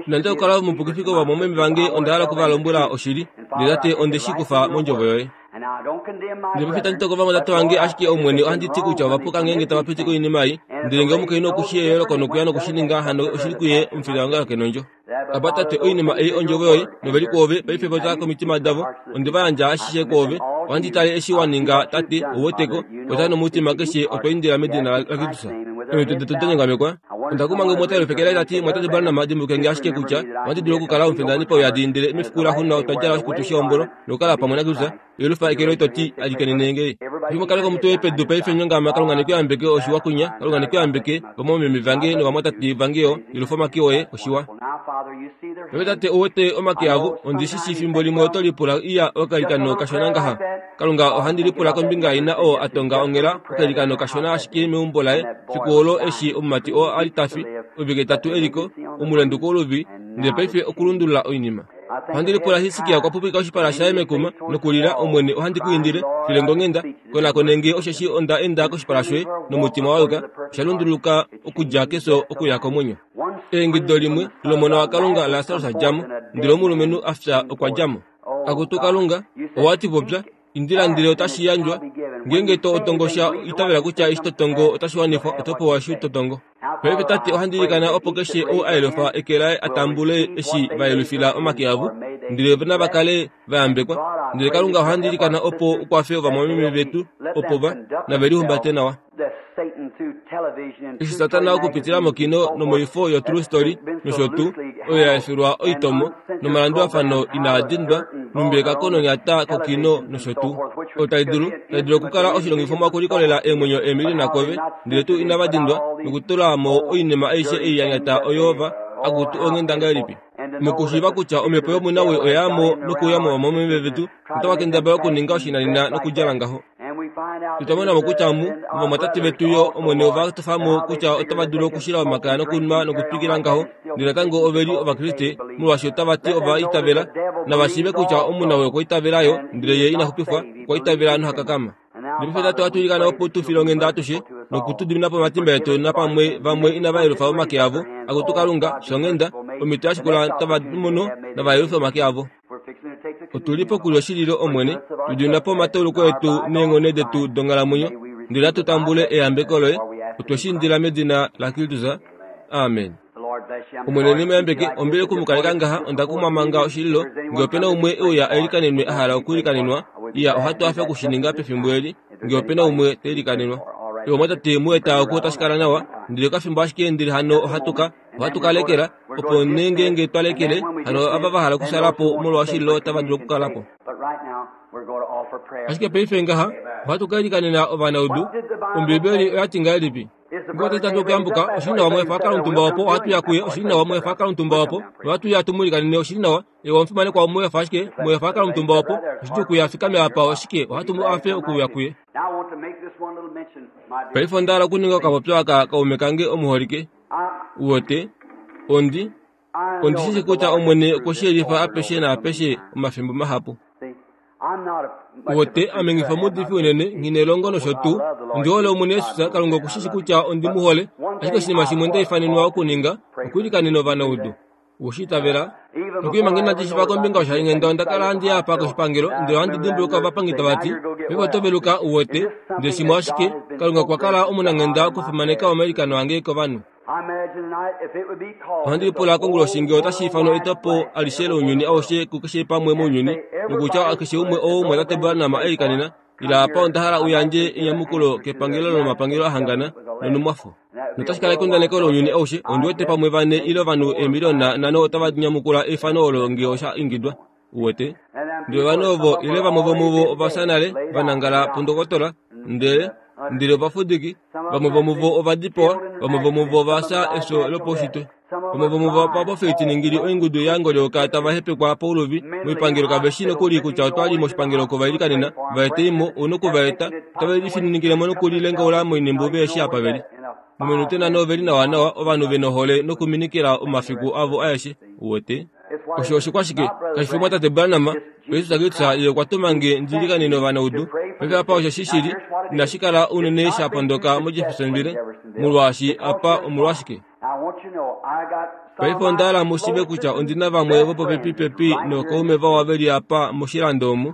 Inandi okukala omupukifi kovamwameme vange, onda hala oku va lombwela oshili, ndele Tate onde shi kufa mondjovo yoye. Ndele paife itandi toko ovamwatate vange, ashike Omwene ohandi ti kutya ova puka ngeenge tava piti koinima ei. Ndele ngee omukainhu oku shii eyooloko nokuya noku shi ninga, hano oshili kuye omufili wange ke nondjo. Apa Tate, oinima ei ondjovo yoye, nove li kwoove, paife popya komitima davo. Onde va yandja ashishe kwoove. Ohandi tale eshi wa ninga, Tate, ou weteko, popya nomutima keshe, otwa indila medina laKristus. Omitwe detu da nyongamekwa. Onda kuma nge umwe ota yelufekele ta ti, Mwatate Branham, dimbuluke nge ashike kutya ohandi dulu okukala omufindani pauyadi, ndele mefiku laxuuninwa otwa djala oshikutu shehombolo nokukala pamwe naKristus. Yelufa eke loye to ti, Alikanene nge. Fimbo kaleka omutwe woye pedu paife nyongama, Kalunga ne ku yambeke, oshiwa kunya. Kalunga ne ku yambeke, vamwameme vange novamwatate vange yo. Yelufa omake oye, oshiwa. Paife Tate, ou wete omake avo, ondi shi shii fimbo limwe oto lipula, Iya, okailikano kashona ngaha. Kalunga, ohandi lipula kombinga yaina oo a tonga onghela okailikano kashona ashike meumbo laye fiku olo eshi omumati oo a li ta fi, ovike tatu e li ko, omulendu kouluvi, ndele paife okulundulula oinima. Ohandi lipula Hiskia okwa pupika oshipala shaye mekuma nokulila, Omwene, ohandi ku indile, file nge onghenda, konakone nge, osheshi onda enda koshipala shoye nomutima wa yuka. Osha lunduluka okudja kefyo okuya komwenyo. Eingido limwe lOmona waKalunga Lasarus a dja mo, ndele omulumenhu a fya okwa dja mo. Akutu Kalunga, owa ti popya, indila ndele otashi yandjwa. Ngeenge to tongo sha, itavela kutya eshi to tongo otashi wanifwa, oto pewa eshi to tongo. Paife Tate, ohandi ilikana opo keshe ou a yelufa eke laye a tambule eshi va yelufila omake avo, ndele nava kale va yambekwa. Ndele Kalunga, ohandi ilikana opo u kwafe ovamwameme vetu opo va, nave lihumbate nawa. Eshi Satana okupitila mokino nomoifo yoTrue Story nosho tuu, oyo ya efilwa oitomo nomalandulafano inaa dindwa, numbi ekako nonyata kokino nosho tuu, oyo tai dulu, tai dulu okukala oshilongifomwa okulikolela eemwenyo eemiliona kove, ndele tuu inava dindwa nokutula mo oinima aishe ei ya nyata oyo va, akutu onghenda ngahelipi! Mokushiiva kutya omhepo yomunawii oya ya mo nokuuya mo vamwameme vetu, notava kendabala okuninga oshinanena nokudjala ngaho. Otwa mona mo kutya mu, ovamwatate vetu yo, Omwene ova tofa mo kutya otava dulu okushila omakaya nokunwa nokutwikila ngaho, ndele natango ove li Ovakriste, molwaashi otava ti ova itavela. Nava shiive kutya omunawii okwa itavela yo, ndele ye ina xupifwa, okwa itavela noha kakama. Ndele paife Tate ohatu ilikana opo tu file onghenda atushe, noku tu dimina po omatimba etu napamwe vamwe inava yelufa omake avo. Akutu Kalunga, shonghenda, omhito ya shikula otava mono, nava yelufe omake avo. Otu li pokulya oshililo, Omwene, tu dimina po omatauluko etu neenghono detu donghalamwenyo, ndele natu tambule eyambeko loye. Otwe shi indila medina laKristus. Amen. Omwene ne mu yambeke. Ombili oku mu kaleka ngaha, onda kumwa manga oshililo. Nge ope na umwe e uya a ilikanenwe a hala okuilikanenwa, iya, ohatu hafe oku shi ninga pefimbo eli, nge ope na umwe ta ilikanenwa. Ovamwatate mu eta oku otashi kala nawa, ndele okafimbo ashike ndele hano ohatu ka, ohatu ka lekela, opo nee ngeenge twa lekele, hano ava va hala okushala po molwa oshililo otava dulu okukala po. Ashike paife ngaha, ohatu ka ilikanena ovanaudu. Ombiibeli oya ti ngahelipi? Ngee otwa tatu okuyambuka, oshili nawa mwefa a kala omutumba opo, ohatu ya kuye, oshili nawa mwefa a kala omutumba opo, nohatu ya tu mu ilikanene, oshili nawa. Ewa omufimanekwa omwefa ashike, mwefa a kala omutumba opo, oshidjuu kuye a fikame apa, oshike, ohatu mu afe okuuya kuye. Paife onda hala okuninga okapopyo aka kaume kange omuholike. Uwete, ondi, ondi shi shi kutya Omwene okwe shi yelifa apeshe naapeshe omafimbo mahapu. Uwete, ame nghi fi omuudifi unene, nghi nelongo nosho tuu. Ondi hole Omwene Jesus, Kalunga oku shi shi kutya ondi mu hole. Ashike oshinima shimwe nda ifanenwa okuninga, okuilikanena ovanaudu. Owe shi itavela? Nokuli manga inandi shiva kombinga yoshalinghenda onda kala handi ya apa koshipangelo ndele ohandi dimbuluka ovapangi tava ti, Paife oto veluka, u wete. Ndele shimwe ashike, Kalunga okwa kala omunanghenda okufimaneka omailikano ange kovanhu. Ohandi lipula konguloshi ngee otashi ifanwa etopo alishe lounyuni aushe kukeshe pamwe mounyuni, nokutya keshe umwe ou omumwatate Branham a ilikanena, ila apa onda hala u yandje enyamukulo kepangelo lomapangelo ahangana nonumwafo. Notashi kala ekundaneko lounyuni aushe, ondi wete pamwe vane ile ovanhu eemiliona nhano otava nyamukula eifano olo ngee osha ingidwa. Uwete? Ndele ovanhu ovo ile vamwe vomuvo ova fya nale, va nangala pundokotola, ndele, ndele ovafudiki, vamwe vomuvo ova dipawa, vamwe vomuvo ova fya efyo lopaushitwe. Vamwe vomuvo ovapofitiningili oingudu ya ngolyoka tava hepekwa pauluvi moipangelo kave shi nokuli kutya otwa li moshipangelo oko va ilikanena, va etei mo, ou noku va eta, otave lifininikile mo nokulilengaula moinimbu ve shi apa ve li. Mominute nhano ove li nawanawa, ovanhu ve nohole nokuminikila omafiku avo aeshe. Uwete? Osho oshikwashike? Kashi fi omwatate Branham, Jesus Kristus ye okwa tuma nge ndi ilikanene ovanaudu. Paife apa osho shi shili, inashi kala unene sha pondoka moJeffersonville, molwaashi apa omolwashike? Paife onda hala mu shiive kutya ondi na vamwe vopopepipepi nookaume vawa ve li apa moshilando omu,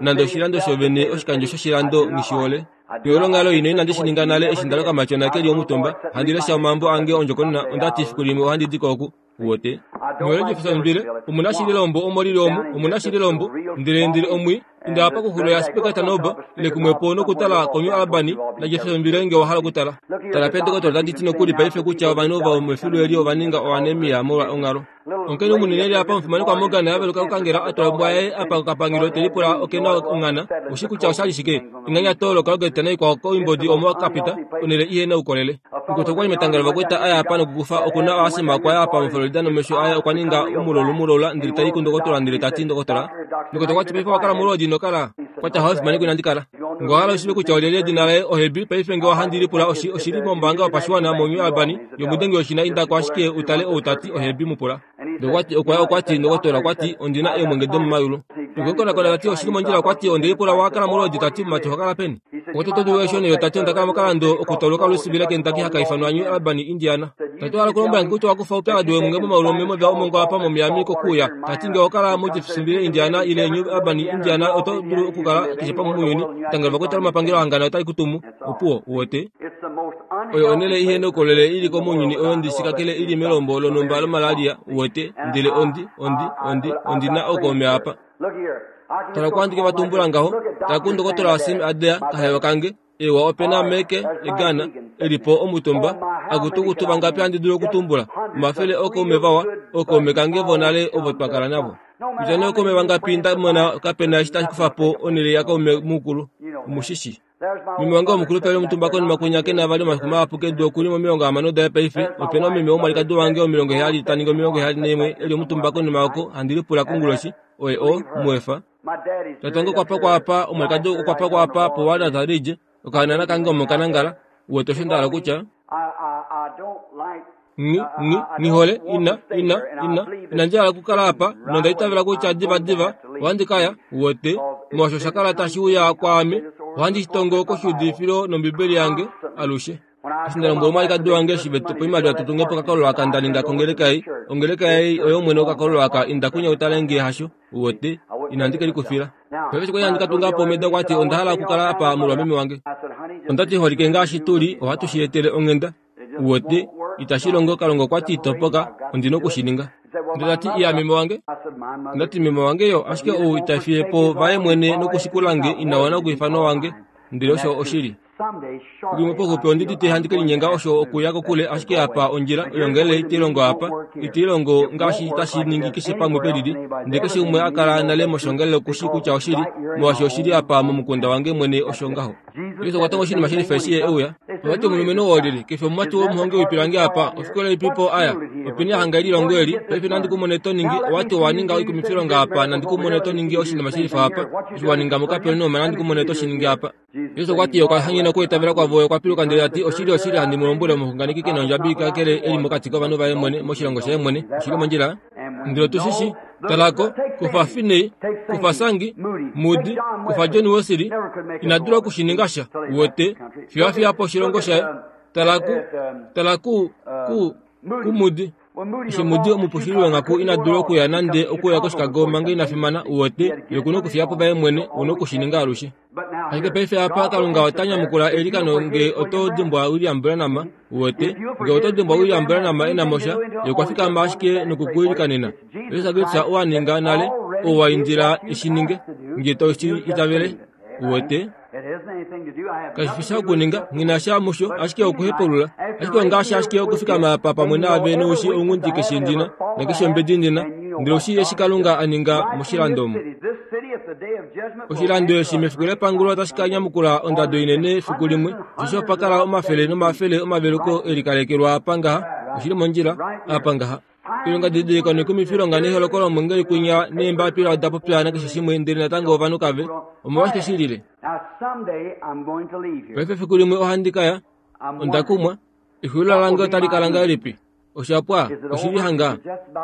nande oshilando shovene oshikandjo shoshilando nghi shi hole. Peolongalo ino inandi shi ninga nale eshi nda loka matyona ke li omutumba, handi lesha omambo ange ondjokonona, onda ti efiku limwe ohandi di ko oku. Uwete? Muhole Jeffersonville, omu na shili elombo omo li li omu, omu na shili elombo, ndele ndili omwi, inda apa koxulo yaSpector ile kumwepo nokutala koNew Albany naJeffersonville nge wa hala okutala. Tala pedokotola otadi ti nokuli paife kutya ovanhu ova mefilu eli ova ninga oanemia molwa onghalo. Omukainhu munene eli apa omufimanekwa Morgan a veluka kokangela a tula ombwa yaye apa kokapangelo te lipula oke na onghana. Ushi kutya osha li shike? Enganyato lokalogeta naikwao koimbodi omo ka pita, onhele ihe na oukolele. Mukwetu okwa li metanga lovakwaita a ya apa nokukufa oku na oasima okwa ya apa moFlorida nomesho aye okwa ninga umulolu mulola ndele ta i kundokotola ndele ta ti ndokotola mukwetu okwa ti paife owa kala molwoodi ino kala kwa tya hawe inandi kala nge owa hala ushive kutya olyelye edina laye ohebi paife nge ohandi lipula oshi oshili mombaanga yopashiwana moNew Albany yomudengi woshina inda ko ashike utale ou ta ti ohebi mu pula Ndokwati okwa okwa ti ndokotola okwa ti ondi na eemwenge domomayulu. Okwe ta ti oshili mondjila okwa ti onde lipula wa kala molwoodi ta ti mumati oho kala peni? Okwa ti oto dulu eshi yo ta ti onda kala mokalando okutauluka olusibila Kentucky haka ifanwa New Albany, Indiana. Ta ti owa hala okulombwela nge kutya owa kufa oupyakadi weemwenge momaulu omemova omongo apa moMiami kokuuya. Ta ti nge oho kala muJeffersonville, Indiana ile New Albany, Indiana oto dulu okukala keshe pamwe mounyuni. Etangelo lovakwaita lomapangelo ahangana otali ku tumu. Opuwo, uwete. Oyo onhele ihe noukolele i li ko mounyuni oyo ndi shi kakele i li melombo lonhumba lomalaria, uwete, ndele ondi, ondi, ondi, ondi na ookaume apa. Tala kwaandike va tumbula ngaho, tala kundokotola Sim Adair, kahewa kange. Ewa ope na meke egana e li po omutumba. Akutu vangapi handi dulu okutumbula? Omafele ookaume vawa, ookaume kange vonale ovo twa kala navo. Kutya nee ookaume vangapi nda mona kape na eshi tashi kufa po onhele yakaume mukulu. Omu shi shi. Meme wange womukulupe e li omutumba konima kwinya ke na vali omafiku mahapu kedu oku li momilongo hamano daye paife. Ope na omeme womwalikadi wange womilongo heyali ta ningi 71 e li omutumba konima oko handi lipula konguloshi oye o mu efa. Tate wange okwa pakwa apa, omwalikadi okwa pakwa apa poWalnut Ridge, okahanana kange omo ka nangala. Uwete osho nda hala okutya? Nghi, nghi, nghi hole, ina, ina, ina, inandi hala okukala apa, nonda itavela kutya divadiva ohandi ka ya, uwete, molwaashi osha kala tashi uya kwaame, ohandi shi tongo koshiudifilo nOmbibeli yange, alushe. Eshi nda lombwela omwalikadi wange eshi ve tu pa oimaliwa tu tunge po okakololo aka nda ninga kongeleka ei, ongeleka ei oyo mwene wokakololo aka, inda kunya u tale nge hasho, uwete, inandi ke likufila. Paife eshi kwali handi ka tunga po omeda okwa ti onda hala okukala apa molwa meme wange. Onda ti holike ngaashi tu li, ohatu shi etele onghenda. Uwete, itashi longo, Kalunga okwa ti topoka, ondi noku shi ninga. Ndele ta ti, Iya, meme wange. Onda ti, Meme wange yo, ashike ou ita fiye po vaye mwene nokushikula nge, ina wana okuifanwa wange. Ndele osho oshili. Limwe poxupi ondi dite handi ke linyenga osho okuya kokule ashike apa ondjila oyo ngele ite longo apa ite longo ngaashi tashi ningi keshe pamwe pelili ndele keshe umwe a kala nale moshongelele okushi kutya oshili molwaashi oshili apa momukunda wange mwene osho ngaho Jesus okwa tonga oshinima shilifa eshi ye e uya. Ova ti omulumenhu oo olyelye? Ke fi omumati womuhongi woipilangi apa? Ofikola ilipi po a ya? Openi a hanga elilongo eli? Paife nandi ku mone to ningi. Owa ti owa ninga oikumifilonga apa, nandi ku mone to ningi oshinima shilifa apa. Eshi wa ninga muKapernaum, nandi ku mone to shi ningi apa. Jesus okwa ti okwa hanyena okwiitavela kwavo, okwa piluka ndele ta ti, Oshili, oshili, handi mu lombwele, omuxunganeki ke na ondjabi kakele e li mokati kovanhu vaye mwene, moshilongo shaye mwene. Oshi li mondjila? Ndele otu shi shi. Tala ko, kufa Finney, kufa Sangi, Moody, kufa John Wesley, ina dula oku shi ninga sha. Uwete, fiyo a fiya po oshilongo shaye. Tala ku, tala ku, ku, kuMoody. Eshi Moody omupushili wonghaku ina dula okuya nande okuya koChicago manga ina fimana, uwete, ye oku na okufiya po vaye mwene, u na oku shi ninga alushe. Ashike paife apa Kalunga ota nyamukula eilikano nge oto dimbwa William Branham, uwete, nge oto dimbwa William Branham e na mo sha, ye okwa fikama ashike nokukuilikanena. Jesus Kristus owa ninga nale, ou wa indila e shi ninge, nge to shi itavele, uwete. Kashi fi sha okuninga, nghi na sha musho, ashike okuhepulula. Ashike ongaashi ashike okufikama apa pamwe naave noushi ounghundi keshe ndi na, nakeshe ombedi ndi na, ndele oshi eshi Kalunga a ninga moshilando omu. Oshilando eshi mefiku lepangulo otashi ka nyamukula ondado inene efiku limwe, osheshi opa kala omafele nomafele omaveluko e likalekelwa apa ngaha, oshi li mondjila, apa ngaha. Oilonga didiliko noikumifilonga neholoko lomwengeli kwinya neembapila oda popya nakeshe shimwe, ndele natango ovanhu kave. Omolwashike shi lile? Paife efiku limwe ohandi ka ya. Onda kumwa. Exulilo lange otali kala ngahelipi? Osha pwa, oshili hanga.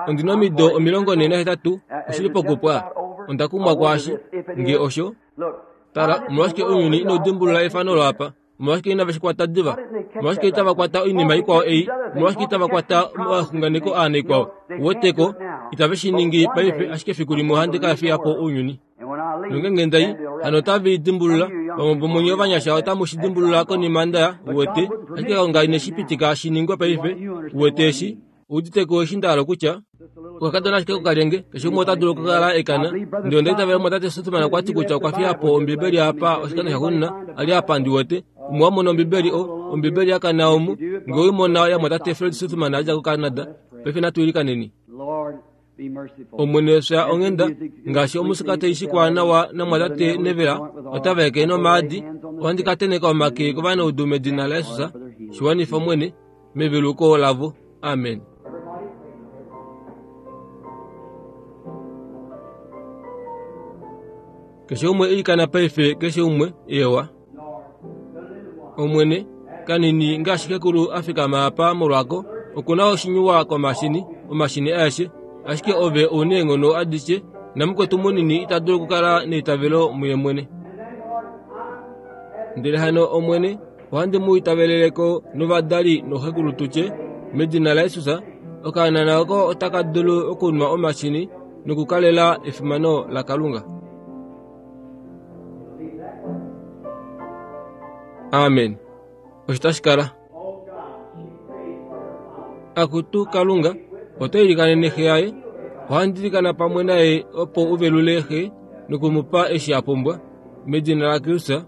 Ondi na omido 48, oshili pokupwa. Onda kumwa kwaashi, nge osho. Tala, omolwashike ounyuni inau dimbulula efano olo apa? Omolwashike inave shi kwata diva? Omolwashike itava kwata oinima ikwao ei? Omolwashike itava kwata omaxunganeko aa naikwao? Uweteko, itave shi ningi paife, ashike efiku limwe ohandi ka fiya po ounyuni. Nongenge nda i, hano otave i dimbulula. Vamwe vomunye ovanyasha otamu shi dimbulula konima nda ya, uwete. Ashike Kalunga ine shi pitika shi ningwe paife, uwete eshi. Oudite ko eshi nda hala okutya? Okakadona ashike kokalyenge, keshe umwe ota dulu okukala e kana. Ndele onda itavela omumwatate Sothmann okwa ti kutya okwa fiya po Ombibeli apa oshikando shaxuuninwa a li apa ndi wete. Umwe wa mona Ombibeli, o, Ombibeli ya kana omu, nge oi mona yamumwatate Fred Sothmann a dja koCanada. Paife natu ilikaneni. Omwene fya onghenda, ngaashi omusika tai shikwa nawa namwatate Neville ota vaeke nomaadi, ohandi ka tenheka omake kovanaudu medina laJesus, shi wanifa Omwene, meveluko lavo. Amen. Keshe umwe ilikana paife, keshe umwe, ewa. Omwene, kanini ngaashi xekulu a fikama apa molwako, oku na oshinyuwa komashini, omashini aeshe. Ashike ove ou neenghono adishe, namukwetu munini ita dulu okukala neitavelo muye mwene. Ndele hano, Omwene, ohandi mu itavelele ko novadali nooxekulu tu tye, medina laJesus, okaanana oko otaka dulu okunwa omashini nokukalela efimano laKalunga. Amen. Osho tashi kala. Akutu Kalunga, oto ilikanene xe yaye. Ohandi ilikana pamwe naye opo u velule xe noku mu pa eshi a pumbwa. Medina laKristus.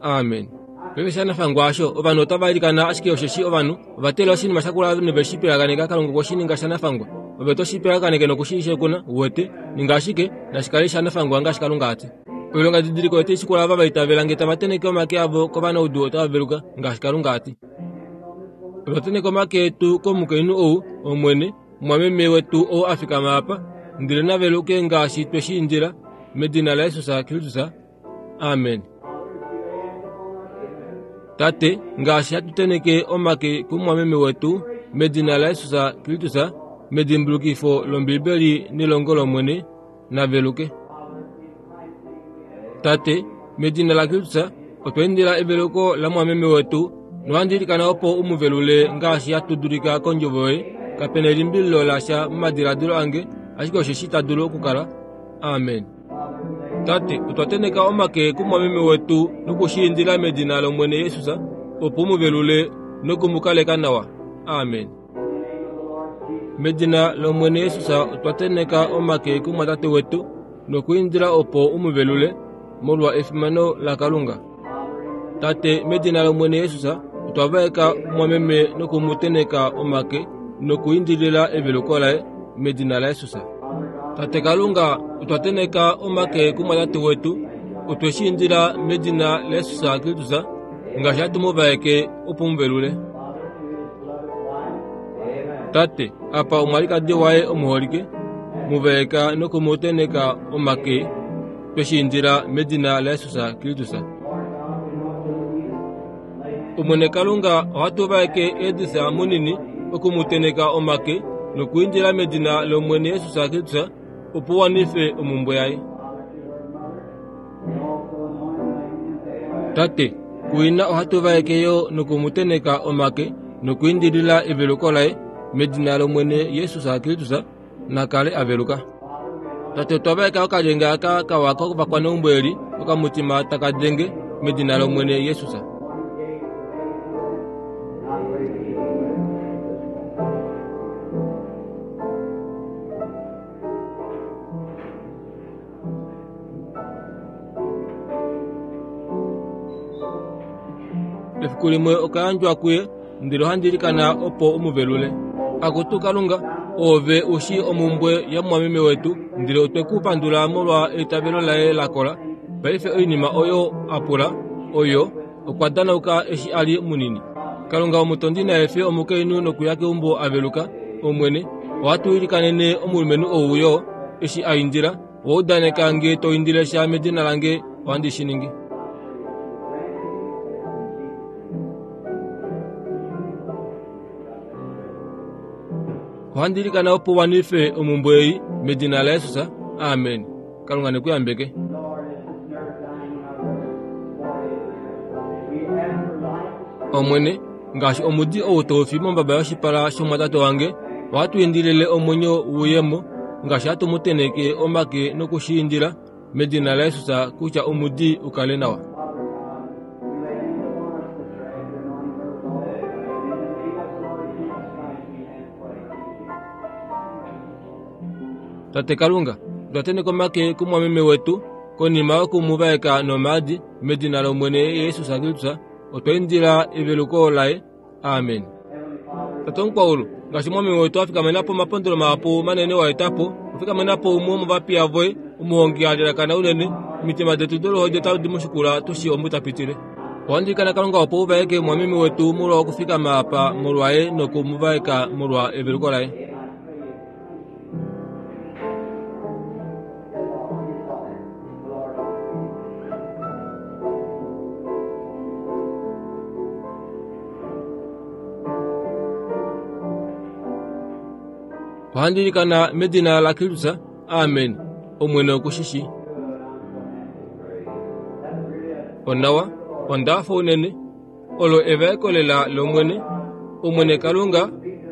Amen. Paife shanafangwa osho, ovanhu otava ilikana ashike osheshi ovanhu ova teelela oshinima shakula nove shi piyaganeka. Kalunga okwe shi ninga shanafangwa. Ove to shi piyaganeke noku shi shekuna, uwete. Ninga ashike, nashi kale shanafangwa ngaashi Kalunga a ti. Oilongadidiliko otai shikula ava va itavela nge tava tenheke omake avo kovanaudu otava veluka, ngaashi Kalunga a ti. Otwa tenheka omake etu komukainhu ou, Omwene, mumwameme wetu ou a fikama apa, ndele na veluke ngaashi twe shi indila, medina laJesus Kristus. Amen. Tate, ngaashi hatu tenheke omake kumumwameme wetu, medina laJesus Kristus, medimbulukifo lOmbibeli nelongo lOmwene, na veluke. Tate, medina laKristus, otwa indila eveluko lamumwameme wetu, nohandi ilikana opo u mu velule ngaashi hatu dulika kondjovo yoye. Kape na elimbililo lasha momadiladilo ange, ashike osheshi ta dulu okukala. Amen. Tate, otwa tenheka omake kumwameme wetu noku shi indila medina lOmwene Jesus, opo u mu velule noku mu kaleka nawa. Amen. Medina lOmwene Jesus otwa tenheka omake kumwatate wetu nokuindila opo u mu velule molwa efimano laKalunga. Tate, medina lOmwene Jesus otwa vaeka mwameme noku mu tenheka omake nokuindilila eveluko laye medina laJesus. Tate Kalunga, otwa tenheka omake kumwatate wetu, otwe shi indila medina laJesus Kristus ngaashi hatu mu vaeke opo mu velule. Tate, apa omwalikadi waye omuholike, mu vaeka noku mu tenheka omake, twe shi indila medina laJesus Kristus. Omwene Kalunga, ohatu vaeke Edith munini oku mu tenheka omake nokuindila medina lOmwene Jesus Kristus opo u wanife omhumbwe yaye. Tate, kuina ohatu vaeke yo noku mu tenheka omake nokuindilila eveluko laye medina lOmwene Jesus Kristus, na kale a veluka. Tate, otwa vaeka okalyenge aka kawa kovakwaneumbo eli okamutima taka denge medina lOmwene Jesus. Efiku limwe oka yandjwa kuye, ndele ohandi ilikana opo u mu velule. Akutu Kalunga, oove u shii omhumbwe yamumwameme wetu, ndele otwe ku pandula molwa eitavelo laye la kola. Paife oinima oyo a pula, oyo, okwa danauka eshi a li munini. Kalunga omutondi na efe omukainhu nokuya keumbo a veluka. Omwene, ohatu ilikanene omulumenhu ou yo, eshi a indila, Owa udaneka nge to indile sha medina lange, ohandi shi ningi. Ohandi ilikana opo u wanife omhumbwe ei medina laJesus. Amen. Kalunga ne ku yambeke. Omwene, ngaashi omudi ou tau fi mombaba yoshipala shomwatate wange, ohatu indilile omwenyo wuye mo, ngaashi hatu mu tenheke omake noku shi indila medina laJesus kutya omudi u kale nawa. Tate Kalunga, otwa tenheka omake kumwameme wetu konima yoku mu vaeka nomaadi medina lOmwene Jesus Kristus. Otwa indila eveluko laye. Amen. Tate omukwaulu, ngaashi omwameme wetu a fikamena po omapondolo mahapu manene wa eta po, ofikamena po umwe womovapiya voye, omuhongi a lelakana unene, omitima detu doluhodi otadi mu shikula tu shii omu ta pitile. Ohandi ilikana Kalunga opo u vaeke omwameme wetu molwa okufikama apa molwaye noku mu vaeka molwa eveluko laye. Ohandi ilikana medina laKristus. Amen. Omwene oku shi shii. Onawa, onda hafa unene. Olo evaeko lela lOmwene, Omwene Kalunga,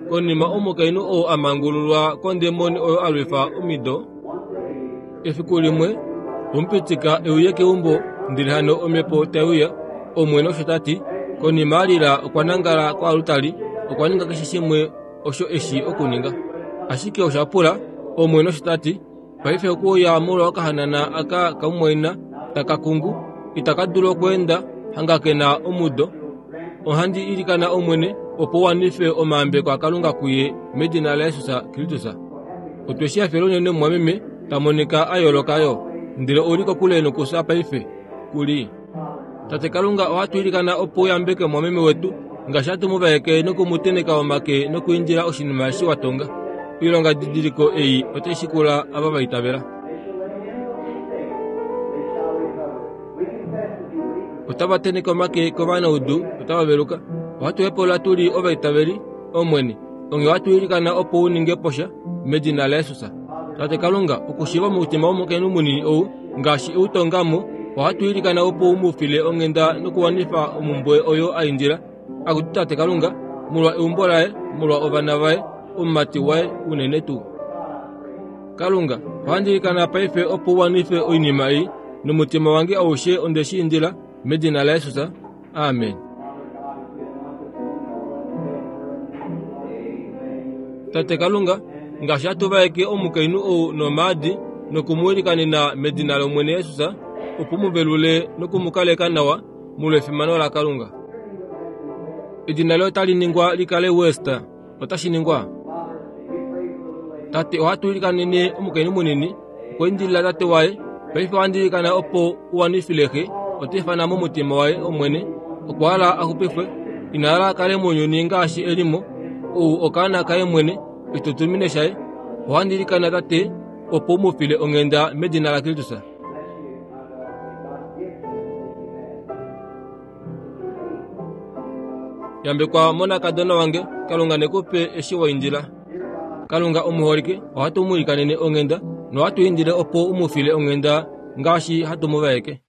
konima omukainhu ou a mangululwa kondemoni oyo a lwifa omido. Efiku limwe, omupitika e uye keumbo, ndele hano omhepo tai uya, Omwene osho ta ti. Konima a lila okwa nangala koalutali, okwa ninga keshe shimwe osho e shii okuninga. Ashike osha pula, Omwene osho ta ti. Paife okuuya molwa okahanana aka kamumwaina taka kungu, itaka dulu okweenda. hangakena omudo. Ohandi ilikana Omwene opo u wanife omayambeko aKalunga kuye medina laJesus Kristus. Otwe shi hafela unene mumwameme ta monika a yooloka yo, ndele ou li kokule nokufya paife. Ku li. Tate Kalunga, ohatu ilikana opo u yambeke mumwameme wetu ngaashi hatu mu vaeke noku mu teneka omake nokuindila oshinima eshi wa tonga. Oilongadidiliko ei otai shikula ava va itavela. Otava teneke omake kovanaudu, otava veluka. Ohatu hepaulula tu li ovaitaveli, Omwene, onghee ohatu ilikana opo u ninge po sha, medina laJesus. Tate Kalunga, okushiiva omutima womukainhu munini ou, ngaashi e u tonga mo, ohatu ilikana opo u mu file onghenda nokuwanifa omumbwe oyo a indila. Akutu Tate Kalunga, molwa eumbo laye, molwa ovana vaye, omumati waye unene tuu. Kalunga, ohandi ilikana paife opo u wanife oinima ei, nomutima wange aushe onde shi indila, medina laJesus. Amen. Tate Kalunga, ngaashi hatu vaeke omukainhu ou nomaadi noku mu ilikanena medina lOmwene Jesus, opo mu velule noku mu kaleka nawa molwefimano laKalunga. Edina loye otali ningwa li kale West. Otashi ningwa? Tate, ohatu ilikanene omukainhu munini okwa indilila tate waye. Paife ohandi ilikana opo u wanifile xe. Ota ifana momutima waye, Omwene, okwa hala a xupifwe. Ina hala a kale mounyuni ngaashi e li mo. Ou okaana kaye mwene, oshitutumine shaye. Ohandi ilikana, Tate, opo u mu file onghenda medina laKristus. Yambekwa monakadona wange, Kalunga ne ku pe eshi wa indila. Kalunga omuholike, ohatu mu ilikanene onghenda nohatu indile opo u mu file onghenda ngaashi hatu mu vaeke.